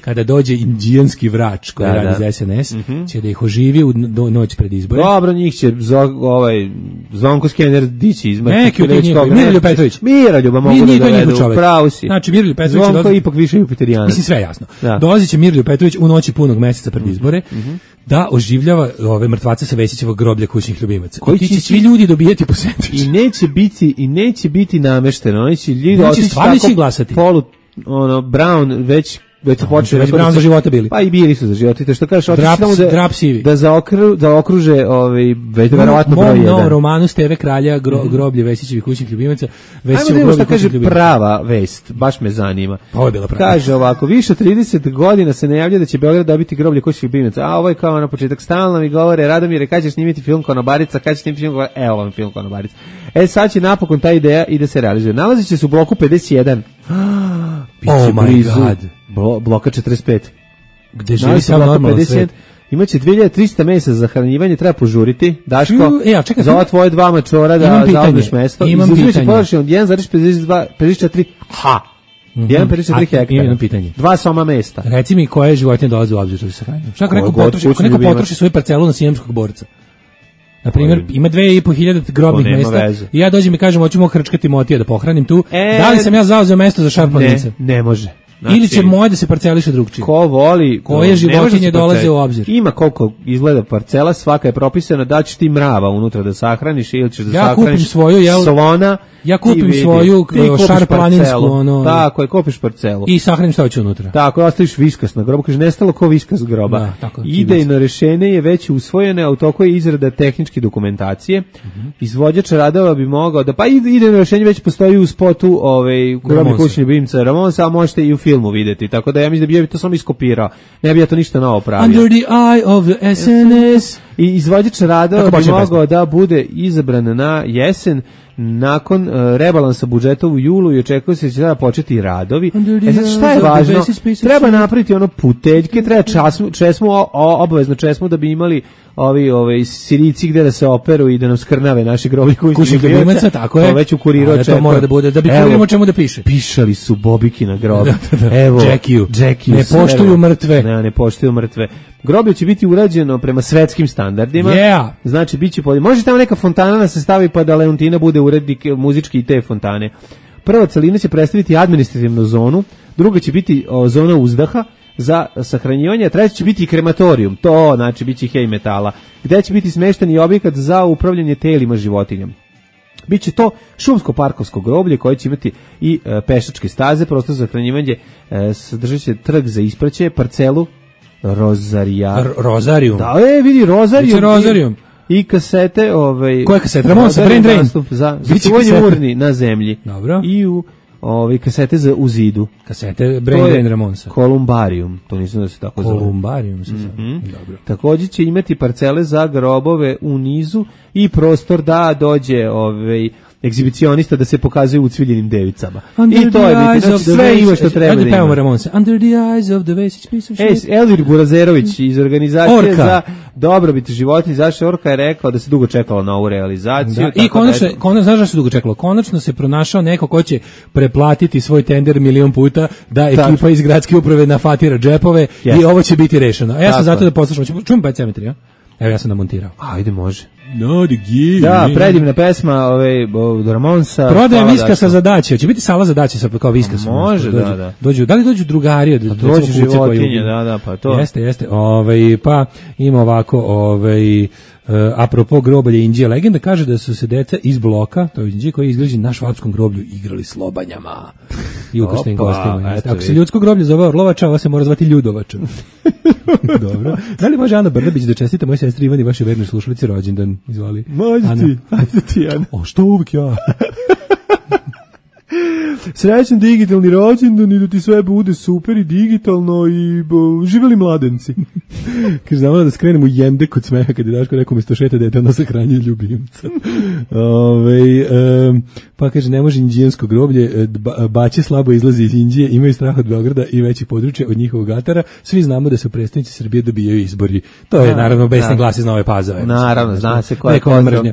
kada dođe indijanski vrač koji da, radi da. za S N S, mm-hmm. će da ih oživi u do, noć pred izbore. Dobro, njih će zo, ovaj Zvonko Skener dići izmati. Neki od njih, Miroljub Petrović. Miroljuba mogu da dovedu, pravo si. Znači Miroljub Petrović Zvonko dođe, ipak više Jupiterijanac. Mislim sve jasno. Da. Dolazit će Miroljub Petrović u noći punog meseca pred izbore, mm-hmm. da oživljava ove mrtvace sa Vesićevog groblja kućnih ljubimaca. Koji će svi ljudi dobijati po sendvič. I neće biti i neće biti namešteno. Oni će ljudi otići tako glasati. Polu ono Brown već već počeo već Brown za života bili. Pa i bili su za života. To što kažeš, otići tamo da drap sivi. Da zaokru, da okruže ovaj verovatno broj jedan. Mom romanu Steve Kralja gro, groblje Vesićevih kućnih ljubimaca. Vesićevo groblje kaže prava vest, baš me zanima. Ovo je bila prava. Kaže ovako, više od trideset godina se najavljuje da će Beograd dobiti groblje kućnih ljubimaca. A ovo je kao na početak stalno mi govore Radomire, kad ćeš snimiti film Konobarica, kad ćeš snimiti film Konobarica. Evo vam film Konobarica. E sad će napokon ta ideja i da se realizuje. Nalazi će se u bloku pedeset jedan. Oh my blizu, god. Blo, bloka četrdeset pet. Gde živi sam normalno svet. Imaće dve hiljade trista mesa za hranjivanje, treba požuriti. Daško, e, ja, čekaj, za ova tvoje dva mačora da zauzmeš mesto. Imam pitanje. Površinu od jedan zarez pedeset četiri ha. Mm-hmm. jedan zarez pedeset četiri hektara. Imam pitanje. Dva soma mesta. Reci mi koje životinje dolaze u obzir da se hranju. Šta ako neko potroši, ako neko potroši svoju parcelu na sijemskog borca? Na primjer, ima dve i po hiljade grobnih mesta veze. I ja dođem i kažem, hoću mog hrčkati Motija da pohranim tu. E, da li sam ja zauzeo mesto za šarpanice? Ne, ne može. Znači, ili će moje da se parceliše drugčije. Ko voli, koje životinje dolaze u obzir. Ima koliko izgleda parcela, svaka je propisana da ćeš ti mrava unutra da sahraniš ili ćeš da ja sahraniš svoju, ja, slona. Ja kupim svoju šarplaninsku, ono. Tako je, kupiš parcelu. I sahranim šta hoće unutra. Tako, ostaviš viskas na grobu, kaže nestalo ko viskas groba. Da, tako, idejno rešenje je već usvojeno, a u toku je izrada tehničke dokumentacije. Mm-hmm. Izvođač radova bi mogao da, pa idejno rešenje već postoji u spotu ovaj, u grobi kućni ljubimca Ramonsa, a možete i u filmu videti. Tako da ja mislim da bi to samo iskopirao. Ne bi ja to ništa novo pravio. Under the eye of the S N S. I izvođač radova bi mogao da bude izabran na jesen nakon uh, rebalansa budžeta u julu i očekuje se da će da početi radovi. E sad šta je važno? Treba napraviti ono puteljke, treba časmu, česmu, o, obavezno česmu da bi imali ovi ovi Sirici gde da se operu i da nam skrnave naši groblji kućnih ljubimaca, tako je. To već u kuriru očekuje. To mora da bude, da bi kuririmo čemu da piše. Pišali su Bobiki na grobu. Evo, Jackie, Jackie, ne poštuju mrtve. Ne, ne poštuju mrtve. Groblje će biti urađeno prema svetskim standardima. Yeah. Znači biće pod... Može tamo neka fontana da se stavi pa da Leontina bude urednik muzički i te fontane. Prva celina će predstaviti administrativnu zonu, druga će biti o, zona uzdaha za sahranjivanje, a treća će biti krematorijum. To znači biće hej metala, gde će biti smešteni objekat za upravljanje telima životinjama. Biće to šumsko-parkovsko groblje koje će imati i e, pešačke staze, prostor za hranjivanje, e, sadržat će trg za ispraćaj, parcelu Rozarija. R- Rozarijum. Da, e, vidi, Rozarijum. Rozarijum. I kasete, ovaj... Koje kasete? Ramonsa, Brain Drain. Za začuvanje urni na zemlji. Dobro. I u ovaj kasete za u zidu. Kasete Brain Drain Ramonsa. Kolumbarium, to nisam da se tako zove. Kolumbarium se zove. Mm-hmm. Dobro. Također će imati parcele za grobove u nizu i prostor da dođe ovaj egzibicionista da se pokazuje u cviljenim devicama. Under I to je biti, znači sve ima što treba da ima. Ramonsa. Under the eyes of the Vesić piece of shit. E, Elvir Burazerović iz organizacije Orka. Za dobrobit životinja zaštite Orka je rekao da se dugo čekalo na ovu realizaciju. Da. I konačno, konačno, znaš da se dugo čekalo? Konačno se pronašao neko ko će preplatiti svoj tender milion puta da ekipa Tačno. Iz gradske uprave nafatira džepove yes. i ovo će biti rešeno. A ja sam zato da poslušam. Čujem pa cemetri, ja? Evo ja sam namontirao. Ajde, može. No, the game. Da, predivna pesma ove od Ramonsa. Prodajem viskasa za daće. Će biti sala za daće sa kao viskasom. Može, da, da. Dođu, da li dođu drugari od dođu životinje, da, da, pa to. Jeste, jeste. Ovaj pa ima ovako, ovaj uh, apropo groblja Indije, legenda kaže da su se deca iz bloka, to je Indije koji je izgrađen na švapskom groblju, igrali s lobanjama i ukrštenim gostima. Ako se ljudsko groblje zove Orlovača, ovo se mora zvati Ljudovača. Dobro. Da li može Ana Brnabić da čestita moj sestri Ivani, vaše vernoj slušalici, rođendan? Izvoli. Može ti. Ajde ti, Ana. O, što uvijek ja? Srećan digitalni rođendan i da ti sve bude super i digitalno i bo, živeli mladenci. Kaže, znamo da skrenemo u jendek od smeha kad je Daško rekao mi sto šeta dete, ono sahranje ljubimca. Ove, um, pa kaže, ne može indijansko groblje, ba, baće slabo izlazi iz Indije, imaju strah od Beograda i većih područja od njihovog atara. Svi znamo da se u prestonici Srbije dobijaju izbori. To je, naravno, besni glas iz Nove Pazove. Naravno, zna se ko je vekovna mržnja.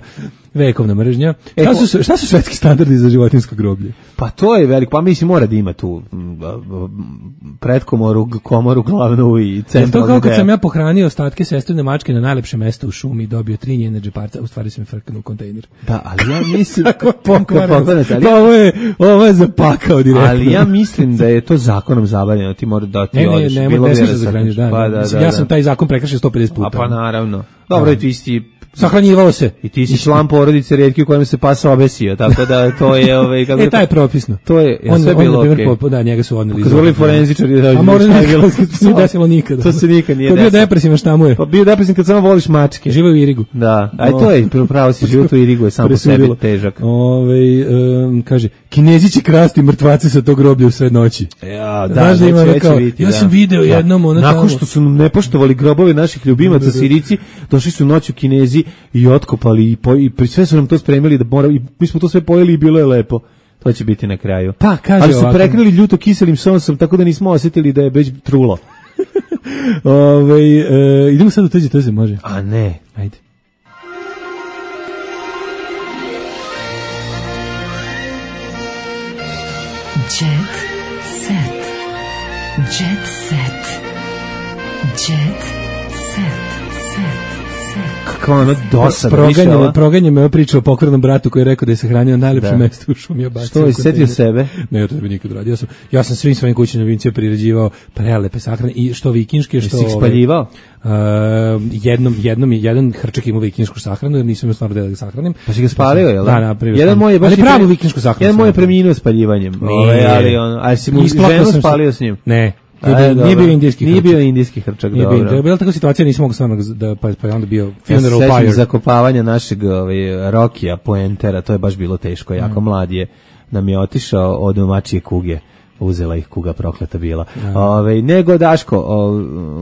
Vekovna mržnja. E, šta, su, šta su svetski standardi za životinjsko groblje? Pa to je veliko, pa mislim mora da ima tu pretkomoru, komoru glavnu i centralnu. To kao kad sam ja pohranio ostatke sestrine mačke na najlepše mesto u šumi i dobio tri njene džeparca, u stvari sam je frknuo u kontejner. Da, ali ja mislim pokvareno. Pa ovo je, ovo je zapakao direktno. Ali ja mislim da je to zakonom zabranjeno, ti mora da ti odeš. Ne, ne, ne, ne smiješ da zahraniš, da, pa, da, da, ja sam taj zakon prekršio sto pedeset puta. A pa naravno. Dobro, i ti si sahranjivalo se. I ti si član porodice rijetki u kojem se pas obesio, tako da to je ovaj kako e, taj je propisno. To je, je on, sve on bilo okej. Okay. Da, njega su odneli. Kazvoli forenzičari da. A možda ne bilo, se desilo nikada. To se nikad nije desilo. desilo. Bio depresivan, šta mu je? Pa bio depresivan kad samo voliš mačke. Živo u Irigu. Da, aj to je, pravo si život u Irigu je sam po sebi težak. Ovaj um, kaže, Kinezi će krasti mrtvace sa tog groblja u sred noći. Ja, da, da, ima kao, vidjeti, ja sam da. video da. jednom ono nakon tamo. Što su nepoštovali grobove naših ljubimaca Sirici, došli su noću Kinezi i otkopali i, po, i pri sve su nam to spremili da mora, i mi smo to sve pojeli i bilo je lepo. To će biti na kraju. Pa, kaže ali su ovako. prekrili ljuto kiselim sosom, tako da nismo osjetili da je već trulo. Ove, e, idemo sad u tuđe toze, može? A ne. Ajde. Jet set. Jet set. Jet set. Kakva ona dosada. Proganjamo, proganjamo priču o pokvarnom bratu koji je rekao da je sahranio najlepše da. mesto u šumi. Što je setio sebe? Ne, ja to ne bi nikad radio. Ja sam, ja sam svim svojim kućnim ljubimcima priređivao prelepe sahrane i što vikinške, što... Jesi ih spaljivao? Uh, jednom, jednom je jedan hrčak imao vikinšku sahranu, jer nisam imao stvarno da ga sahranim. Pa si ga spalio, jel? Da, napravio jedan moj je baš ali pravu vikinšku sahranu. Jedan moj je preminuo spaljivanjem. Nije. Ali on, a si mu ženu spalio s njim? Ne. Nije, nije bio indijski nije hrčak. Bio indijski hrčak, nije dobro. Bio, bila tako situacija, nisam mogu stvarno da, pa, pa je onda bio funeral ja pyre. Zakopavanja našeg ovaj, Rokija, Poentera, to je baš bilo teško, jako mm. mlad je, nam je otišao od domačije kuge. Uzela ih kuga prokleta bila. Ja. Ove, nego Daško,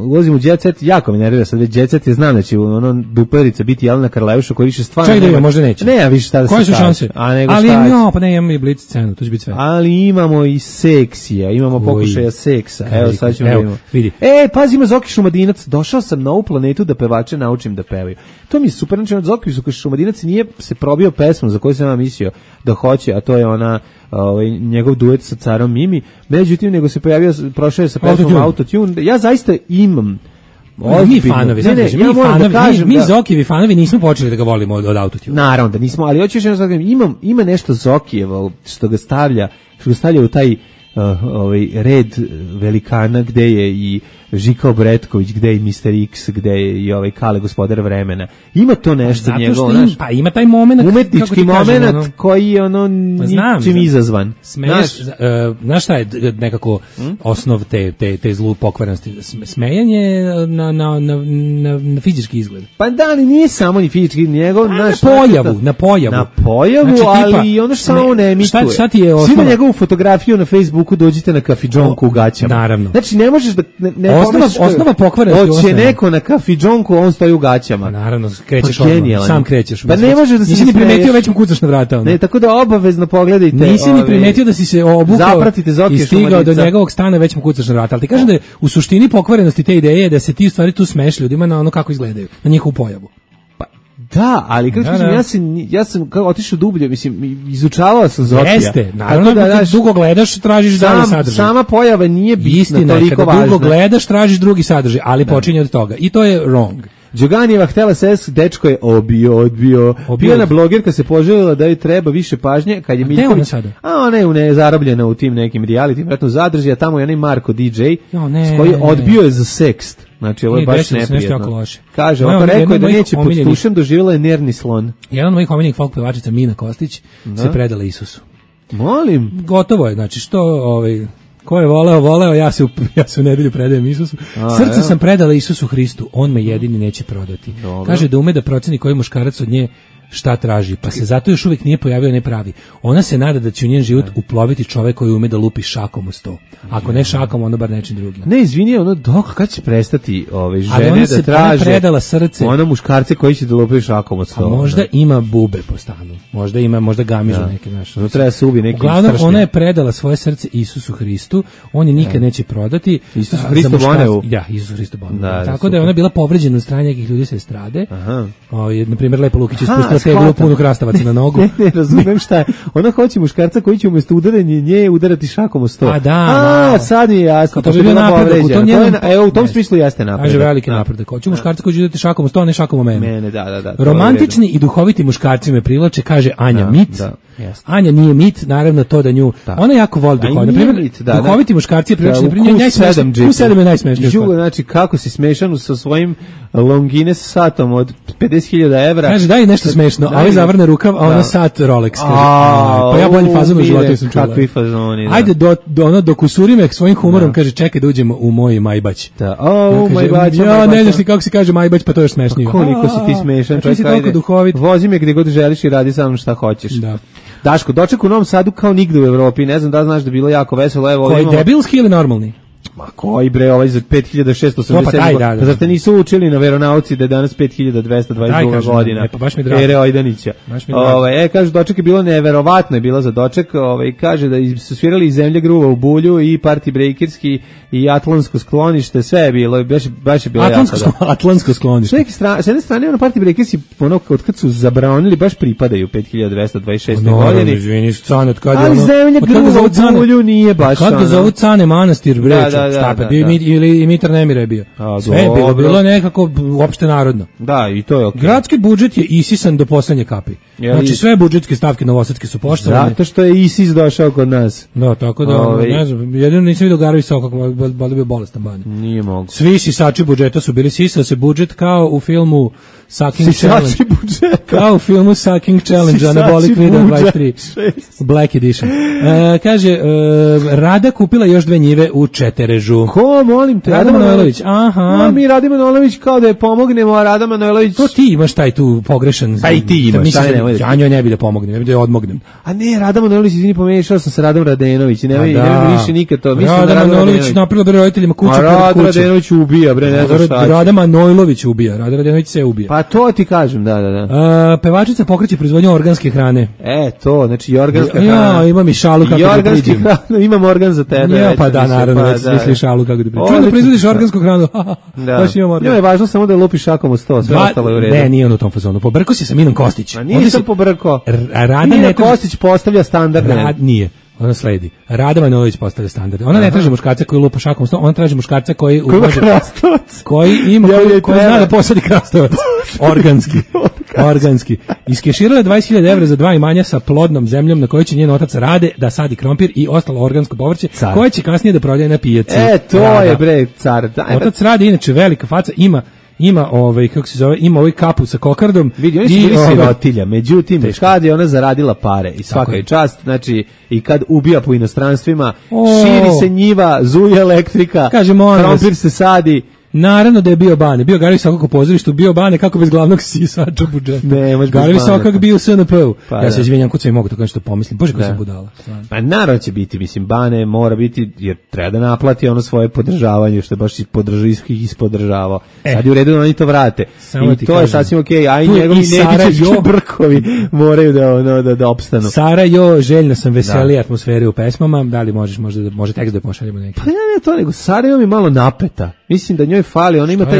ulazim u Jet Set, jako mi nervira sad već Jet Set, je znam da će ono buperica biti Jelena Karleuša koji više stvarno... Čaj da je, možda neće. Ne, a više šta da se koje su šanse? A nego ali šta no, pa ne, imamo i blic scenu, to će biti sve. Ali imamo i seksija, imamo Uj. pokušaja seksa. Evo, evo sad ćemo evo, da imamo. Vidi. E, pazi, ima Zoki Šumadinac, došao sam na ovu planetu da pevače naučim da pevaju. To mi je super, znači od Zoki Šumadinac nije se probio pesmu za koju sam ja mislio da hoće, a to je ona ovaj njegov duet sa Carom Mimi, međutim nego se pojavio, prošao je sa pesmom Autotune. Ja zaista imam mi fanovi, ne, ne, ja mi fanovi, da kažem, mi, mi da, Zokijevi fanovi nismo počeli da ga volimo od, od Autotune. Naravno da nismo, ali hoćeš jedno da imam ima nešto Zokijevo što ga stavlja, što ga stavlja u taj uh, ovaj red velikana gde je i Žika Obretković, gde je mister X, gde je i ovaj Kale gospodar vremena. Ima to nešto pa njegovo, im, pa ima taj momenat, umetnički momenat ono, koji je ono pa ničim izazvan. Smeješ, znaš, uh, znaš šta je nekako hmm? osnov te, te, te zlu pokvarenosti? Smejanje na, na, na, na, na fizički izgled. Pa da, ali nije samo ni fizički, njegov... Na, naš, na pojavu, na pojavu. Na pojavu, znači, tipa, ali ono što samo ne emituje. Šta, šta ti je osnova? Svi na njegovu fotografiju na Facebooku dođite na kafidžonku u gaćama. Naravno. Znači ne možeš da... Ne, ne osnova, osnova pokvarenosti. Hoće neko na kafidžonku, on stoji u gaćama. Naravno, krećeš odmah, sam krećeš. Pa ne možeš da nisi ni primetio, već mu kucaš na vrata. Onda. Ne, tako da obavezno pogledajte. Nisi ni primetio da si se obukao i stigao do Šumadnica. Njegovog stana, već mu kucaš na vrata. Ali ti kažem da je u suštini pokvarenosti te ideje da se ti u stvari tu smeš ljudima na ono kako izgledaju, na njihovu pojavu. Da, ali kako kažem, ja sam ja sam kao otišao dublje, mislim izučavao sam Zokija. Jeste, naravno da daš, dugo gledaš, tražiš sam, dalje sadržaj. Sama pojava nije bitna, istina, toliko važna. Dugo gledaš, tražiš drugi sadržaj, ali da. Počinje od toga. I to je wrong. Đoganijeva htela ses, dečko je obio, odbio. Pijana blogerka se poželjela da joj treba više pažnje, kad je Miljković. A ona je u ne, zarobljena u tim nekim reality, vjerojatno zadrži, a tamo je onaj Marko D J, jo, ne, s koji odbio je za sekst. Znači, ovo je baš neprijetno. Kaže, ovo rekao je da neće pod tušem, doživjela je nervni slon. Jedan od mojih omiljenih folk pevačica, Mina Kostić, da? Se predala Isusu. Molim. Gotovo je, znači, što ovaj... Ko je voleo, voleo, ja se u, ja se u nedelju predajem Isusu. A, Srce evo. Sam predala Isusu Hristu, on me jedini neće prodati. Dobro. Kaže da ume da proceni koji muškarac od nje šta traži, pa se zato još uvijek nije pojavio ne pravi. Ona se nada da će u njen život uploviti čovek koji ume da lupi šakom u sto. Ako ne šakom, onda bar nečim drugim. Ne, izvini, ono dok kad će prestati ove žene ona da se, traže. Ona predala srce. Ona muškarce koji će da lupaju šakom u sto. A možda da. Ima bube po stanu. Možda ima, možda gamižu da. Neke naše. No treba se ubi neki. Uglavnom ona je predala svoje srce Isusu Hristu. On je nikad da. Neće prodati. Isus Hristo Boneu. Ja, Isus Hristo Boneu. Da, tako da je ona bila povređena od strane nekih ljudi sa estrade. Aha. O, na primjer Lepa Lukić je spustila teglu punu krastavaca na nogu. Ne, ne, razumem šta je. Ona hoće muškarca koji će umjesto udaranja nje udarati šakom o sto. A da, a, sad mi je jasno. To bi bio napredak. To njenom, to je, evo, u tom smislu jeste napredak. Kaže veliki napredak. Hoće muškarca koji će udarati šakom o sto, a ne šakom o mene. Mene, da, da, da. Romantični i duhoviti muškarci me privlače, kaže Anja Mit. Anja nije mit, naravno to da nju. Ona jako voli duhoviti. Na primjer, duhoviti muškarci je privlačeni. U sedam je najsmešniji. Znači, kako si smešan sa svojim Longines satom od pedeset hiljada evra. Kaže, daj nešto smešno, a ovaj zavrne rukav, a ona sat Rolex. Pa ja bolji fazon u životu sam čula. Kakvi fazoni, da. Ajde, do, do, ono, dok usuri me svojim humorom, da. Kaže, čekaj da uđemo u moj Majbać. Da, o, ja, Majbać. Ja, ne znaš ni kako se kaže Majbać, pa to je još smešnije. Pa koliko si ti smešan, čovjek, ajde. Vozi me gdje god želiš i radi sa mnom šta hoćeš. Da. Daško, doček u Novom Sadu kao nigde u Evropi, ne znam da znaš da je bilo jako veselo. Evo, koji imamo... debilski ili normalni? Ma koji bre, ovaj za pet hiljada šessto osamdeset sedam. Da, da, zar te nisu učili na veronauci da je danas pet hiljada dvesta dvadeset druga godina? E, pa baš mi drago. Ere Ojdanića. Ovaj, e, kaže, doček je bilo neverovatno, je bilo za doček. Ovaj, kaže da su svirali iz Zemlje gruva u Bulju i Party Breakerski i Atlantsko sklonište, sve je bilo, baš, baš je bilo Atlantsko, jako. Atlantsko sklonište. S, strane, s jedne strane, ono Party Breakersi, ono, od kad su zabranili, baš pripadaju pet hiljada dvesta dvadeset šeste no, godine. Izvini, cane, od kada je ono... Ali Zemlja gruva u Bulju nije baš ono. Kad ga zovu Cane Manastir, breću, šta pa bio ili Mitar Nemira je bio. A, sve je bilo, bilo nekako uopšte narodno. Da, i to je okej. Okay. Gradski budžet je isisan do poslednje kapi. Jeli... Znači sve budžetske stavke novosadske su poštovane. Zato što je ISIS došao kod nas. Da, tako da, Ove... ne znam, jedino nisam vidio Garović Sokak, boli bio bolestan banja. Nije mogu. Svi sisači budžeta su bili, sisao se budžet kao u filmu Sucking sisači Challenge. Budžeta. Kao u filmu Sucking Challenge, Anabolic Video dvadeset tri. Black Edition. E, kaže, e, Rada kupila još dve njive u Četerežu. Ko, molim te? Rada Manojlović, aha. No, mi Rada Manojlović kao da je pomognemo, a Rada Manojlović... To ti imaš taj tu pogrešan... Pa i ti imaš, šta ne, ne, ja njoj ne bi da pomognem, ne bi da je odmognem. A ne, Rada Manojlović, izvini, pomešao sam sa Radom Radenović, ne bi da. više nikad to. Mislim Rada da Rada Manojlović napravila bre roditeljima kuću pored kuće. A Rada Radenović ubija, bre, ne znam šta. Rada Manojlović ubija, Rada Radenović se ubija. Pa to ti kažem, da, da, da. A, pevačica pokreće proizvodnju organske hrane. E, to, znači i organska hrana. Ja, imam i šalu kako da priđem. Imam organ za tebe. Ja, pa da, naravno, već misli šalu kako da priđem. Čujem da proizvodiš organsku hranu. Da. Baš imam organ. Njoj je važno samo da lupiš šakom u sto, sve ostalo je u redu. Ne, nije on u tom fazonu. Pobrko si sa Minom Kostić. A nije sam pobrko. Rada Mina Kostić postavlja standardne. Rad, nije. Ona sledi. Rada Manojlović postavlja standarde. Ona ne traži muškarca koji lupa šakom u sto, ona traži muškarca koji koji ima krastavac. Koji ima ja, koji, koji zna da posadi krastavac. Organski. Organski. Iskeširala dvadeset hiljada evra za dva imanja sa plodnom zemljom na kojoj će njen otac Rade da sadi krompir i ostalo organsko povrće, car. Koje će kasnije da prodaje na pijaci. E, to Rada. Je bre car. Daj, otac Rade inače velika faca, ima ima ovaj kako se zove, ima ovaj kapu sa kokardom. Vidi, oni su bili sirotilja, međutim kad je ona zaradila pare i svaka je čast, znači i kad ubija po inostranstvima, o, širi se njiva, zuje elektrika, krompir se sadi. Naravno da je bio Bane, bio Garović Sokak u pozorištu, bio Bane kako bez glavnog sisača budžeta. Ne, može Garović Sokak bio u S N P-u. Pa, ja se izvinjam kod sve mogu to nešto pomislim. Bože kako sam budala. Pa naravno će biti, mislim, Bane mora biti, jer treba da naplati ono svoje podržavanje, što je baš ispodržavao, ispodržavao. E, sad je u redu da oni to vrate. I to kažem, je sasvim okej, okay, a i njegovi Nedićevski brkovi moraju da, ono, da, da opstanu. Sara, jo, željno sam veseli atmosfere u pesmama, da li možeš, možda, može tekst da pošaljemo neki? Pa ne, to nego, Sara je mi malo napeta. Mislim da njoj fali, ona ima taj,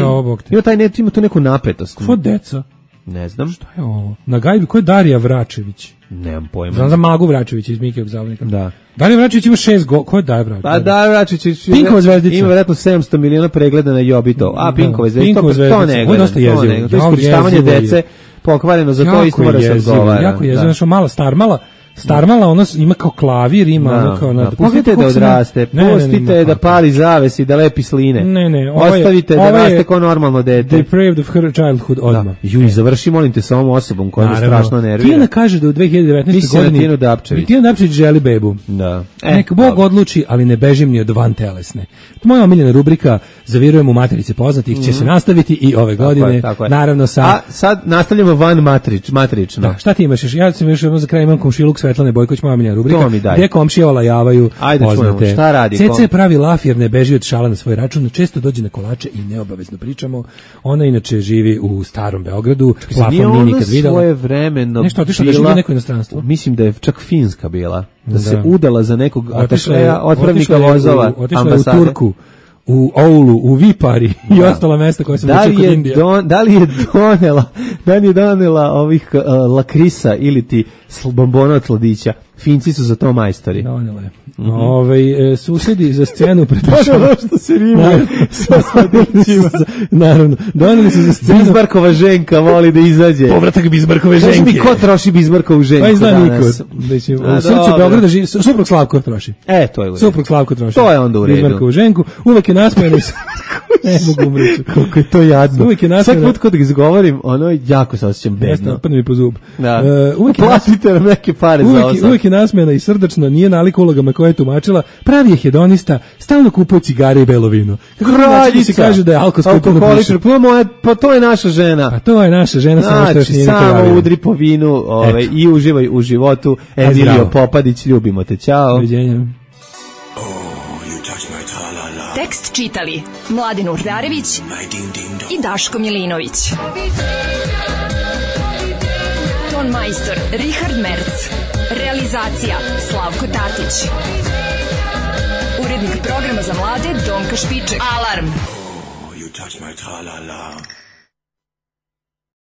ima taj ne, ima tu neku napetost. Ko deca? Ne znam. Šta je ovo? Na gajbi, ko je Darija Vračević? Nemam pojma. Znam za Magu Vračević iz Mikijevog zabavnika. Da. Darija Vračević ima šest go... Ko je Darija Vračević? Pa Darija Vračević Pinkova zvezdica. Ima vjerojatno sedamsto miliona pregleda na Jobito. A Pinkova zvezdica, to, to ne gleda. To je iskorištavanje dece, pokvareno za to isto mora se odgovara. Jako je, znaš, mala star, mala Starmala, ono ima kao klavir, ima Da, ono kao... da. Na, Pustite da odraste, Ne, ne, ne, pustite ne, da pali zaves i da lepi sline. Ne, ne, ovo je- Ostavite da ovo je raste kao normalno dete. Depraved of her childhood odmah. Da. Ju, završi, molim te, sa ovom osobom koja me Naravno. strašno nervira. Tijana kaže da u dve hiljade devetnaestoj Mislim na godini... Tijanu Dapčević. Tijana Dapčević želi bebu. Da. E, Nek Bog dobro. odluči, ali ne bežim ni od van telesne. Moja omiljena rubrika Zavirujem u materice poznatih će se nastaviti i ove godine. Tako je, tako je. Naravno sa... A sad nastavljamo van matrič, matrično. Da, šta ti imaš još? Ja sam još jedno za kraj imam komšiluk Svetlane Bojković, moja omiljena rubrika. To mi daj. Gdje komšije olajavaju Ajde, poznate. čujemo, šta radi C C kom? pravi laf jer ne beži od šala na svoj račun, često dođe na kolače i neobavezno pričamo. Ona inače živi u starom Beogradu, plafon Nije nije ona nikad videla. svoje vremeno Nešto otišla da živi u neko inostranstvo. Mislim da je čak Finska bila. Da, Da. se udala za nekog Otišla je- atašeja, otpravnika otišla je u- vozova, Otišla je u ambasade. Turku, u Oulu, u Vipari i Da. ostala mesta koja sam Da li učio kod je Indije. don, da li je donela, da li je donela ovih uh, lakrisa ili ti sl- bombona od sladića? Finci su za to majstori. Donela je. Mhm. Ovaj, e, susedi za scenu To je pretočava. ono što se rimuje sa sladićima. Naravno, doneli su za scenu. Bizmarkova ženka voli da izađe. Povratak Bizmarkove Kaži ženke. mi ko troši Bizmarkovu ženku Pa i zna danas? niko. Da će, A, u srcu dobro. Beograda živi, suprug Slavko troši. E, to je u redu. Suprug Slavko troši. To je onda u redu. Bizmarkovu ženku, uvek je nasmejano. Ne mogu umreći. Koliko je to jadno. Uvijek je nasmejano. Svaki put kad ga izgovorim, ono, jako se osjećam Jeste, bedno. padne mi po zub. Da. E, uvijek je Platite nam neke pare za Uvijek, ovo. je- uvijek je nasmejana i srdačna, nije nalik ulogama koje je tumačila, pravi je hedonista, stalno kupuje cigare i belo vino. Kako to znači da se kaže da je alkohol alkoholičar, pa, moja, pa to je naša žena. Pa to je naša žena, samo što još Znači, nije samo napravila. udri po vinu ovaj, Eto. i uživaj u životu. Emilio zdravo. Popadić, ljubimo te, ćao. Doviđenja. Tekst čitali Mladin Urdarević i Daško Milinović. Ton majstor Richard Merc. Realizacija Slavko Tatić. Urednik programa za mlade Donka Špiček. Alarm! You touch my tra-la-la.